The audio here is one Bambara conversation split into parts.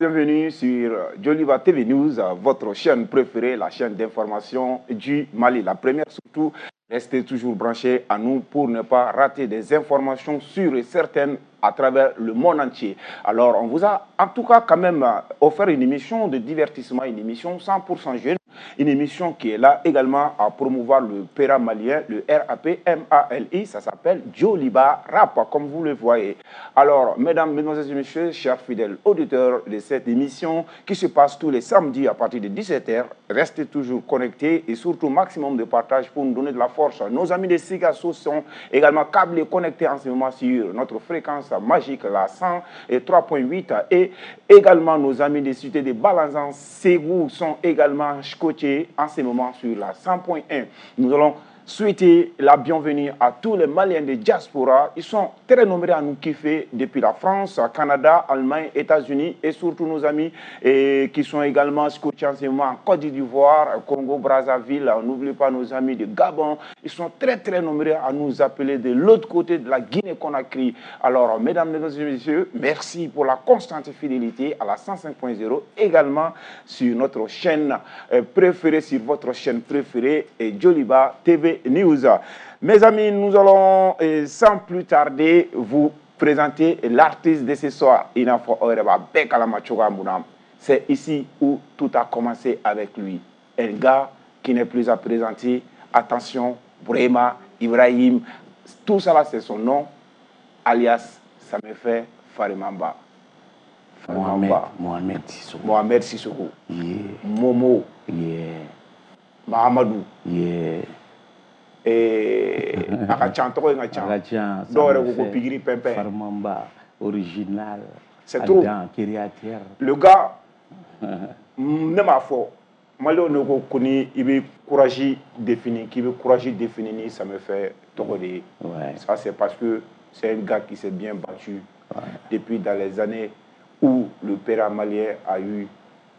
Bienvenue sur Joliba TV News, votre chaîne préférée, la chaîne d'information du Mali. La première surtout, restez toujours branchés à nous pour ne pas rater des informations sûres et certaines à travers le monde entier. Alors, on vous a en tout cas quand même offert une émission de divertissement, une émission 100% jeune, une émission qui est là également à promouvoir le PERA malien, le RAP MALI, ça s'appelle Joliba Rap, comme vous le voyez. Alors, mesdames, mesdemoiselles et messieurs, chers fidèles auditeurs de cette émission qui se passe tous les samedis à partir de 17h, restez toujours connectés et surtout maximum de partage pour nous donner de la force. Nos amis de Sikasso sont également câblés, connectés en ce moment sur notre fréquence magique, la 103.8, et également nos amis des cités de Balanzan, Ségou sont également scotchés en ce moment sur la 100.1. Nous allons souhaiter la bienvenue à tous les Maliens de diaspora. Ils sont très nombreux à nous kiffer depuis la France, Canada, Allemagne, États-Unis et surtout nos amis et qui sont également scotchés en ce moment en Côte d'Ivoire, Congo, Brazzaville. N'oubliez pas nos amis de Gabon. Ils sont très très nombreux à nous appeler de l'autre côté de la Guinée-Conakry. Alors, mesdames, mesdemoiselles et messieurs, merci pour la constante fidélité à la 105.0, également sur notre chaîne préférée, sur votre chaîne préférée, et Joliba TV News. Mes amis, nous allons sans plus tarder vous présenter l'artiste de ce soir. C'est ici où tout a commencé avec lui. Un gars qui n'est plus à présenter. Attention, Brema, Ibrahim, tout ça là c'est son nom, alias ça me fait Farimamba. Farimamba. Mohamed Sissoko. Mohamed Sissoko. Yeah. Momo. Yeah. Mahamadou. Yeah. A ka can, tɔgɔ in ka can. A ka can. Dɔw yɛrɛ ko ko pikiri pɛnpɛn. Farimamba original. C'est trop. Créateur. Le gars, ne m'a fɔ, Maliyɛnw de ko ko ni i bɛ courage définir, k'i bɛ courage définir ni ça me fait tɔgɔ de ye. Ouais. Ça c'est parce que c'est un gars qui s'est bien battu. Ouais. Depuis dans les années où le père malien a eu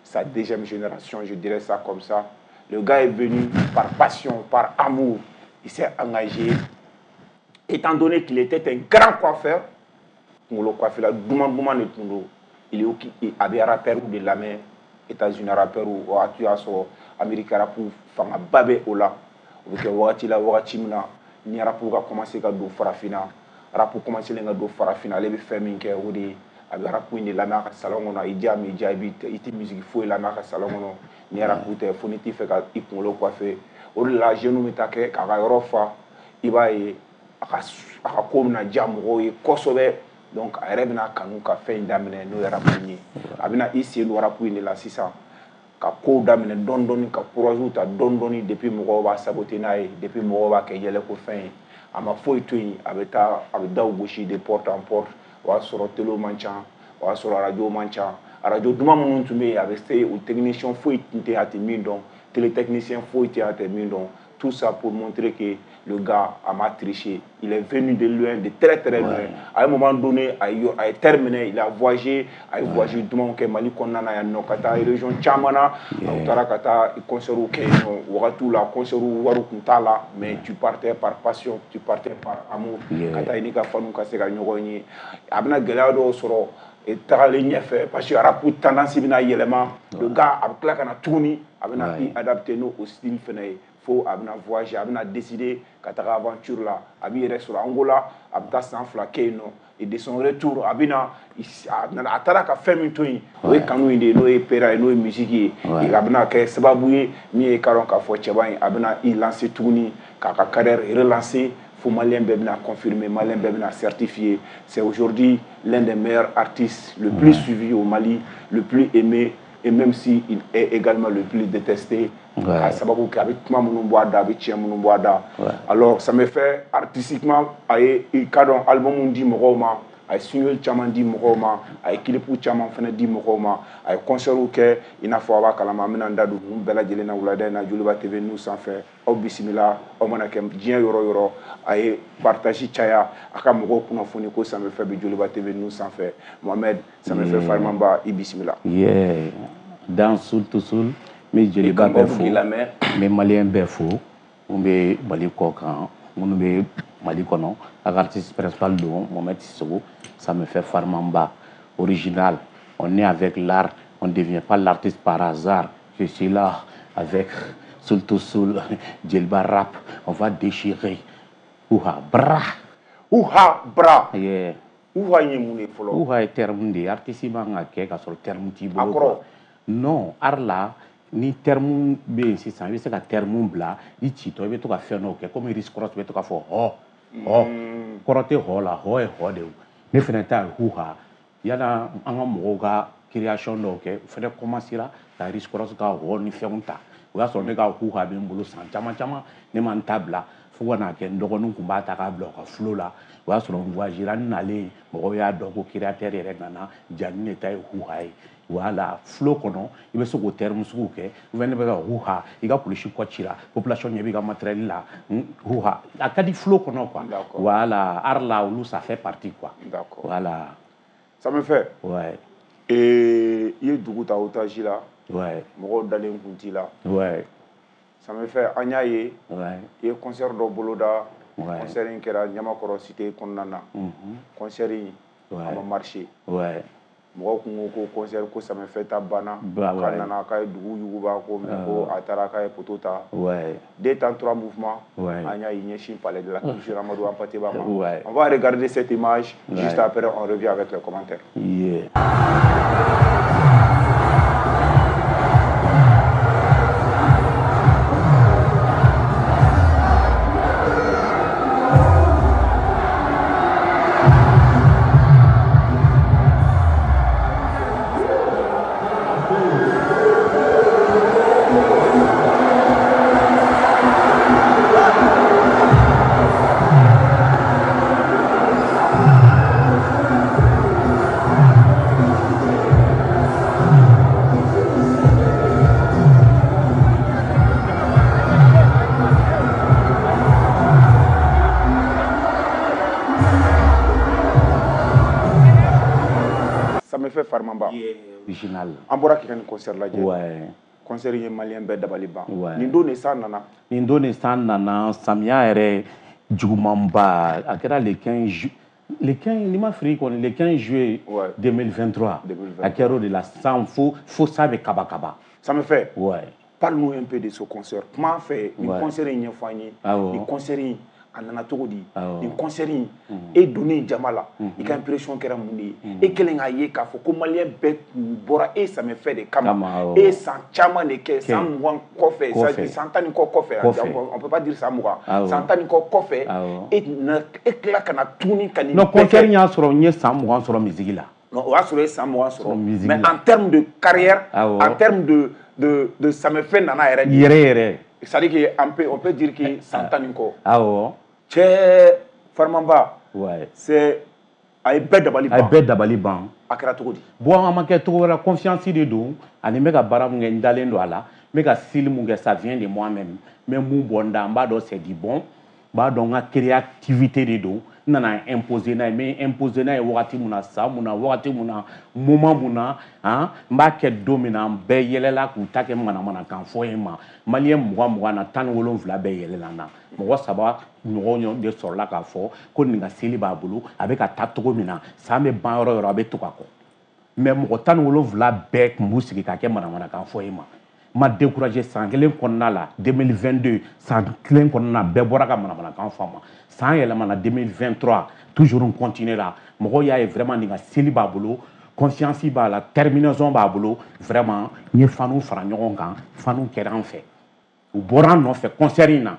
sa deuxième génération, je dirais ça comme ça. Le gars est venu par passion, par amour. Il s'est engagé. Étant donné qu'il était un grand coiffeur, le coiffeur, il est avait rappeur de la main, États-Unis rappeur ou Amérique rap fanga babe ola. O wagati la wagati min na ni rap ka commencer ka don farafina, rap commencer ka don farafina, ale bɛ fɛn min kɛ o de ye a bɛ rap in de lamɛn a ka salon kɔnɔ, i diya min diya i tɛ musique foyi lamɛn a ka salon kɔnɔ ni rap tɛ fo n'i t'i fɛ ka i kunkolo coiffer. O de la jeunes bɛ taa kɛ k'a ka yɔrɔ fa, i b'a ye a ka ko bɛna diya mɔgɔw ye kosɛbɛ. Donc a yɛrɛ bɛna kanu ka fɛn in daminɛ n'o ye rap in ye. A bɛna i sen don rap in de la sisan ka kow daminɛ dɔɔni dɔɔni, ka courage ta dɔɔni dɔɔni, depuis mɔgɔw b'a saboter n'a ye, depuis mɔgɔw b'a kɛ yɛlɛko fɛn ye. A ma foyi to yen, a bɛ taa a bɛ daw gosi de porte en porte. O y'a sɔrɔ télé man ca, o y'a sɔrɔ radio man ca. Radio duman minnu tun bɛ yen, a bɛ se o technicien foyi tun tɛ a tɛ min dɔn, télétechnicien foyi tɛ a tɛ min dɔn. Tout ça pour montrer que le gars a mal triché. Il est venu de loin, de très très loin. Ouais. À un moment donné, a terminé, il a voyagé, a voyagé duman kɛ Mali kɔnɔna na yan nɔ ka taa région caman na. A taara ka taa concert kɛ yen nɔ. Wagatiw la concert wari tun t'a la, mais tu partais par passion, tu partais par amour. Ka taa i n'i ka fanu ka se ka ɲɔgɔn ye. A bɛna gɛlɛya dɔw sɔrɔ tagalen ɲɛfɛ parce que rap tendance bɛna yɛlɛma. Le gars a bɛ tila ka na tuguni, a bɛna i adapter n'o style fɛnɛ ye. Fo a bɛna voyager, a bɛna décider ka taga aventure la, a b'i yɛrɛ sɔrɔ Angola, a bɛ taa san 2 kɛ yen nɔ. Et de son retour, a bɛna a taara ka fɛn min to yen, o ye kanu in de ye, n'o ye pera ye, n'o ye musique ye. A bɛna kɛ sababu ye min ye ka dɔn k'a fɔ cɛba in a bɛna i lancer tuguni k'a ka carrière relancer. Fo Malien bɛɛ bɛna confirmer, Malien bɛɛ bɛna certifier. C'est aujourd'hui l'un des meilleurs artistes, le plus suivi au Mali, le plus aimé, et même si il est également le plus détesté. A sababu kɛ a bɛ kuma minnu bɔ a da, a bɛ tiɲɛ minnu bɔ a da. Alors ça me fait artistiquement a ye i ka dɔn album di mɔgɔw ma, a ye single caman di mɔgɔw ma, a ye clip caman fana di mɔgɔw ma, a ye concert kɛ i n'a fɔ a b'a kalama. An bɛna n da don ninnu bɛɛ lajɛlen na wulada in na Joliba TV News sanfɛ. Aw bisimila, aw mana kɛ diɲɛ yɔrɔ o yɔrɔ, a ye partage caya, a ka mɔgɔw kunnafoni ko ça me fait bi Joliba TV News sanfɛ. Mohamed, ça me fait Farimamba, i bisimila. Yeah. Dans Soul to Soul, n bɛ Joliba bɛɛ fo, n bɛ Maliyɛn bɛɛ fo, mun bɛ Mali kɔ kan, minnu bɛ Mali kɔnɔ. A ka artiste principal don Mohamed Sissoko, ça me fait Farimamba original. On est avec l'art, on ne devient pas l'artiste par hasard. Je suis là avec Soul to Soul, Djeliba Rap, on va déchirer. Ouha bra. Ouha bra. Yeah. Ouha ye mun ye fɔlɔ? Ouha ye terme de ye, artiste man ka kɛ ka sɔrɔ terme t'i bolo. A kɔrɔ? Non, art la, ni terme bɛ yen sisan, i bɛ se ka terme bila i citɔ, i bɛ to ka fɛn dɔw kɛ komi Risk Ross bɛ to ka fɔ hɔ hɔ. Kɔrɔ tɛ hɔ la, hɔ ye hɔ de ye. Ne fɛnɛ ta ye huha. Yala an ka mɔgɔw ka création dɔw kɛ, o fɛnɛ commencera ka Risk Ross ka hɔ ni fɛnw ta. O y'a sɔrɔ ne ka huha bɛ n bolo san caman caman, ne ma n ta bila fo ka n'a kɛ n dɔgɔninw tun b'a ta k'a bila u ka flow la. O y'a sɔrɔ n voyagera, n nalen mɔgɔw y'a dɔn ko créateur yɛrɛ nana, Jani de ta ye huha ye. Voilà, flow kɔnɔ i bɛ se k'o terme sugu kɛ. Ou bien ne bɛ ka huha, i ka kulusi kɔ cira, population ɲɛ b'i ka matériel la, huha. A ka di flow kɔnɔ quoi. Voilà, art la olu ça fait partie quoi. D'accord. Voilà. Ça me fait. Ouais. Et i ye dugu ta otage la. Ouais. Mɔgɔw dalen kun t'i la. Ouais. Ça me fait an y'a ye. Ouais. I ye concert dɔ boloda. Ouais. Concert in kɛra Ɲamakɔrɔ cité kɔnɔna na. Concert in a ma marché. Ouais. Mɔgɔw kun ko ko concert ko ça me fait ta banna. K'a nana k'a ye dugu yuguba ko mais ko a taara k'a ye poteau ta. Ouais. 2 temps 3 mouvements. Ouais. An y'a ɲɛsin palais de la culture Amadou Hampâté Bâ ma. Ouais. On va regarder cette image. Ouais. Juste après on revient avec les commentaires. Yeah. Original. An bɔra k'i ka nin concert lajɛ. Ouais. Concert in ye malien bɛɛ dabali ban. Ouais. Nin don de san nana. Nin don de san nana, samiya yɛrɛ jugumanba. A kɛra le 15 ju-, le 15, n'i ma fili kɔni, le 15 juillet Ouais. 2023. 2023. A kɛra o de la san fo, fo sa bɛ kaba kaba. Ça me fait. Ouais. Parle-nous un peu de ce concert. Kuma fɛ, nin Ouais. concert in ɲɛfɔ an ye. Awɔ. Nin concert in a nana cogo di? Awɔ. Nin concert in, e donnen jama la, i ka impression kɛra mun de ye? E kɛlen k'a ye k'a fɔ ko malien bɛɛ tun bɔra e ça me fait de kama. Kama, awɔ. E ye san caman de kɛ, Kɛ. san 20 kɔfɛ, Kɔfɛ. san 10 ni kɔ kɔfɛ, Kɔfɛ. on peut pas dire san 20. Awɔ. San 10 ni kɔ kɔfɛ, Awɔ. e na, e tila ka na tuguni ka nin Non, bɛɛ concert kɛ. in y'a sɔrɔ n ye san 20 sɔrɔ musique la. Non, o y'a sɔrɔ e ye san 20 sɔrɔ. Sɔrɔ musique Mais la. en termes de carrière, Awɔ. en termes de ça me fait nana yɛrɛ de. Yɛrɛ yɛrɛ. C'est-à-dire que on peut dire que san 10 ni kɔ. Awɔ. Cɛ Farmanba, Ouais. c'est a ye bɛɛ dabali A ye ban. bɛɛ dabali ban. A kɛra cogo di? Bon, a ma kɛ cogo wɛrɛ la, confiance de don. Ani n bɛ ka baara mun kɛ, n dalen don a la. N bɛ ka style mun kɛ, ça vient de moi-même. N bɛ mun bɔ n da, n b'a dɔn c'est du bon. N b'a dɔn n ka créativité de don. N nana imposer n'a ye, n bɛ imposer n'a ye wagati mun na, san mun na, wagati mun na, moment mun na, han, n b'a kɛ don min na, an bɛɛ yɛlɛla k'u ta kɛ manamanakan fɔ ye ma. Malien mugan mugan na, 17 bɛɛ yɛlɛla n na. Mɔgɔ 3 ɲɔgɔn de sɔrɔla k'a fɔ ko nin ka seli b'a bolo, a bɛ ka taa cogo min na, san bɛ ban yɔrɔ o yɔrɔ, a bɛ to ka kɔ. Mais mɔgɔ 17 bɛɛ tun b'u sigi k'a kɛ manamanakan fɔ ye ma. Ma découragé san kelen kɔnɔna la, 2022, san kelen kɔnɔna la, bɛɛ bɔra ka manamanakan fɔ a ma. San yɛlɛmana 2023, toujours n continuer la. Mɔgɔw y'a ye vraiment nin ka seli b'a bolo, conscience b'a la, terminaison b'a bolo. Vraiment, n ye fanu fara ɲɔgɔn kan, fanu kɛra an fɛ. U bɔra an nɔfɛ concert in na.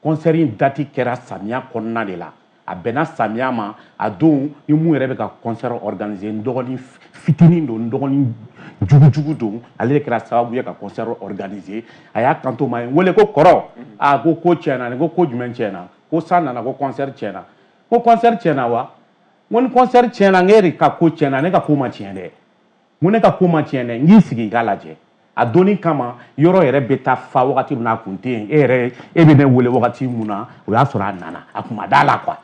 Concert in date kɛra samiya kɔnɔna de la. A bɛnna samiya ma, a don ni mun yɛrɛ bɛ ka concert organiser, n dɔgɔnin fitinin don, n dɔgɔnin jugujugu don, ale de kɛra sababu ye ka concert organiser. A y'a kanto ma, a ye n wele ko kɔrɔ, a ko ko tiɲɛna, ne ko ko jumɛn tiɲɛna? Ko san nana, ko concert tiɲɛna. Ko concert tiɲɛna wa? N ko ni concert tiɲɛna, n k'e de ka ko tiɲɛna, ne ka ko ma tiɲɛ dɛ. N ko ne ka ko ma tiɲɛ dɛ, n k'i sigi i k'a lajɛ. A donni kama, yɔrɔ yɛrɛ bɛ taa fa wagati min na, a kun tɛ yen. E yɛrɛ, e bɛ ne wele wagati mun na, o y'a sɔrɔ a nana, a kun ma da la quoi.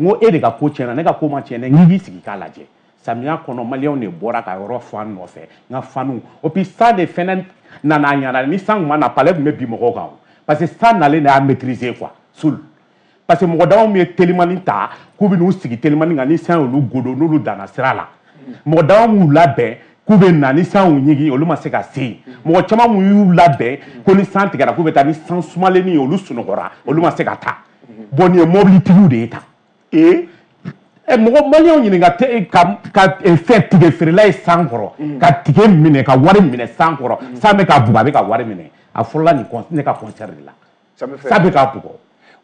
N ko e de ka ko tiɲɛna, ne ka ko ma tiɲɛ dɛ, n k'i sigi k'a lajɛ. Samiya kɔnɔ, maliyɛnw de bɔra ka yɔrɔ fa n nɔfɛ, n ka fanu. O puis san de fɛnɛ nana a ɲɛna, ni san kun ma na, palais tun bɛ bin mɔgɔw kan o. Parce que san nalen de y'a maîtriser quoi, Soul. Parce que mɔgɔ dama min ye telimani ta, k'u bɛ n'u sigi telimani kan, ni san y'olu godo, n'olu danna sira la. Mɔgɔ dama m'u labɛn, K'u bɛ na ni san y'u ɲigin, olu ma se ka se yen. Mɔgɔ caman mun y'u labɛn ko ni san tigɛra k'u bɛ taa, ni san sumalennin ye, olu sunɔgɔra, olu ma se ka taa. Bon, nin ye mobilitigiw de ye tan. Mɔgɔ maliyɛnw ɲininka ka fɛn tigɛ feerela ye san kɔrɔ, ka tigɛ minɛ, ka wari minɛ san kɔrɔ, san bɛ ka bugɔ, a bɛ ka wari minɛ. A fɔlɔla nin ne ka concert de la. San bɛ ka bugɔ.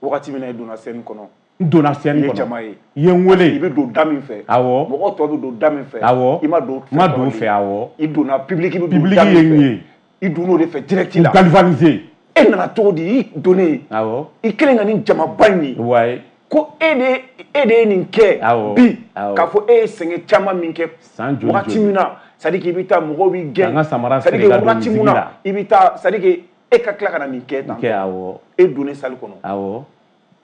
Wagati min na i donna scène kɔnɔ. N donna scène kɔnɔ. I ye jama ye. I ye n wele. I bɛ don da min fɛ. Awɔ. Mɔgɔ tɔ bɛ don da min fɛ. Awɔ. I ma don. N ma don o fɛ, awɔ. I donna public bɛ don da min fɛ. Public ye n ye. I donn'o de fɛ direct la. K'u galvaniser. E nana cogo di i donnen? Awɔ. I kelen ka nin jamaba in ye. Ouais. Ko e de ye nin kɛ. Awɔ. Bi k'a fɔ e ye sɛgɛn caman min kɛ. San joli joli. Wagati min na, c'est à dire que i bɛ taa mɔgɔw b'i gɛn. Ka n ka samara feere ka don musique la. I bɛ taa, c'est à dire que e ka tila ka na nin kɛ tan. Kɛ, awɔ. E donnen salle kɔnɔ. Awɔ.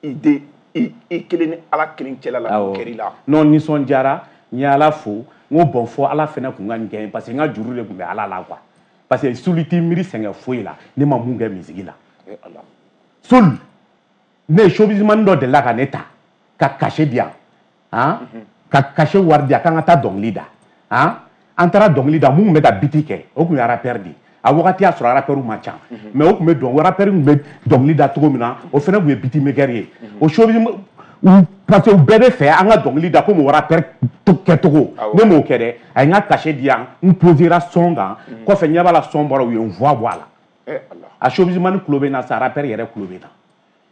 I den i kelen ni Ala kelen cɛla la, o kɛr'i la. Non, nisɔndiyara, n ye Ala fo, n ko bon fɔ Ala fɛnɛ kun ka nin kɛ, parce que n ka juru de tun bɛ Ala la quoi. Parce que suli t'i miiri sɛgɛn foyi la, ne ma mun kɛ musique la. Sol, ne ye showbizman dɔ delila ka ne ta, ka cachet di yan, han, ka cachet wari di yan k'an ka taa dɔnkili da, han, an taara dɔnkili da, mun tun bɛ ka biti kɛ, o tun ye rappeur de ye. A wagati y'a sɔrɔ rappeur ma ca, mais o tun bɛ dɔn, rappeur tun bɛ dɔnkili da cogo min na, o fana tun ye beatmaker ye. O showbiz, parce que u bɛɛ bɛ fɛ an ka dɔnkili da komi rappeur kɛcogo. Ne m'o kɛ dɛ, a ye n ka cachet di yan, n posera son kan, kɔfɛ ɲɛ b'a la son bɔra, u ye n voix bɔ a la. A showbizman tulo bɛ n na sa, rappeur yɛrɛ tulo bɛ n na.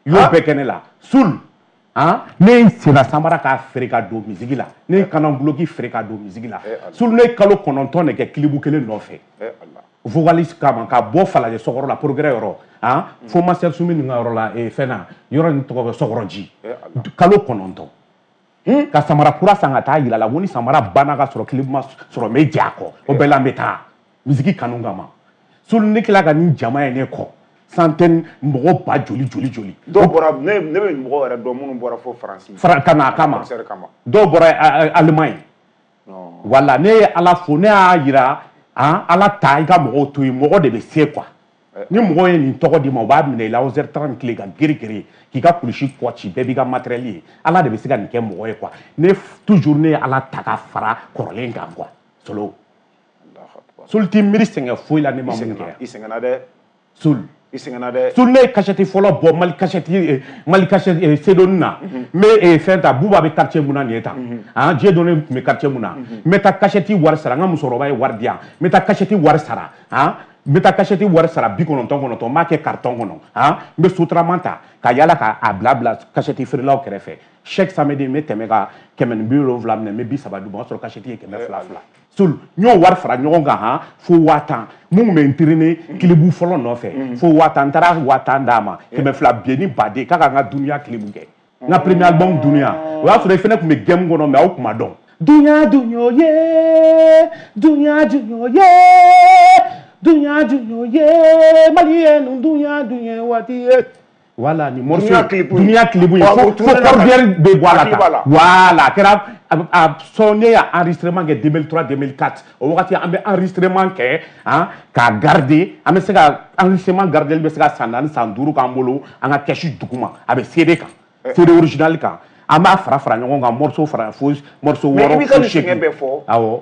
U y'o bɛɛ kɛ ne la. Soul, han, ne ye senna samara k'a feere ka don musique la, ne ye kananguloki feere ka don musique la. Soul, ne ye kalo 9 de kɛ clip kelen nɔfɛ. Vocaliste kama ka bɔ Falajɛ sɔkɔrɔ la, progrès yɔrɔ, han, fo Master Sumi ninnu ka yɔrɔ la, fɛn na, yɔrɔ in tɔgɔ bɛ Sɔkɔrɔji. Kalo 9. Ka samara kura san ka taa yira la, ko ni samara banna ka sɔrɔ clip ma sɔrɔ, n bɛ jɛ a kɔ. O bɛɛ la n bɛ taa musique kanu kama. Soul, ne tila ka nin jama ye ne kɔ. Centaine mɔgɔ ba joli joli joli. Dɔw bɔra, ne bɛ mɔgɔ yɛrɛ dɔn minnu bɔra fo Faransi. Ka na a kama. Dɔw bɔra Allemagne. Voilà, ne ye Ala fo, ne y'a yira. Han, Ala ta i ka mɔgɔw to yen, mɔgɔ de bɛ se quoi. Ni mɔgɔ ye nin tɔgɔ d'i ma, u b'a minɛ i la 11h30 tile ka gere gere k'i ka kulusi kɔ ci, bɛɛ b'i ka matériel ye. Ala de bɛ se ka nin kɛ mɔgɔ ye quoi. Ne toujours ne ye Ala ta ka fara kɔrɔlen kan quoi. Solo. Sol t'i miiri sɛgɛn foyi la, ne ma mun kɛ. I sɛgɛnna dɛ. Sol. I sɛgɛnna dɛ. Sol, ne ye cachette fɔlɔ bɔ Mali cachette, Mali cachette Sedoni na. N bɛ fɛn ta, Buba bɛ quartier mun na nin ye tan. Han, Dieu donné tun bɛ quartier mun na. N bɛ taa cachette wari sara, n ka musokɔrɔba ye wari di yan. N bɛ taa cachette wari sara, han, n bɛ taa cachette wari sara 99 99, n b'a kɛ carton kɔnɔ, han, n bɛ sotarama ta ka yala k'a bila bila cachette feerelaw kɛrɛfɛ. Chaque samedi n bɛ tɛmɛ ka 170 minɛ, n bɛ 30 d'u ma, o y'a sɔrɔ cachette ye 200 fila. Sol, n y'o wari fara ɲɔgɔn kan, han, fo 10 000. Mun tun bɛ n traîner kilibu fɔlɔ nɔfɛ, fo 10 000, n taara 10 000 d'a ma, 200 biye ni baden k'a ka n ka dunuya kilibu kɛ. N ka premier album dunuya, o y'a sɔrɔ i fana tun bɛ game kɔnɔ, mais aw tun ma dɔn. Dunuya dunuya ye, dunuya dunuya ye, dunuya dunuya ye, Maliyɛnw dunuya dunuya waati ye. Voilà, ni morceau dunuya clip ye, fo cordière bɛ bɔ a la tan. Voilà, a kɛra a son, ne y'a enregistrement kɛ 2003 2004. O wagati an bɛ enregistrement kɛ, han, k'a garder, an bɛ se ka enregistrement garder bɛ se ka san 4 san 5 k'an bolo, an ka caisse duguma, a bɛ CD kan, CD original kan, an b'a fara fara ɲɔgɔn kan, morceau fara fo morceau 6. Mais i b'i ka nin sɛgɛn bɛɛ fɔ. Awɔ.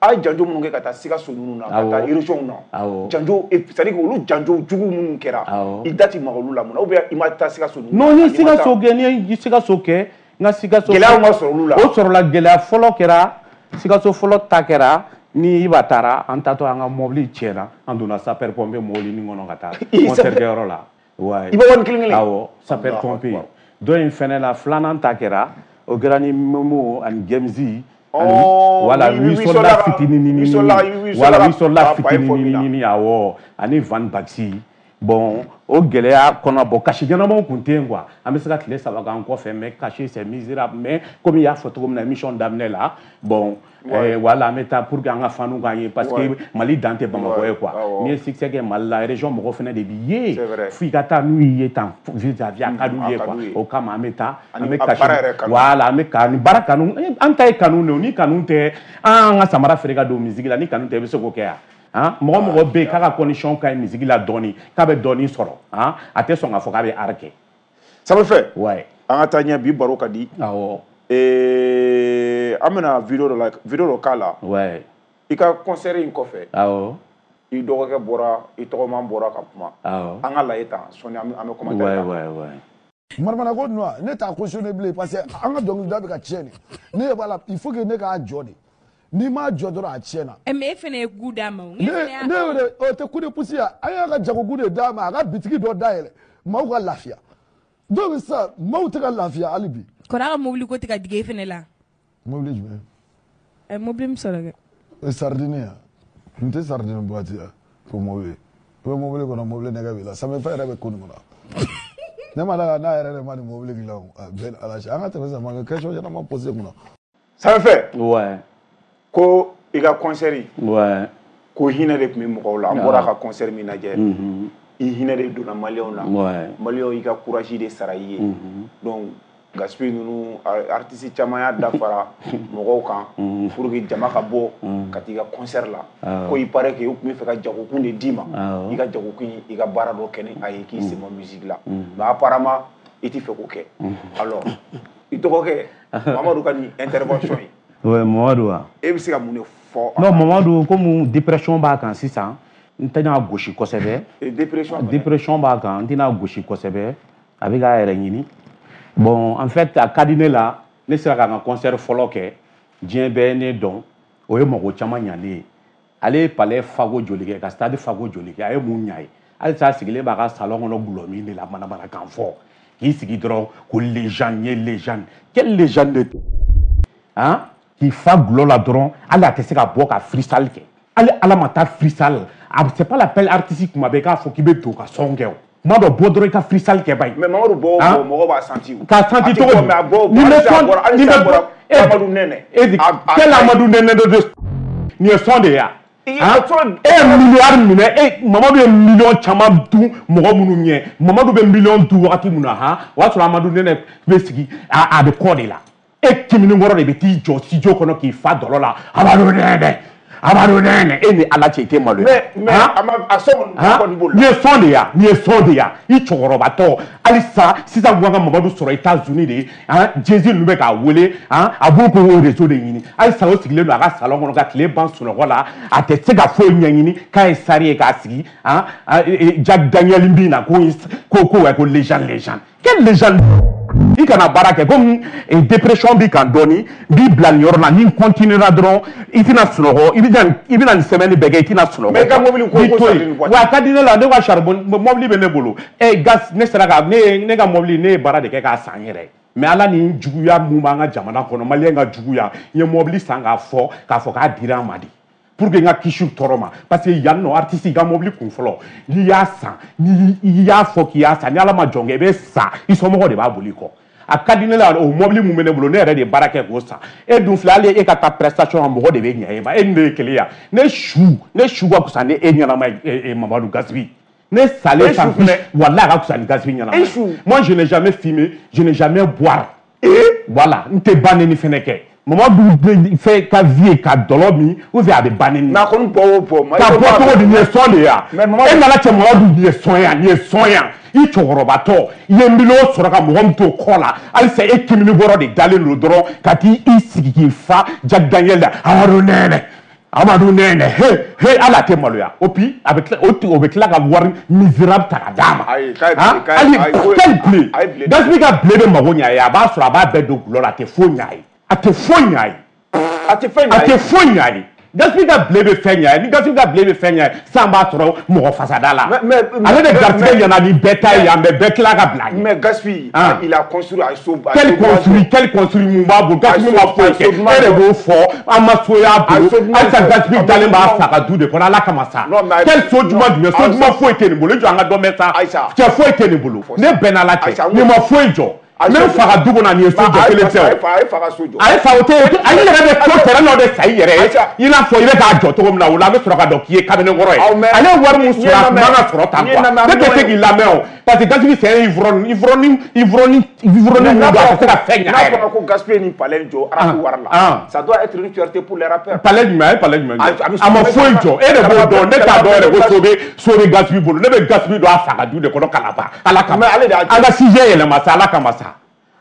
A ye janjo minnu kɛ ka taa Sikaso ninnu na, ka taa région na, janjo, c'est à dire que olu janjo jugu minnu kɛra, i da ti maga olu la mun na, ou bien i ma taa Sikaso ninnu na? Non, n ye Sikaso kɛ, n ye Sikaso kɛ, n ka Sikaso. Gɛlɛyaw ma sɔrɔ olu la. O sɔrɔla, gɛlɛya fɔlɔ kɛra, Sikaso fɔlɔ ta kɛra ni Iba taara, an taatɔ an ka mobili tiɲɛna, an donna sapeur pompier mobili nin kɔnɔ ka taa concert kɛyɔrɔ la. Ouais. Iba wari kelen kelen. Awɔ, sapeur pompier. Dɔ in fɛnɛ la, filanan ta kɛra, o kɛra ni Momo ani Gemzi. Voilà, Wisola fitinin, voilà, Wisola fitinin, awɔ, ani Van Baxi. Bon, o gɛlɛya kɔnɔ, bon, cachet ɲɛnamaw tun tɛ yen quoi. An bɛ se ka tile 3 k'an kɔfɛ, mais cachet c'est misérable. Mais comme i y'a fɔ cogo min na émission daminɛ la, bon, voilà, an bɛ taa pour que an ka fanu k'an ye, parce que Mali dan tɛ Bamakɔ ye quoi. N'i ye succès kɛ Mali la, région mɔgɔw fana de b'i ye. F'i ka taa n'u y'i ye tan vis-à-vis, a ka d'u ye quoi. O kama an bɛ taa, an bɛ cachet, voilà, an bɛ ka ni baara kanu, an ta ye kanu de ye, ni kanu tɛ, an ka samara feere ka don musique la, ni kanu tɛ, i bɛ se k'o kɛ yan. Han, mɔgɔ mɔgɔ bɛ yen k'a ka condition ka ɲi musique la dɔɔni, k'a bɛ dɔɔni sɔrɔ, han, a tɛ sɔn k'a fɔ k'a bɛ art kɛ. Samafɛ. Ouais. An ka taa ɲɛ, bi baro ka di. Awɔ. An bɛna vidéo dɔ la, vidéo dɔ k'a la. Ouais. I ka concert in kɔfɛ. Awɔ. I dɔgɔkɛ bɔra, i tɔgɔman bɔra ka kuma. Awɔ. An ka lajɛ tan sɔnni an bɛ commentaire kɛ. Ouais. Manamana ko ninnu ne t'a cautionné bilen parce que an ka dɔnkilida bɛ ka tiɲɛ de. Ne b'a la, il faut que ne k'a jɔ de. N'i m'a jɔ dɔrɔn a tiɲɛna. Mais e fana ye goût d'a ma o. Ne yɛrɛ o tɛ coup de pouce ye, an y'a ka jago de d'a ma, a ka bitigi dɔ dayɛlɛ, maaw ka lafiya. Donc sisan maaw tɛ ka lafiya hali bi. Kɔrɔ a ka mobili ko tɛ ka digi e fana la. Mobili jumɛn? Ɛ mobili min sɔrɔ kɛ. O ye sardine ye, nin tɛ sardine boîte ye ko mobili. I bɛ mobili kɔnɔ, mobili nɛgɛ b'i la, samefɛn yɛrɛ bɛ ko nin kɔnɔ. Ne ma da n'a yɛrɛ de ma nin mobili dilan o, a bɛɛ ni Ala cɛ. An ka tɛmɛ sisan, ma question ɲɛnama posé kunna. Samefɛ. Ouais. Ko i ka concert. Ouais. Ko hinɛ de tun bɛ mɔgɔw la, an bɔra ka concert min lajɛ. I hinɛ de donna maliyɛnw na. Ouais. Maliyɛnw y'i ka courage de sara i ye. Donc Gaspi ninnu artiste caman y'a dafara mɔgɔw kan pour que jama ka bɔ ka t'i ka concert la. Ko il paraît que u tun bɛ fɛ ka jagokun de d'i ma. I ka jagokun i ka baara dɔ kɛ ni a ye k'i sen bɔ musique la. Mais apparemment i t'i fɛ k'o kɛ. Alors i dɔgɔkɛ Mamadu ka nin intervention ye. Ouais, Mamadu wa. E bɛ se ka mun de fɔ? Non, Mamadu comme dépression b'a kan sisan, n tɛna gosi kosɛbɛ. Dépression b'a kan, n tɛna gosi kosɛbɛ. A bɛ k'a yɛrɛ ɲini. Bon, en fait, a ka di ne la, ne sera ka n ka concert fɔlɔ kɛ, diɲɛ bɛɛ ye ne dɔn, o ye mɔgɔ caman ɲalen ye. Ale ye palais fago joli kɛ, ka stade fago joli kɛ, a ye mun ɲa ye? Halisa a sigilen b'a ka salon kɔnɔ gulɔ min de la manamanakan fɔ. K'i sigi dɔrɔn ko légende ye légende. Quelle légende de hein? K'i fa gulɔ la dɔrɔn, hali a tɛ se ka bɔ ka freestyle kɛ. Hali Ala ma taa freestyle, c'est pas l'appel artistique kuma bɛɛ k'a fɔ k'i bɛ don ka son kɛ o. Kuma dɔ bɔ dɔrɔn i ka freestyle kɛ ba ye. Mais Mamadu bɔ o bɔ mɔgɔw b'a senti o. K'a senti cogo di? Mais a bɔ o bɔ hali sisan a bɔra Amadu Nɛnɛ. Quel Amadu Nɛnɛ de nin ye son de ye wa? E ye miliyari minɛ, e Mamadu ye miliyɔn caman dun mɔgɔ minnu ɲɛ. Mamadu bɛ miliyɔn dun wagati min na han, o y'a sɔrɔ Amadu Nɛnɛ bɛ sigi a bɛ kɔ de la. E kimininkɔrɔ de bɛ t'i jɔ studio kɔnɔ k'i fa dɔlɔ la. Amadu Nɛnɛ. Amadu Nɛnɛ, e ni Ala cɛ i tɛ maloya. Mais a sɔn kɔni b'o la. Nin ye son de ye, nin ye son de ye. I cɛkɔrɔbatɔ halisa sisan kun ka Mamadu sɔrɔ États-Unis de, han, Jay-Z ninnu bɛ k'a wele, han, a b'o k'o réseau de ɲini. Halisa o sigilen don a ka salon kɔnɔ ka tile ban sunɔgɔ la, a tɛ se ka foyi ɲɛɲini k'a ye sari ye k'a sigi, han, Jack Daniel bin na ko ko ko ko légende légende. Quelle légende? I kana baara kɛ komi dépression b'i kan dɔɔni, n b'i bila nin yɔrɔ la, ni n continuera dɔrɔn i tɛna sunɔgɔ, i bɛna nin semaine bɛɛ kɛ i tɛna sunɔgɔ. Mais i ka mobili ko sardine boîte. Wa a ka di ne la, ne ka charbon mobili bɛ ne bolo. Gas ne sera ka ne ka mobili ne ye baara de kɛ k'a san n yɛrɛ ye. Mais Ala ni juguya mun b'an ka jamana kɔnɔ, maliyɛn ka juguya, n ye mobili san k'a fɔ k'a dira an ma de. Pour que n ka kisi u tɔɔrɔ ma, parce que yan nɔ artiste i ka mobili kun fɔlɔ n'i y'a san, n'i y'a fɔ k'i y'a san, ni Ala ma jɔn kɛ i bɛ sa, i somɔgɔw de b'a boli i kɔ. A ka di ne la o mobili mun bɛ ne bolo, ne yɛrɛ de ye baara kɛ k'o san. E dun filɛ, hali e ka taa prestation na mɔgɔ de bɛ ɲɛ e ma, e ni ne ye kelen ya. Ne su ka fisa ni e ɲɛnama ye, Mamadu Gaspi. Ne salen san walahi a ka fisa ni Gaspi ɲɛnama ye. Moi je n'ai jamais fumé, je n'ai jamais boire. Voilà, n tɛ ba neni fɛnɛ kɛ. Mamadu fɛ ka vie ka dɔlɔ min ou bien a bɛ ba neni. Mais a kɔni bɔ o bɔ. Ka bɔ cogo di, nin ye son de ye wa? E nana cɛ Mamadu nin ye son ye nin ye son ye. I cɛkɔrɔbatɔ i ye miliyɔn sɔrɔ ka mɔgɔ min to kɔ la, halisa e kimininkɔrɔ de dalen don dɔrɔn ka t'i sigi k'i fa Jack Daniel la. Amadu Nɛnɛ, Amadu Nɛnɛ, he he, hali a tɛ maloya. O puis a bɛ tila o bɛ tila ka wari misérable ta ka d'a ma. Ayi, hali quel blé? Gaspi ka blé bɛ mago ɲɛ a ye, a b'a sɔrɔ a b'a bɛɛ don gulɔ la, a tɛ foyi ɲɛ a ye. A tɛ foyi ɲɛ a ye. A tɛ fɛn ɲɛ a ye. A tɛ foyi ɲɛ a ye. Gaspi ka blé bɛ fɛn ɲɛ a ye. Ni Gaspi ka blé bɛ fɛn ɲɛ a ye, san b'a sɔrɔ mɔgɔ fasada la. Ale de garijɛgɛ ɲɛna ni bɛɛ ta ye yan, mais bɛɛ tila ka bila a ɲɛ. Mais Gaspi, il a construit a ye so. Quel construit mun b'a bolo? Gaspi ma foyi kɛ. E de b'o fɔ, an ma so y'a bolo. Halisa Gaspi dalen b'a fa ka du de kɔnɔ, Ala kama sa. Quel so jumɛn jumɛn? So jumɛn foyi tɛ nin bolo. I jɔ an ka dɔ mɛn sa. Cɛ foyi tɛ nin bolo. Ne bɛnna la cɛ. Nin ma foyi jɔ. Ne fa ka du kɔnɔ nin ye so jɔ kelen tɛ o. A ye fa ka so jɔ. A ye fa o tɛ a yɛrɛ bɛ to terrain dɔ de san i yɛrɛ ye. I n'a fɔ i bɛ k'a jɔ cogo min na o la an bɛ sɔrɔ ka dɔn k'i ye kamalenkɔrɔ ye. Ale ye wari min sɔrɔ a tun man ka sɔrɔ tan quoi. Ne tɛ se k'i lamɛn o parce que Gaspi c'est un ivrogne ivrogne ivrogne ivrogne mun don a tɛ se ka fɛn ɲɛ a yɛrɛ. N'a fɔra ko Gaspi ye nin palais jɔ rap wari la. Ça doit être une fierté pour les rappeurs. Palais jumɛn a ye palais jumɛn jɔ? A ma foyi jɔ e de b'o dɔn ne t'a dɔn yɛrɛ ko so bɛ Gaspi bolo ne bɛ Gaspi don a fa ka du de kɔnɔ Kalaba Ala kama. An ka sujet yɛlɛma sa Ala kama sa.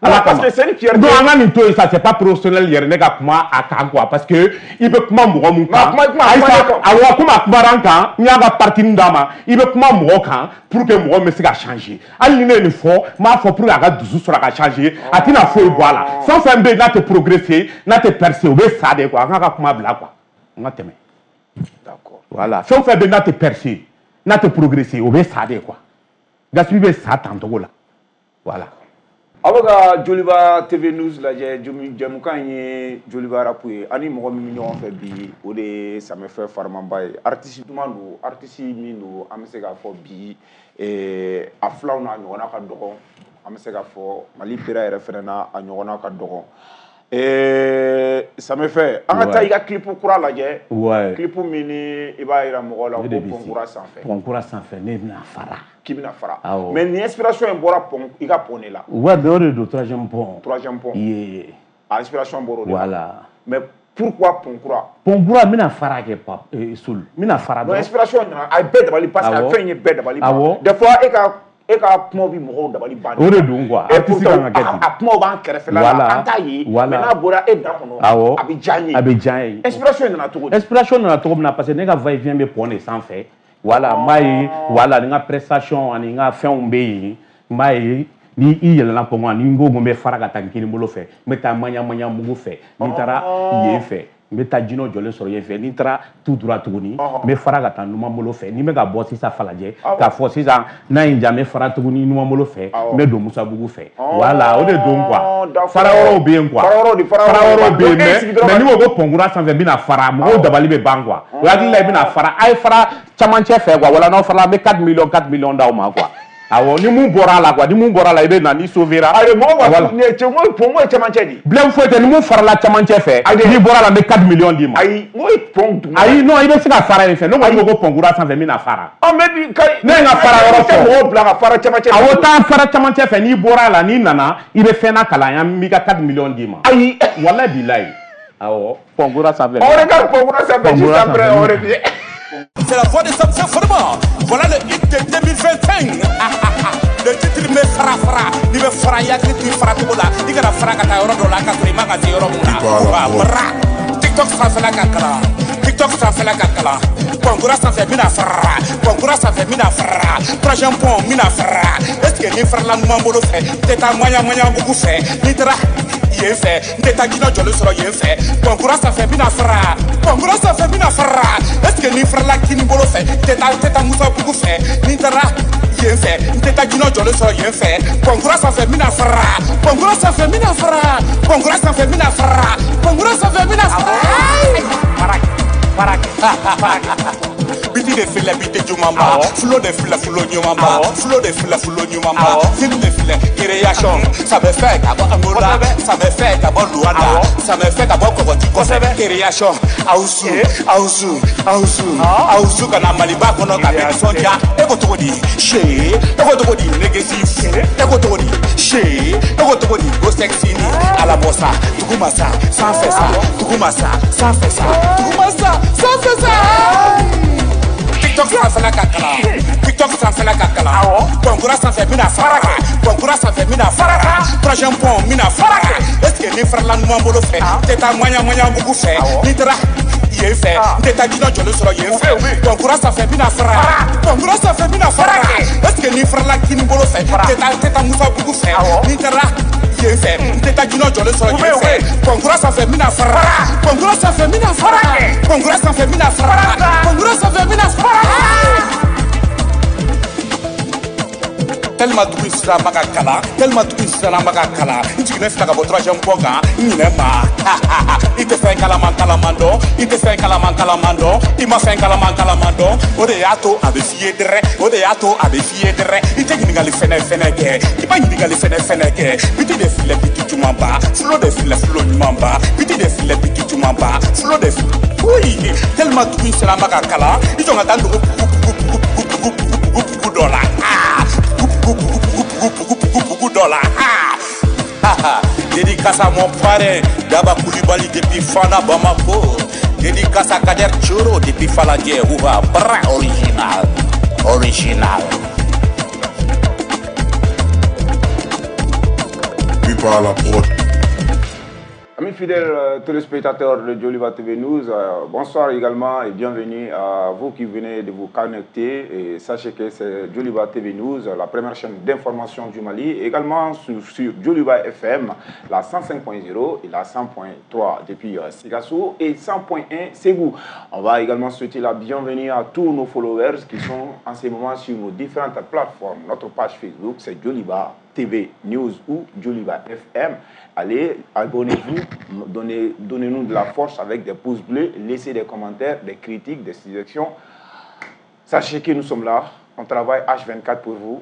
Parce que c'est une fierté. Non, an ka nin to yen sa, c'est pas professionnel yɛrɛ ne ka kuma a kan quoi, parce que i bɛ kuma mɔgɔ mun kan. Awɔ, komi a kumara n kan, n y'a ka partie d'a ma, i bɛ kuma mɔgɔ kan pour que mɔgɔ min bɛ se ka changer. Hali ni ne ye nin fɔ, n b'a fɔ pour que a ka dusu sɔrɔ a ka changer, a tɛna foyi bɔ a la. Fɛn o fɛn bɛ yen n'a tɛ progresser, n'a tɛ percer, o bɛ sa de quoi. An k'a ka kuma bila quoi. An ka tɛmɛ. D'accord. Voilà. Fɛn o fɛn bɛ yen n'a tɛ percer, n'a tɛ progresser, o bɛ sa de quoi. Gaspi bɛ sa tan cogo la. Voilà. Aw bɛ ka Joliba TV News lajɛ, jɛmukan in ye Joliba rap ye. Ani mɔgɔ min bɛ ɲɔgɔn fɛ bi, o de ye Samɛfɛ Farimanba ye. Artiste duman don, artiste min don, an bɛ se k'a fɔ bi a filaw n'a ɲɔgɔnna ka dɔgɔn. An bɛ se k'a fɔ Mali pera yɛrɛ fɛnɛ na a ɲɔgɔnna ka dɔgɔn. Samɛfɛ, an ka taa i ka clip kura lajɛ. Clip min ni i b'a yira mɔgɔw la ko pont kura sanfɛ. Pont kura sanfɛ, ne bɛna fara. K'i bɛna fara. Mais nin inspiration in bɔra pont, i ka pont de la. Ouais, mais o de don, troisième pont. Troisième pont. Yeah. A inspiration bɔra o de la. Voilà. Mais pourquoi pont kura? Pont kura, n bɛna fara kɛ pap Soul. N bɛna fara dɔrɔn. Non, inspiration nana, a ye bɛɛ dabali parce que a fɛn ye bɛɛ dabali ban. Des fois e ka kumaw bɛ mɔgɔw dabali ban. O de don quoi. Artiste kan ka kɛ ten. A kumaw b'an kɛrɛfɛla la, an t'a ye. Mais n'a bɔra e da kɔnɔ, a bɛ diya n ye. A bɛ diya n ye. Inspiration nana cogo di? Inspiration nana cogo min na, parce que ne ka va-et-vient bɛ pont de sanfɛ. Voilà, n b'a ye, voilà, ni n ka prestation ani n ka fɛnw bɛ yen, n b'a ye ni i yɛlɛnna pont kan, ni n ko n bɛ fara ka taa n kini bolo fɛ, n bɛ taa maɲa mugu fɛ, ni n taara yen fɛ, n bɛ taa jinɛw jɔlen sɔrɔ yen fɛ, ni n taara tout droit tuguni, n bɛ fara ka taa numan bolo fɛ, ni n bɛ ka bɔ sisan Falajɛ, k'a fɔ sisan n'a ye n diya, n bɛ fara tuguni numan bolo fɛ, n bɛ don Musabugu fɛ. Voilà, o de don quoi. Fara yɔrɔw bɛ yen quoi. Fara yɔrɔw bɛ yen, mais n'i ko ko pont kura sanfɛ n bɛna fara, mɔgɔw dabali bɛ ban quoi. O hakili la i bɛna fara, a ye fara camancɛ fɛ quoi, wala n'aw farala an bɛ 4 millions 4 millions d'aw ma quoi. Awɔ, ni mun bɔra a la quoi, ni mun bɔra a la i bɛ na ni sauvera. Ayi, mɔgɔw b'a fɔ cɛ, n ko pont ye camancɛ de. Bilen foyi tɛ, ni mun farala camancɛ fɛ, n'i bɔra a la n bɛ 4 millions d'i ma. Ayi, n ko ye pont duguma. Ayi, non, i bɛ se ka fara yen fɛ, ne kɔni ko ko pont kura sanfɛ n bɛna fara. Ɔ, mais bi ka ne ye n ka fara yɔrɔ fɔ. Mɔgɔw bila ka fara camancɛ fɛ. Awɔ, taa fara camancɛ fɛ, n'i bɔra a la, n'i nana, i bɛ fɛn nakalan yan, n b'i ka 4 millions d'i ma. Ayi, walayi bilayi. Awɔ, pont kura sanfɛ. On regarde pont kura sanfɛ juste après on revient. C'est la voix de Samson Forman. Voilà le hit de 2025. Le titre me fara fara. Ni me fara yakri ti fara togo la. I kana fara ka taa yɔrɔ dɔ la ka sɔrɔ i ma ka se yɔrɔ mun na. Wa TikTok sanfɛla ka kalan. TikTok sanfɛla ka kalan. Pont kura sanfɛ n bɛna fara. Pont kura sanfɛ n bɛna fara. Troisième pont n bɛna fara. Est-ce que ni farala numan bolo fɛ, n tɛ taa maɲa mugu fɛ. N'i taara yen fɛ, n tɛ taa jinɛ jɔlen sɔrɔ yen fɛ. Pont kura sanfɛ n bɛna fara. Pont kura sanfɛ n bɛna fara. Est-ce que ni farala kini bolo fɛ, n tɛ taa Musabugu fɛ. N'i taara yen fɛ, n tɛ taa jinɛ jɔlen sɔrɔ yen fɛ. Pont kura sanfɛ n bɛna fara. Pont kura sanfɛ n bɛna fara. Pont kura sanfɛ n bɛna fara. Pont kura sanfɛ n bɛna fara. Fara fara. Biti de filɛ biti jumanba, fulo de filɛ fulo ɲumanba, fulo de filɛ fulo ɲumanba, film de filɛ création, ça me fait ka bɔ Angola, ça me fait ka bɔ Luanda, ça me fait ka bɔ Kɔgɔji kɔfɛ, création, Awusu, Awusu, Awusu, Awusu ka na Maliba kɔnɔ ka bɛɛ nisɔndiya, e ko cogo di, see, e ko cogo di, negesi, e ko cogo di, see, e ko cogo di, go sexy ni, alabɔ sa, duguma sa, sanfɛ sa, duguma sa, sanfɛ sa, duguma sa, sanfɛ sa. TikTok sanfɛla ka kalan. TikTok sanfɛla ka kalan. Pont kura sanfɛ n bɛna fara. Pont kura sanfɛ n bɛna fara. Troisième pont n bɛna fara. Est-ce que ni farala numan bolo fɛ, n tɛ taa maɲa mugu fɛ. N'i taara yen fɛ, n tɛ taa jinɛ jɔlen sɔrɔ yen fɛ. Pont kura sanfɛ n bɛna fara. Pont kura sanfɛ n bɛna fara. Est-ce que ni farala kini bolo fɛ, n tɛ taa Musabugu fɛ. N'i taara yen fɛ, n tɛ taa jinɛ jɔlen sɔrɔ yen fɛ. Pont kura sanfɛ n bɛna fara. Pont kura sanfɛ n bɛna fara. Pont kura sanfɛ n bɛna fara. Pont kura sanfɛ n bɛna fara. Tellement dugu sisan ma ka kalan, tellement dugu sisan ma ka kalan. N jiginnen filɛ ka bɔ troisième pont kan, n ɲinɛ ma. I tɛ fɛn kalaman kalaman dɔn, i tɛ fɛn kalaman kalaman dɔn, i ma fɛn kalaman kalaman dɔn. O de y'a to a bɛ f'i ye dɛrɛ, o de y'a to a bɛ f'i ye dɛrɛ. I tɛ ɲininkali fɛnɛ fɛnɛ kɛ, i ma ɲininkali fɛnɛ fɛnɛ kɛ. Biti de filɛ biti jumanba, fulo de filɛ fulo ɲumanba, biti de filɛ biti jumanba, fulo de filɛ. Oui, tellement dugu sisan ma ka kalan, i jɔn ka taa n dogo bugu bugu bugu bugu bugu bugu dɔ la. Bugu dɔ la. Dédicace à mon parrain Daba Koulibaly depuis Fana Bamako. Dédicace à Kader Choro depuis Faladié. Ouva bra original. Original. Pas à la prod. Amis fidèles téléspectateurs de Djoliba TV News, bonsoir également et bienvenue à vous qui venez de vous connecter. Et sachez que c'est Djoliba TV News, la première chaîne d'information du Mali, également sur Djoliba FM, la 105.0 et la 100.3 depuis Sikasso et 100.1 Ségou. On va également souhaiter la bienvenue à tous nos followers qui sont en ce moment sur nos différentes plateformes. Notre page Facebook, c'est Djoliba TV News ou Djoliba FM. Allez, abonnez-vous, donnez-nous de la force avec des pouces bleus, laissez des commentaires, des critiques, des suggestions. Sachez que nous sommes là, on travaille H24 pour vous,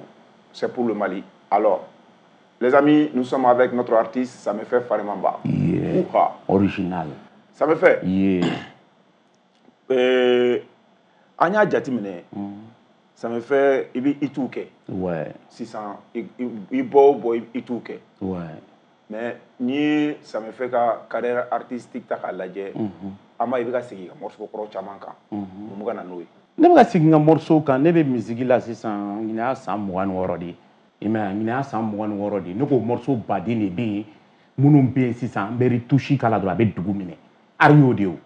c'est pour le Mali. Alors, les amis, nous sommes avec notre artiste, ça me fait Farimamba. Yeah. Original. Ça me fait. Yeah. Anya Jatimine, ça me fait Itouke. Ouais. 600, Ibo, Itouke. Ouais. Mais ni ça me fait ka carrière artistique ta ka lajɛ ama i bɛ ka segin ka morceau kɔrɔ caman kan mun bɛ ka na n'o ye? Ne bɛ ka segin ka morceau kan, ne bɛ musique la sisan ɲinɛ y'a san 26 de ye. I m'a ye, ɲinɛ y'a san 26 de ye. Ne ko morceau baden de bɛ yen minnu bɛ yen sisan n bɛ retouche k'a la dɔrɔn a bɛ dugu minɛ. Art y'o de ye o.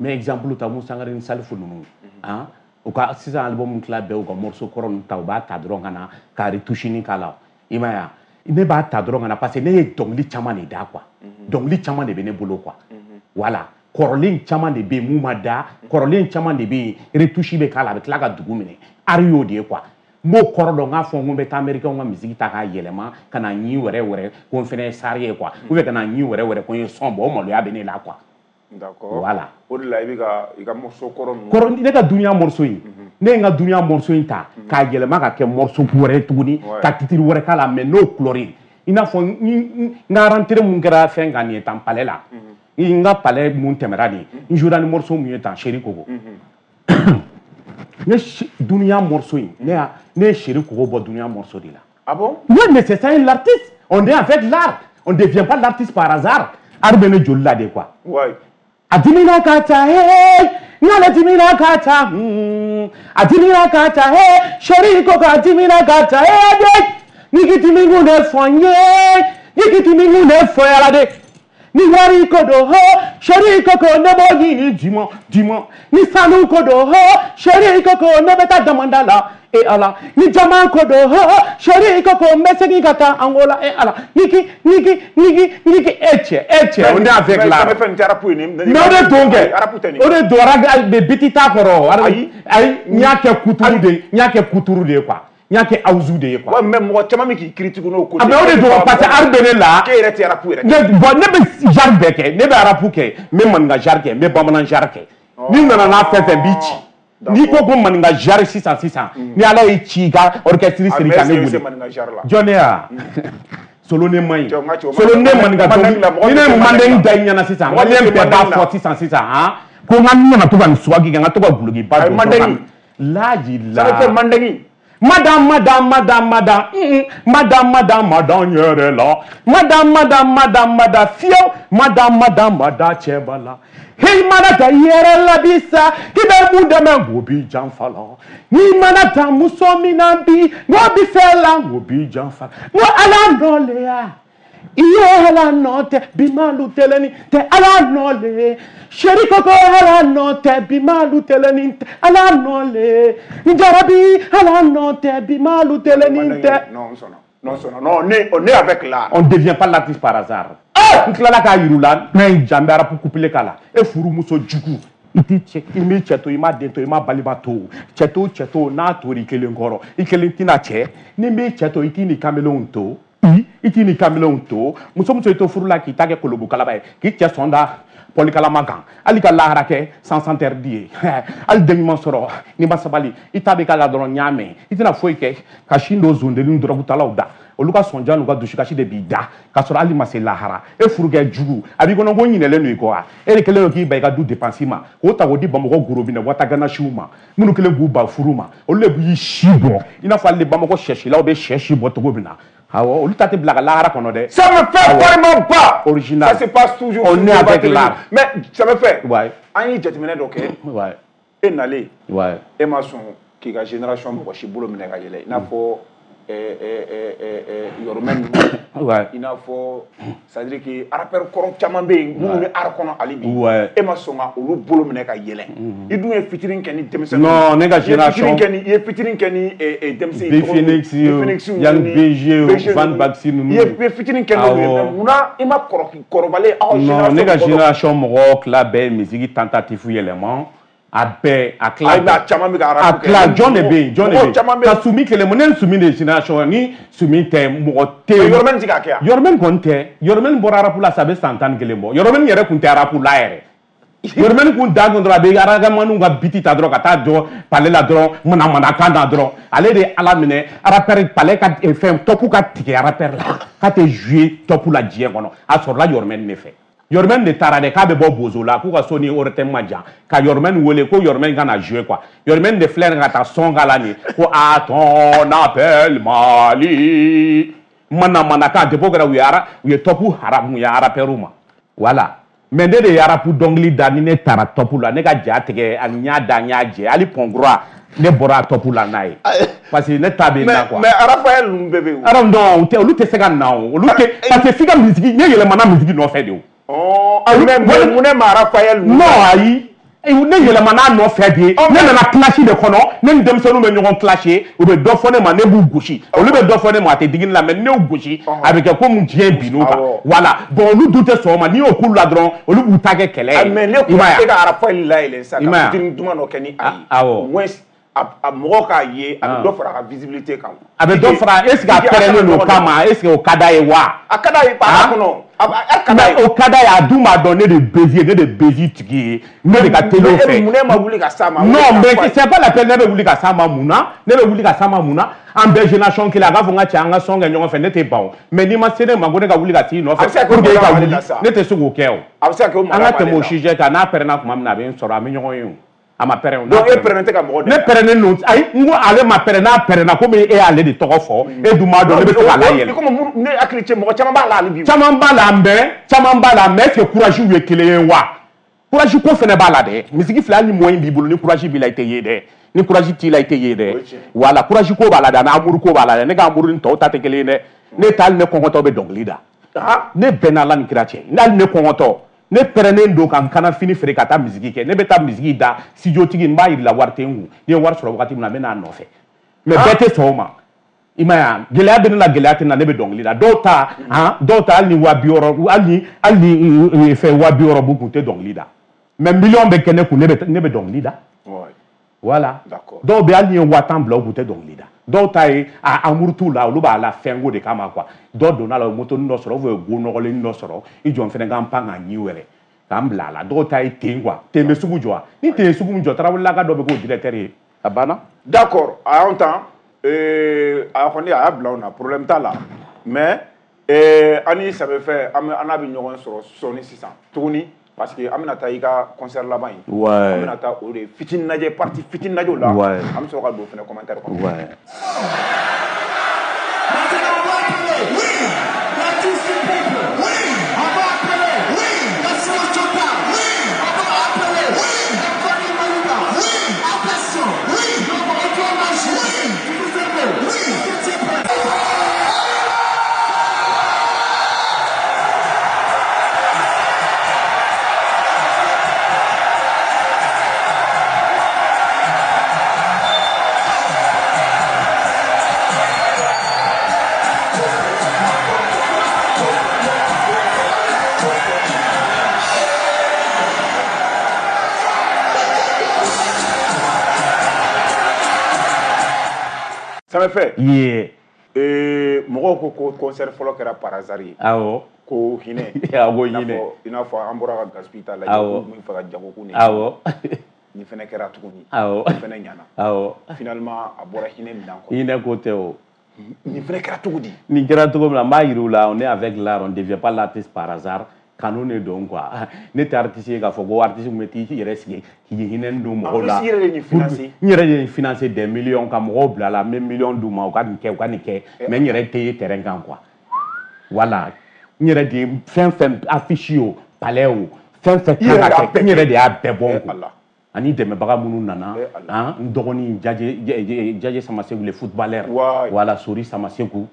N bɛ exemple ta Musa Sangare ni Salifu ninnu han, u ka sisan album tila bɛɛ u ka morceau kɔrɔ ninnu ta u b'a ta dɔrɔn ka na ka retouche ni k'a la. I m'a ye wa? Ne b'a ta dɔrɔn ka na parce que ne ye dɔnkili caman de da quoi. Dɔnkili caman de bɛ ne bolo quoi. Voilà, kɔrɔlen caman de bɛ yen mun ma da, kɔrɔlen caman de bɛ yen retouche bɛ k'a la a bɛ tila ka dugu minɛ. Art y'o de ye quoi. N b'o kɔrɔ dɔn n k'a fɔ n ko n bɛ taa américain ka musique ta k'a yɛlɛma ka na ɲi wɛrɛ wɛrɛ ko n fɛnɛ ye star ye quoi. Ou bien ka na ɲi wɛrɛ wɛrɛ ko n ye son bɔ, o maloya bɛ ne la quoi. D'accord. Voilà. O de la i bɛ ka i ka morceau kɔrɔ ninnu. Kɔrɔ ne ka dunuya morceau in. Ne ye n ka dunuya morceau in ta k'a yɛlɛma ka kɛ morceau wɛrɛ tuguni ka titre wɛrɛ k'a la mais n'o couleur ye. I n'a fɔ n ka rentrée mun kɛra fɛn kan nin ye tan palais la. N ka palais mun tɛmɛra nin ye. N jouera ni morceau mun ye tan Chéri Koko. Ne dunuya morceau in ne ye Chéri Koko bɔ dunuya morceau de la. Ah bon? Oui, mais c'est ça l'artiste. On est avec l'art. On ne devient pas l'artiste par hasard. Art bɛ ne joli la de quoi. Ouais. Adimina kata hey, ngala dimina kata, adimina kata hey, Chéri Koko adimina kata hey, de, nigiti mingu ne fonye, nigiti mingu ne foyala de, ni wari kodo ho, Chéri Koko ne bogi ni dimo dimo, ni sanu kodo ho, Chéri Koko ne beta demanda la, e ala, ni jama kodo ho, Chéri Koko mesegi kata Angola e ala, niki niki niki niki eche eche, on est avec la. Mais o de don kɛ, o de don mais biti t'a kɔrɔ, ayi n y'a kɛ kuturu de ye, n y'a kɛ kuturu de ye quoi, n y'a kɛ awuzu de ye quoi. Ouais, mais mɔgɔ caman bɛ k'i critique n'o côté. Ah mais o de don parce que art bɛ ne la. K'e yɛrɛ tɛ rap yɛrɛ kɛ. Ne bon ne bɛ genre bɛɛ kɛ, ne bɛ rap kɛ, n bɛ maninka genre kɛ, n bɛ bamanan genre kɛ. N'i nana n'a fɛn fɛn b'i ci. N'i ko ko maninka genre sisan sisan, ni Ala y'i ci i ka orchestre siri ka ne wele. Jɔn ne ya? Solo ne man ɲi. Solo ne maninka dɔnkili, ni ne ye mandeng da i ɲɛna sisan, maliyɛn bɛɛ b'a fɔ sisan sisan han, ko n ka nana to ka nin suwagi kɛ, n ka to ka gulokiba don. Mandeng. Laji la. Ça veut dire mandeng. Madame, madame, madame, madame, madame, madame, madame yɛrɛ la, madame, madame, madame, madame fiyewu, madame, madame, madame cɛba la. Hey, mana taa yɛrɛ la bi sa, k'i bɛ mun dɛmɛ k'o b'i janfa la. N'i mana taa muso min na bi, n'o bi fɛ la, k'o b'i janfa la. N ko Ala nɔ le ya, i ye Ala nɔ tɛ, bi malu tɛlɛni tɛ Ala nɔ le. Chéri Koko Ala nɔ tɛ, bi malu tɛlɛni tɛ Ala nɔ le. N jarabi Ala nɔ tɛ, bi malu tɛlɛni tɛ. Non, non, non, on est avec l'art. On ne devient pas l'artiste par hasard. N tilala k'a yir'u la, n'a ye jan bɛ rap couplé k'a la. E furumuso jugu, i t'i cɛ, i m'i cɛ to, i m'a den to, i m'a balima to. Cɛ to, cɛ to, n'a tor'i kelen kɔrɔ, i kelen tɛna cɛ. Ni m'i cɛ to, i t'i ni kamelenw to. I t'i ni kamelenw to. Muso muso i to furu la k'i ta kɛ kolobokalaba ye, k'i cɛ sɔn da pɔlikalama kan, hali ka lahara kɛ sans interdit ye. Hali den ɲuman sɔrɔ n'i ma sabali, i ta bɛ k'a la dɔrɔn n y'a mɛn. I tɛna foyi kɛ ka sin don zondennin dɔrɔgutalaw da. Olu ka sɔnja n'u ka dusukasi de b'i da k'a sɔrɔ hali ma se lahara. E furukɛ jugu, a b'i kɔnɔ ko n ɲinɛlen don i kɔ wa? E de kɛlen don k'i ban i ka du dépense ma, k'o ta k'o di Bamakɔ gorobinɛ wataganasiw ma, minnu kɛlen k'u ban furu ma, olu de b'i si bɔ i n'a fɔ hali Bamakɔ sɛsilaw bɛ sɛ si bɔ cogo min na. Awɔ, olu ta tɛ bila ka lahara kɔnɔ dɛ. Ça me fait vraiment pas. Original. Ça se passe toujours. On est avec l'art. Mais ça me fait. Ouais. An ye jateminɛ dɔ kɛ. Ouais. E nalen. Ouais. E ma sɔn k'i ka génération mɔgɔ si bolo minɛ ka yɛlɛ i n'a fɔ Yɔrɔmɛ ninnu, i n'a fɔ c'est à dire que rappeur kɔrɔ caman bɛ yen minnu bɛ art kɔnɔ hali bi, e ma sɔn ka olu bolo minɛ ka yɛlɛ. I dun ye featuring kɛ ni denmisɛnninw. Non, ne ka génération. I ye featuring kɛ ni denmisɛnnin. B Phoenix, Young BG, Van Baxi ninnu. I ye featuring kɛ n'olu ye, mais munna i ma kɔrɔbalen aw génération? Non, ne ka génération mɔgɔw tila bɛɛ ye musique tentative yɛlɛma. A bɛɛ a tila bɛɛ a caman bɛ ka rap kɛ. A tila jɔn de bɛ yen, jɔn de bɛ yen ka Sumi kelen mun, ne ni Sumi de génération, ni Sumi tɛ mɔgɔ tɛ yen. Yɔrɔmɛni tɛ k'a kɛ yan. Yɔrɔmɛni kɔni tɛ, Yɔrɔmɛni bɔra rap la sa a bɛ san 11 bɔ. Yɔrɔmɛni yɛrɛ kun tɛ rap la yɛrɛ. Yɔrɔmɛni kun da kun dɔrɔn a bɛ aragamaniw ka biti ta dɔrɔn ka taa jɔ palais la dɔrɔn manamanakan na dɔrɔn. Ale de ye Ala minɛ rappeur palais ka fɛn top ka tigɛ rappeur la k'a tɛ jouer top la diɲɛ kɔnɔ, a sɔrɔla Yɔrɔmɛni de fɛ. Yɔrɔmɛni de taara dɛ k'a bɛ bɔ Bozo la k'u ka so ni ORTM ma jan ka Yɔrɔmɛni wele ko Yɔrɔmɛni ka na jouer quoi. Yɔrɔmɛni de filɛ ka taa son k'a la nin ko à ton appel Mali manamanakan depuis o kɛra u ye top haramuya rappeur ma. Voilà, mais ne de ye rap dɔnkili da ni ne taara top la ne ka ja tigɛ ani n y'a da n y'a jɛ hali pɔnkura ne bɔra top la n'a ye parce que ne ta bɛ na quoi. Mais Raphaël ninnu bɛɛ bɛ yen. Alors non, olu tɛ se ka na o, olu tɛ parce que f'i ka musique ne yɛlɛmana musique nɔfɛ de o. Oh, mais mun ma Raphaël? Non, ayi, ne yɛlɛmana a nɔfɛ de, ne nana clash de kɔnɔ, ne ni denmisɛnninw bɛ ɲɔgɔn clasher, u bɛ dɔ fɔ ne ma ne b'u gosi, olu bɛ dɔ fɔ ne ma a tɛ digi ne la, mais ne y'u gosi a bɛ kɛ komi diɲɛ binn'u kan. Voilà, bon olu dun tɛ sɔn o ma, n'i y'o k'olu la dɔrɔn olu b'u ta kɛ kɛlɛ ye. Mais ne kun e ka Raphaël layɛlɛn sisan ka fitinin duman dɔ kɛ ni a ye. Awɔ. Au moins a mɔgɔw k'a ye a bɛ dɔ fara a ka visibilité kan. A bɛ dɔ fara, est ce que a pɛrɛnnen don o kama, est ce que o ka d'a ye wa? A ka d'a ye a kɔnɔ. Mais o ka d'a ye, a dun b'a dɔn ne de Bezi ye, ne de Bezi tigi ye, ne de ka teli o fɛ. Mun ne ma wuli ka s'a ma? Non, mais c'est pas la peine ne bɛ wuli ka s'a ma mun na? Ne bɛ wuli ka s'a ma mun na? An bɛɛ génération kelen, a k'a fɔ n ka cɛ an ka son kɛ ɲɔgɔn fɛ, ne tɛ ban o. Mais n'i ma se ne ma ko ne ka wuli ka t'i nɔfɛ pour que e ka wuli, ne tɛ se k'o kɛ o. A bɛ se ka kɛ o An ka tɛmɛ o sujet kan, n'a pɛrɛnna tuma min na a bɛ n sɔrɔ, an bɛ ɲɔgɔn ye o. A ma pɛrɛn o. Donc e pɛrɛnnen tɛ ka mɔgɔ dɛmɛ? Ne pɛrɛnnen don, ayi, n ko ale ma pɛrɛn, n'a pɛrɛnna komi e y'ale de tɔgɔ fɔ, e dun b'a dɔn ne bɛ se k'a layɛlɛ. Komi ne hakili cɛ mɔgɔ caman b'a la hali bi. Caman b'a la mais caman b'a la mais est-ce que courage ye kelen ye wa? Courage ko fɛnɛ b'a la dɛ. Misigi filɛ hali ni moyen b'i bolo ni courage b'i la i tɛ ye dɛ. Ni courage t'i la i tɛ ye dɛ. Voilà, courage ko b'a la dɛ, ani amour ko b'a la dɛ. Ne ka amour ni tɔw ta tɛ kelen ye dɛ. Ne ta hali ne kɔngɔtɔ bɛ dɔnkili da. Ne bɛnna Ala ni kira cɛ. Hali ne kɔngɔtɔ. Ne pɛrɛnnen don ka n kana fini feere ka taa misigi kɛ, ne bɛ taa misigi da studio tigi n b'a yir'i la wari tɛ n kun, ni ye wari sɔrɔ wagati min na n bɛ n'a nɔfɛ, mais bɛɛ tɛ sɔn o ma. I m'a ye wa, gɛlɛya bɛ ne la, gɛlɛya tɛ ne la, ne bɛ dɔnkili da. Dɔw ta han, dɔw ta hali ni 60 000, hali ni fɛn 60 000 b'u kun u tɛ dɔnkili da, mais miliyɔn bɛ kɛ ne kun, ne bɛ dɔnkili da. Voilà, dɔw bɛ hali ni ye 10 000 bila u kun u tɛ dɔnkili da. Dɔw ta ye a amour t'u la, olu b'a la fɛnko de kama quoi. Dɔ donna la o ye motonin dɔ sɔrɔ ou bien o ye go nɔgɔlennin dɔ sɔrɔ, i jɔ n fɛnɛ ka n pan ka ɲi wɛrɛ k'an bila a la. Dɔw ta ye ten quoi, ten bɛ sugu jɔ wa? Ni ten ye sugu min jɔ, Tarawelelaka dɔ bɛ k'o directeur ye, a banna. D'accord, a y'anw tan, a kɔni a y'a bila anw na, problème t'a la, mais an ni Samefɛ an n'a bɛ ɲɔgɔn sɔrɔ sɔɔni sisan tuguni. Parce que an bɛna taa i ka concert laban in. Ouais. An bɛna taa o de fitinin lajɛ, partie fitinin lajɛ o la. Ouais. An bɛ sɔrɔ ka don fɛnɛ commentaire kɔnɔ. Ouais. Maintenant, on va appeler, oui, l'artiste du peuple, oui, on va appeler, oui, la science totale, oui, on va appeler, oui, la famille Malouda, oui, attention, oui, l'homme magique, oui, vous aimez, oui, c'est prêt. Samefɛ. Yeah. Mɔgɔw ko concert fɔlɔ kɛra par hasard ye. Awɔ. Ko hinɛ. Awɔ, hinɛ. I n'a fɔ an bɔra ka Gaspi ta lajɛ. Awɔ. Ko min fɛ ka jago kun de. Awɔ. Nin fɛnɛ kɛra tuguni. Awɔ. Nin fɛnɛ ɲana. Awɔ. Finalement a bɔra hinɛ minɛn kɔnɔ. Hinɛ ko tɛ o. Nin fɛnɛ kɛra cogo di? Nin kɛra cogo min na, n b'a yir'u la, on est avec l'art, on devient pas l'artiste par hasard. Kanu de don quoi. Ne tɛ artiste ye k'a fɔ ko artiste min bɛ t'i yɛrɛ sigi k'i hinɛ don mɔgɔw la. En plus i yɛrɛ de nin financer. N yɛrɛ de nin financer des millions ka mɔgɔw bila la, n bɛ millions d'u ma u ka nin kɛ u ka nin kɛ, mais n yɛrɛ tɛ ye terrain kan quoi. Voilà, n yɛrɛ de ye fɛn fɛn affiche o, palais o, fɛn fɛn kan ka kɛ, n yɛrɛ de y'a bɛɛ bɔ n kun. Ani dɛmɛbaga minnu nana, n dɔgɔnin Jaje Samaseku, le footballeur, voilà, Sori Samaseku,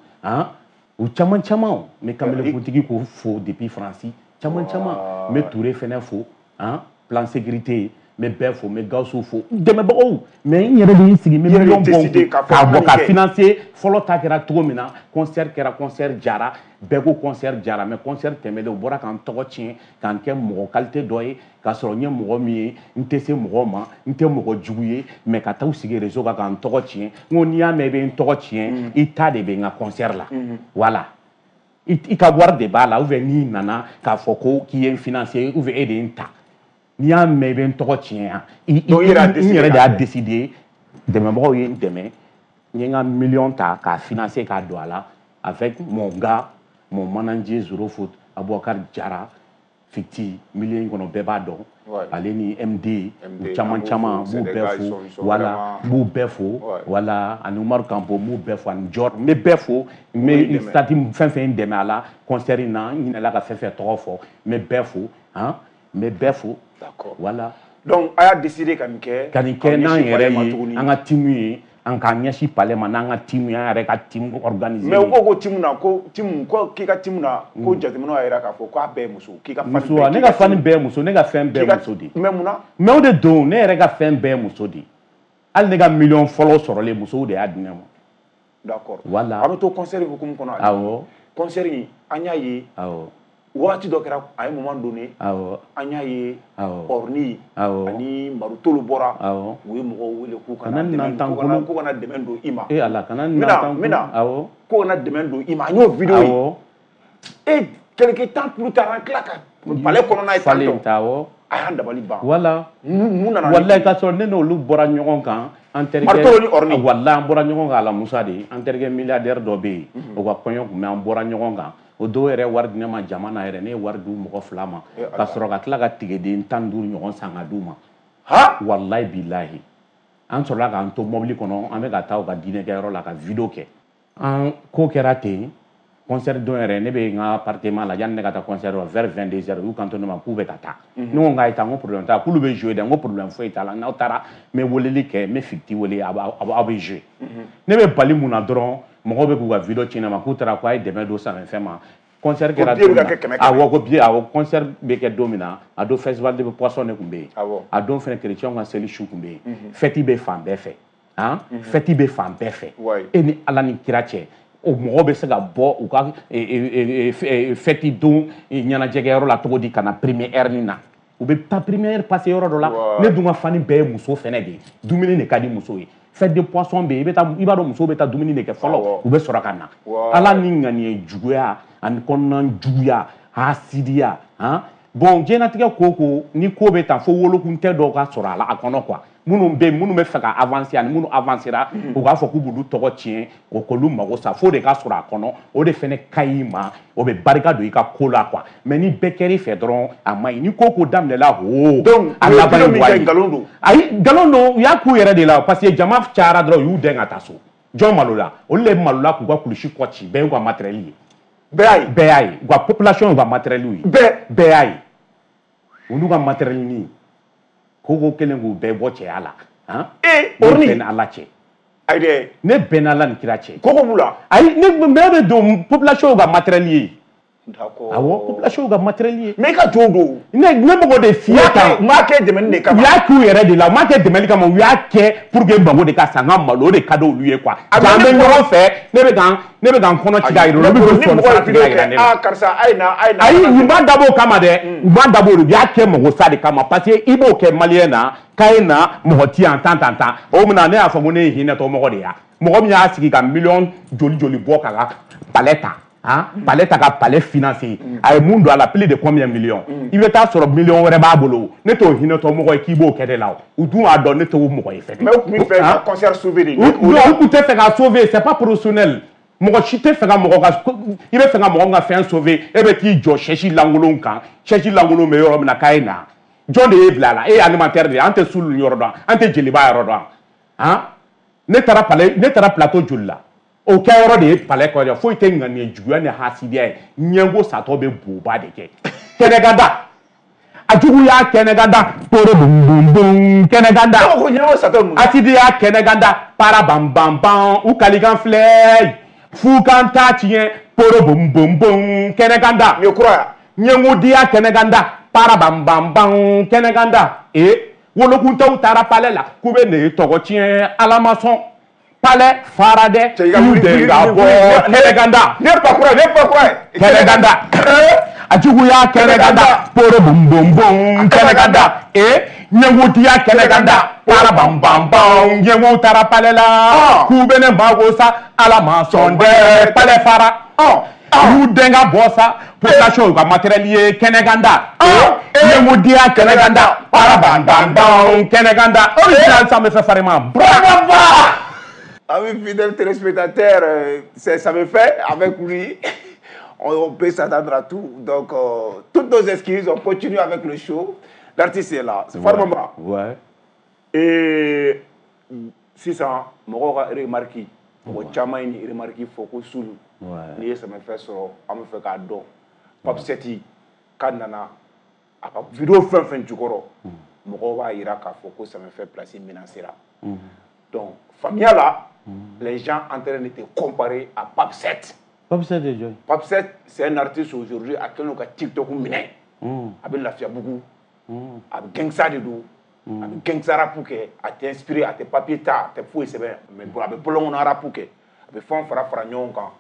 u caman caman. N bɛ kamelekuntigi k'o fo depuis Faransi, caman caman. N bɛ Touré fɛnɛ fo, plan sécurité, n bɛ bɛɛ fo, n bɛ Gawusu fo, dɛmɛbagaw. Mais n yɛrɛ de ye n sigi, n bɛ miliyɔn bɔ k'a bɔ ka financer. Fɔlɔ ta kɛra cogo min na, concert kɛra, concert jara, bɛɛ ko concert jara. Mais concert tɛmɛlen, u bɔra k'an tɔgɔ tiɲɛ, k'an kɛ mɔgɔ qualité dɔ ye, k'a sɔrɔ n ye mɔgɔ min ye, n tɛ se mɔgɔ ma, n tɛ mɔgɔ jugu ye, mais ka taa u sigi réseau kan k'an tɔgɔ tiɲɛ. N ko n'i y'a mɛn i bɛ n tɔgɔ tiɲɛ, i ta de bɛ n ka concert la, voilà, i ka wari de b'a la, ou bien n'i nana k'a fɔ ko k'i ye n financer, ou bien e de ye n ta. N'i y'a mɛn i bɛ n tɔgɔ tiɲɛ yan, n yɛrɛ de y'a décidé. Dɛmɛbagaw ye n dɛmɛ, n ye n ka miliyɔn ta k'a financer k'a don a la avec mon gars, mon manager Zoro Foot, Aboubacar Jara Fiti, milieu in kɔnɔ bɛɛ b'a dɔn, ale ni MD, u caman caman, n b'u bɛɛ fo, voilà, n b'u bɛɛ fo, voilà, ani Umaru Kanpo, n b'u bɛɛ fo, ani Jɔr, n bɛ bɛɛ fo. N bɛ stade fɛn fɛn n dɛmɛ a la concert in na, n ɲinɛla ka fɛn fɛn tɔgɔ fɔ, n bɛ bɛɛ fo, n bɛ bɛɛ fo. D'accord. Voilà. Donc a y'a décidé ka nin kɛ. Ka nin kɛ n'an yɛrɛ ye, an ka team ye, an k'an ɲɛsin palais ma n'an ka team ye, an yɛrɛ ka team organisé. Mais u ko team na, ko team ko k'i ka team na, ko jateminɛw y'a jira k'a fɔ k'a bɛɛ ye muso, k'i ka fan bɛɛ. Muso, ne ka fan bɛɛ ye muso, ne ka fɛn bɛɛ ye muso de ye. Mais mun na? Mais o de don, ne yɛrɛ ka fɛn bɛɛ ye muso de ye. Hali ne ka miliyɔn fɔlɔ sɔrɔlen, musow de y'a di ne ma. D'accord. Voilà. An bɛ to concert hukumu kɔnɔ. Awɔ. Concert in, an y'a ye. Awɔ. Waati dɔ kɛra, a ye moment donné, an y'a ye Orni ani Marutolu bɔra, u ye mɔgɔw wele k'u kana dɛmɛ, k'u kana dɛmɛ don i ma. E Ala, kana nan tan, k'u kana dɛmɛ don i ma, an y'o vidéo ye. Et quelque temps plus tard, an tila ka palais kɔnɔna ye tantɔ, a y'an dabali ban. Voilà. Mun nana? Walayi, k'a sɔrɔ ne n'olu bɔra ɲɔgɔn kan, an terikɛ Marutolu ni Orni. Walayi, an bɔra ɲɔgɔn kan Alamusa de, an terikɛ milliardaire dɔ bɛ yen, o ka kɔɲɔ tun bɛ, an bɔra ɲɔgɔn kan. O dɔw yɛrɛ wari di ne ma jama na yɛrɛ, ne ye wari d'u mɔgɔ 2 ma, ka sɔrɔ ka tila ka tigɛden 15 ɲɔgɔn san ka d'u ma. Walayi bilahi, an sɔrɔla k'an to mobili kɔnɔ, an bɛ ka taa u ka diinɛkɛyɔrɔ la ka vidéo kɛ. An ko kɛra ten, concert don yɛrɛ, ne bɛ n ka appartement la, yanni ne ka taa concert la vers 22 heures, u y'u kanto ne ma k'u bɛ ka taa. Ne ko n k'a ye taa, n ko problème t'a la, k'olu bɛ jouer dɛ, n ko problème foyi t'a la, n'aw taara n bɛ weleli kɛ, n bɛ Fiti wele, aw bɛ jouer. Ne bɛ bali mun na dɔrɔn, mɔgɔw bɛ k'u ka vidéo ci ne ma k'u taara k'a ye dɛmɛ don Samefɛn ma. Concert kɛra don min na, awɔ, ko billet, awɔ, concert bɛ kɛ don min na, a don festival de poisson de tun bɛ yen, a don fɛnɛ chrétien ka seli su tun bɛ yen, fête bɛ fan bɛɛ fɛ, fête bɛ fan bɛɛ fɛ. E ni Ala ni kira cɛ, o mɔgɔw bɛ se ka bɔ u ka fête don ɲɛnajɛkɛyɔrɔ la cogo di ka na première nin na? U bɛ taa première passer yɔrɔ dɔ la. Ne dun ka fani bɛɛ ye muso fɛnɛ de ye, dumuni de ka di muso ye. Fête de poisson bɛ yen, i bɛ taa, i b'a dɔn musow bɛ taa dumuni de kɛ fɔlɔ, u bɛ sɔrɔ ka na. Ala ni ŋaniya juguya ani kɔnɔna juguya, hasidiya, bon, diɲɛlatigɛ ko ni ko bɛ tan, fo wolokun tɛ dɔw ka sɔrɔ a la a kɔnɔ quoi. Minnu bɛ yen, minnu bɛ fɛ ka avancer ani minnu avancera, u k'a fɔ k'u b'olu tɔgɔ tiɲɛ, o k'olu mago sa, fo de ka sɔrɔ a kɔnɔ, o de fɛnɛ ka ɲi ma, o bɛ barika don i ka ko la quoi. Mais ni bɛɛ kɛr'i fɛ dɔrɔn, a man ɲi. Ni ko daminɛla, o donc a laban ye wa ye. Nkalon don. Ayi, nkalon don, u y'a k'u yɛrɛ de la, parce que jama cayara dɔrɔn, u y'u dɛn ka taa so. Jɔn malola? Olu de malola k'u ka kulusi kɔ ci, bɛɛ y'u ka matériel ye. Bɛɛ y'a ye. Bɛɛ y'a ye. U ka population y'u ka matériel ye. Bɛɛ y'a ye. Olu ka matériel ni ko kelen k'u bɛɛ bɔ cɛya la. Ee, Orni. Ne bɛn Ala cɛ. Ayi dɛ. Ne bɛn Ala ni kira cɛ. Koko b'u la. Ayi, ne bɛɛ bɛ don population y'u ka matériel ye. D'accord. Awɔ, population y'u ka matériel ye. Mais i ka jɔnw don. Ne mɔgɔ de f'i ye tan. U m'a kɛ dɛmɛni de kama. U y'a k'u yɛrɛ de la, u m'a kɛ dɛmɛni kama, u y'a kɛ pour que mago de ka sa, n ka malo, o de ka di olu ye quoi. An bɛ ɲɔgɔn fɛ, ne bɛ ka n kɔnɔ ci k'a yira, olu bɛ k'u sɔn sara tigɛ yira ne la. Aa karisa, a ye na, a ye na. Ayi, u m'a dabɔ o kama dɛ, u m'a dabɔ o de, u y'a kɛ mago sa de kama, parce que i b'o kɛ maliyɛn na, k'a ye na mɔgɔ ti yan tan tan tan. O mun na ne y'a fɔ ko ne ye hinɛtɔ mɔgɔ de ye, mɔgɔ min y'a sigi ka miliyɔn joli joli bɔ k'a ka palais ta. Palais ta ka palais financer, a ye mun don a la, plus de combien millions, i bɛ taa sɔrɔ miliyɔn wɛrɛ b'a bolo. Ne t'o hinɛtɔ mɔgɔ ye k'i b'o kɛ ne la, u dun b'a dɔn ne t'o mɔgɔ ye fɛnɛ. Mais u tun bɛ fɛ ka concert sauver de. U tun tɛ fɛ ka sauver, c'est pas professionnel. Mɔgɔ si tɛ fɛ ka mɔgɔ ka, i bɛ fɛ ka mɔgɔ min ka fɛn sauver, e bɛ t'i jɔ chaise lankolon kan, chaise lankolon bɛ yɔrɔ min na k'a ye na. Jɔn de y'e bila a la? E ye alimentaire de ye, an tɛ sulu yɔrɔ dɔn, an tɛ jeliba yɔrɔ dɔn. Ne taara palais, ne taara plateau joli la? O kɛyɔrɔ de ye palais kɔrɔ, foyi tɛ ŋaniya juguya ni hasidiya ye. Ɲɛngo satɔ bɛ boba de kɛ. Kɛnɛkada. A juguya kɛnɛganda poro bum bum bum kɛnɛganda. Asidi y'a kɛnɛganda para bam bam bam u kalikan filɛ fukan t'a tiɲɛ poro bum bum bum kɛnɛganda. Nin ye kura ye. Ɲɛngudiya kɛnɛganda para bam bam bam kɛnɛganda. Ee wolokuntaw taara palais la k'u bɛ ne tɔgɔ tiɲɛ Ala ma sɔn. Palais fara dɛ u den ka bɔ kɛnɛganda. Ne pa kura ne pa kura ye. Kɛnɛganda. A juguya kɛnɛganda poro bum bum bum kɛnɛganda. Ee ɲɛngudiya kɛnɛganda para bam bam bam ɲɛngu taara palais la k'u bɛ ne mago sa Ala ma sɔn dɛ palais fara. U den ka bɔ sa population u ka matériel ye kɛnɛganda. Ɲɛngudiya kɛnɛganda para bam bam bam kɛnɛganda. O de san bɛ fɛ farima. Bravo. Amis fidèles téléspectateurs, ça me fait avec lui. On peut s'attendre à tout. Donc, toutes nos excuses, on continue avec le show. L'artiste est là. C'est Farmamba. Ouais. Et sisan, mɔgɔw ka remarque, mɔgɔ caman ye nin remarque fɔ ko Sulu. N'i ye Samefɛ sɔrɔ, an bɛ fɛ k'a dɔn. Pape Seti k'a nana a ka vidéo fɛn fɛn jukɔrɔ, mɔgɔw b'a yira k'a fɔ ko Samefɛ place menacera. Donc, faamuya la, les gens en train de te comparer à Pape 7. Pape 7 de jɔn? Pape 7, c'est un artiste aujourd'hui a kɛlen don ka TikTok minɛ. A bɛ Lafiyabugu. A bɛ gangsta de don. A bɛ gangsta rap kɛ. A tɛ inspiré, a tɛ papier ta, a tɛ foyi sɛbɛn. Mais a bɛ bɔlɔn rap kɛ. A bɛ fɛnw fara fara ɲɔgɔn kan.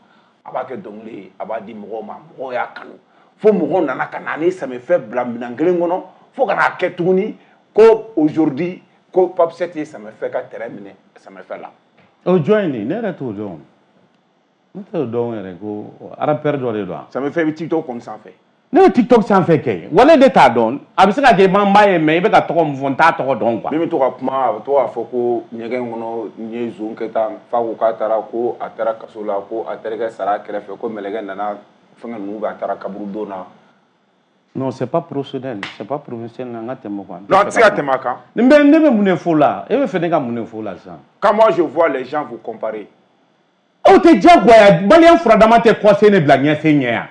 A b'a kɛ dɔnkili ye, a b'a di mɔgɔw ma. Mɔgɔw y'a kanu. Fo mɔgɔw nana ka na ni Samefɛ bila minɛn kelen kɔnɔ. Fo ka n'a kɛ tuguni ko aujourd'hui ko Pape 7 ye Samefɛ ka terrain minɛ Samefɛ la. O jɔn ye nin ye? Ne yɛrɛ t'o dɔn. Ne t'o dɔn yɛrɛ ko rappeur dɔ de don wa? Samefɛ bɛ TikTok kɔni sanfɛ. Ne bɛ TikTok sanfɛ kɛ wale de t'a dɔn. A bɛ se ka kɛ n b'a ye mais i bɛ ka tɔgɔ min fɔ n t'a tɔgɔ dɔn quoi. Min bɛ to ka kuma a bɛ to k'a fɔ ko ɲɛgɛn kɔnɔ n ye zon kɛ tan fa ko k'a taara ko a taara kaso la ko a terikɛ sara a kɛrɛfɛ ko mɛlɛkɛ nana fɛngɛ ninnu bɛ a taara kaburudon na. Non, c'est pas professionnel, c'est pas professionnel an ka tɛmɛ quoi. Non, a tɛ se ka tɛmɛ a kan. Ne bɛ mun de fɔ o la? E bɛ fɛ ne ka mun de fɔ o la sisan? Quand moi je vois les gens vous comparer. O tɛ diyagoya maliyɛn furadama tɛ kɔsen ne bila ɲɛsen ɲɛ yan.